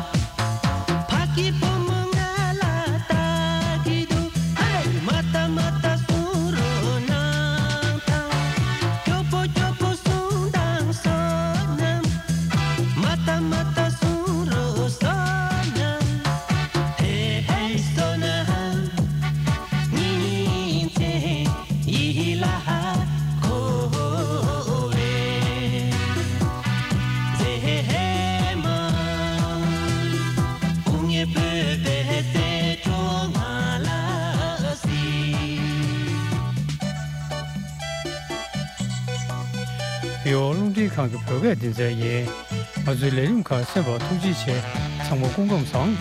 ཕ་གི་བུ་མོ་ང་ལ་ལྟ་གི་འདུག་ཧེ། མ་ལྟ་མ་ལྟ་གསུང་རོགས་གནང་དང་། སྐྱོ་པོ་སྐྱོ་པོ་གསུང་དང་བསོད་ནམས། མ་ལྟ་མ་ལྟ་གསུང་རོགས་བསོད་ནམས། ཧེ་ཧེ་བསོད་ནམས། ཉིན་མཚན་ཡིད་ལ་འཁོར་བའི་མཛེས་མ། སྐུ་ངལ་བོད་པའི་རྩེ་གྲོགས་ང་ལ་གཟིགས། ཡོ། རླུང་འཕྲིན་ཁང་གི་བོད་སྐད་སྡེ་ཚན་ཡིན། ང་ཚོའི་ལས་རིམ་ཁག་གསན་པར་ཐུགས་རྗེ་ཆེ། ཚང་མ་སྐུ་ཁམས་བཟང་།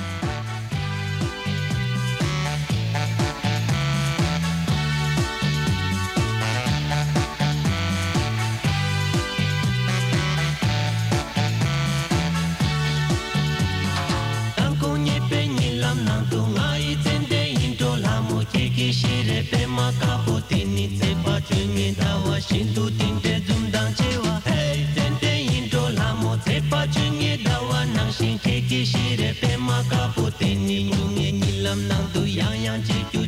དང་ཁོང་ཉེས་པའི་གཉིད་ལམ་ནང་དུ་ང་ཡི་ཙན་དན་ཡིན་འགྲོ་ལྷ་མོ། ཁྱེད་ཀྱི་ཤེས་རབ་པདྨ་དཀར་པོ་དེ་ནི་ཚེས་པ་བཅོ་ལྔའི་ཟླ་བ་བཞིན་དུ་དེ་འདྲའི་འཛུམ་མདངས་ཆེ་བ། ཧེ་ཙན་དན་ཡིན་འགྲོ་ལྷ་མོ། ཚེས་པ་བཅོ་ལྔའི་ཟླ་བ་ནང་བཞིན་ཁྱེད་ཀྱི་ཤེས་རབ་པདྨ་དཀར་པོ་དེ་ནི་སྨྱུང་གནས་གཉིད་ལམ་ནང་དུ་ཡང་ཡང་མཇལ་རྒྱུ།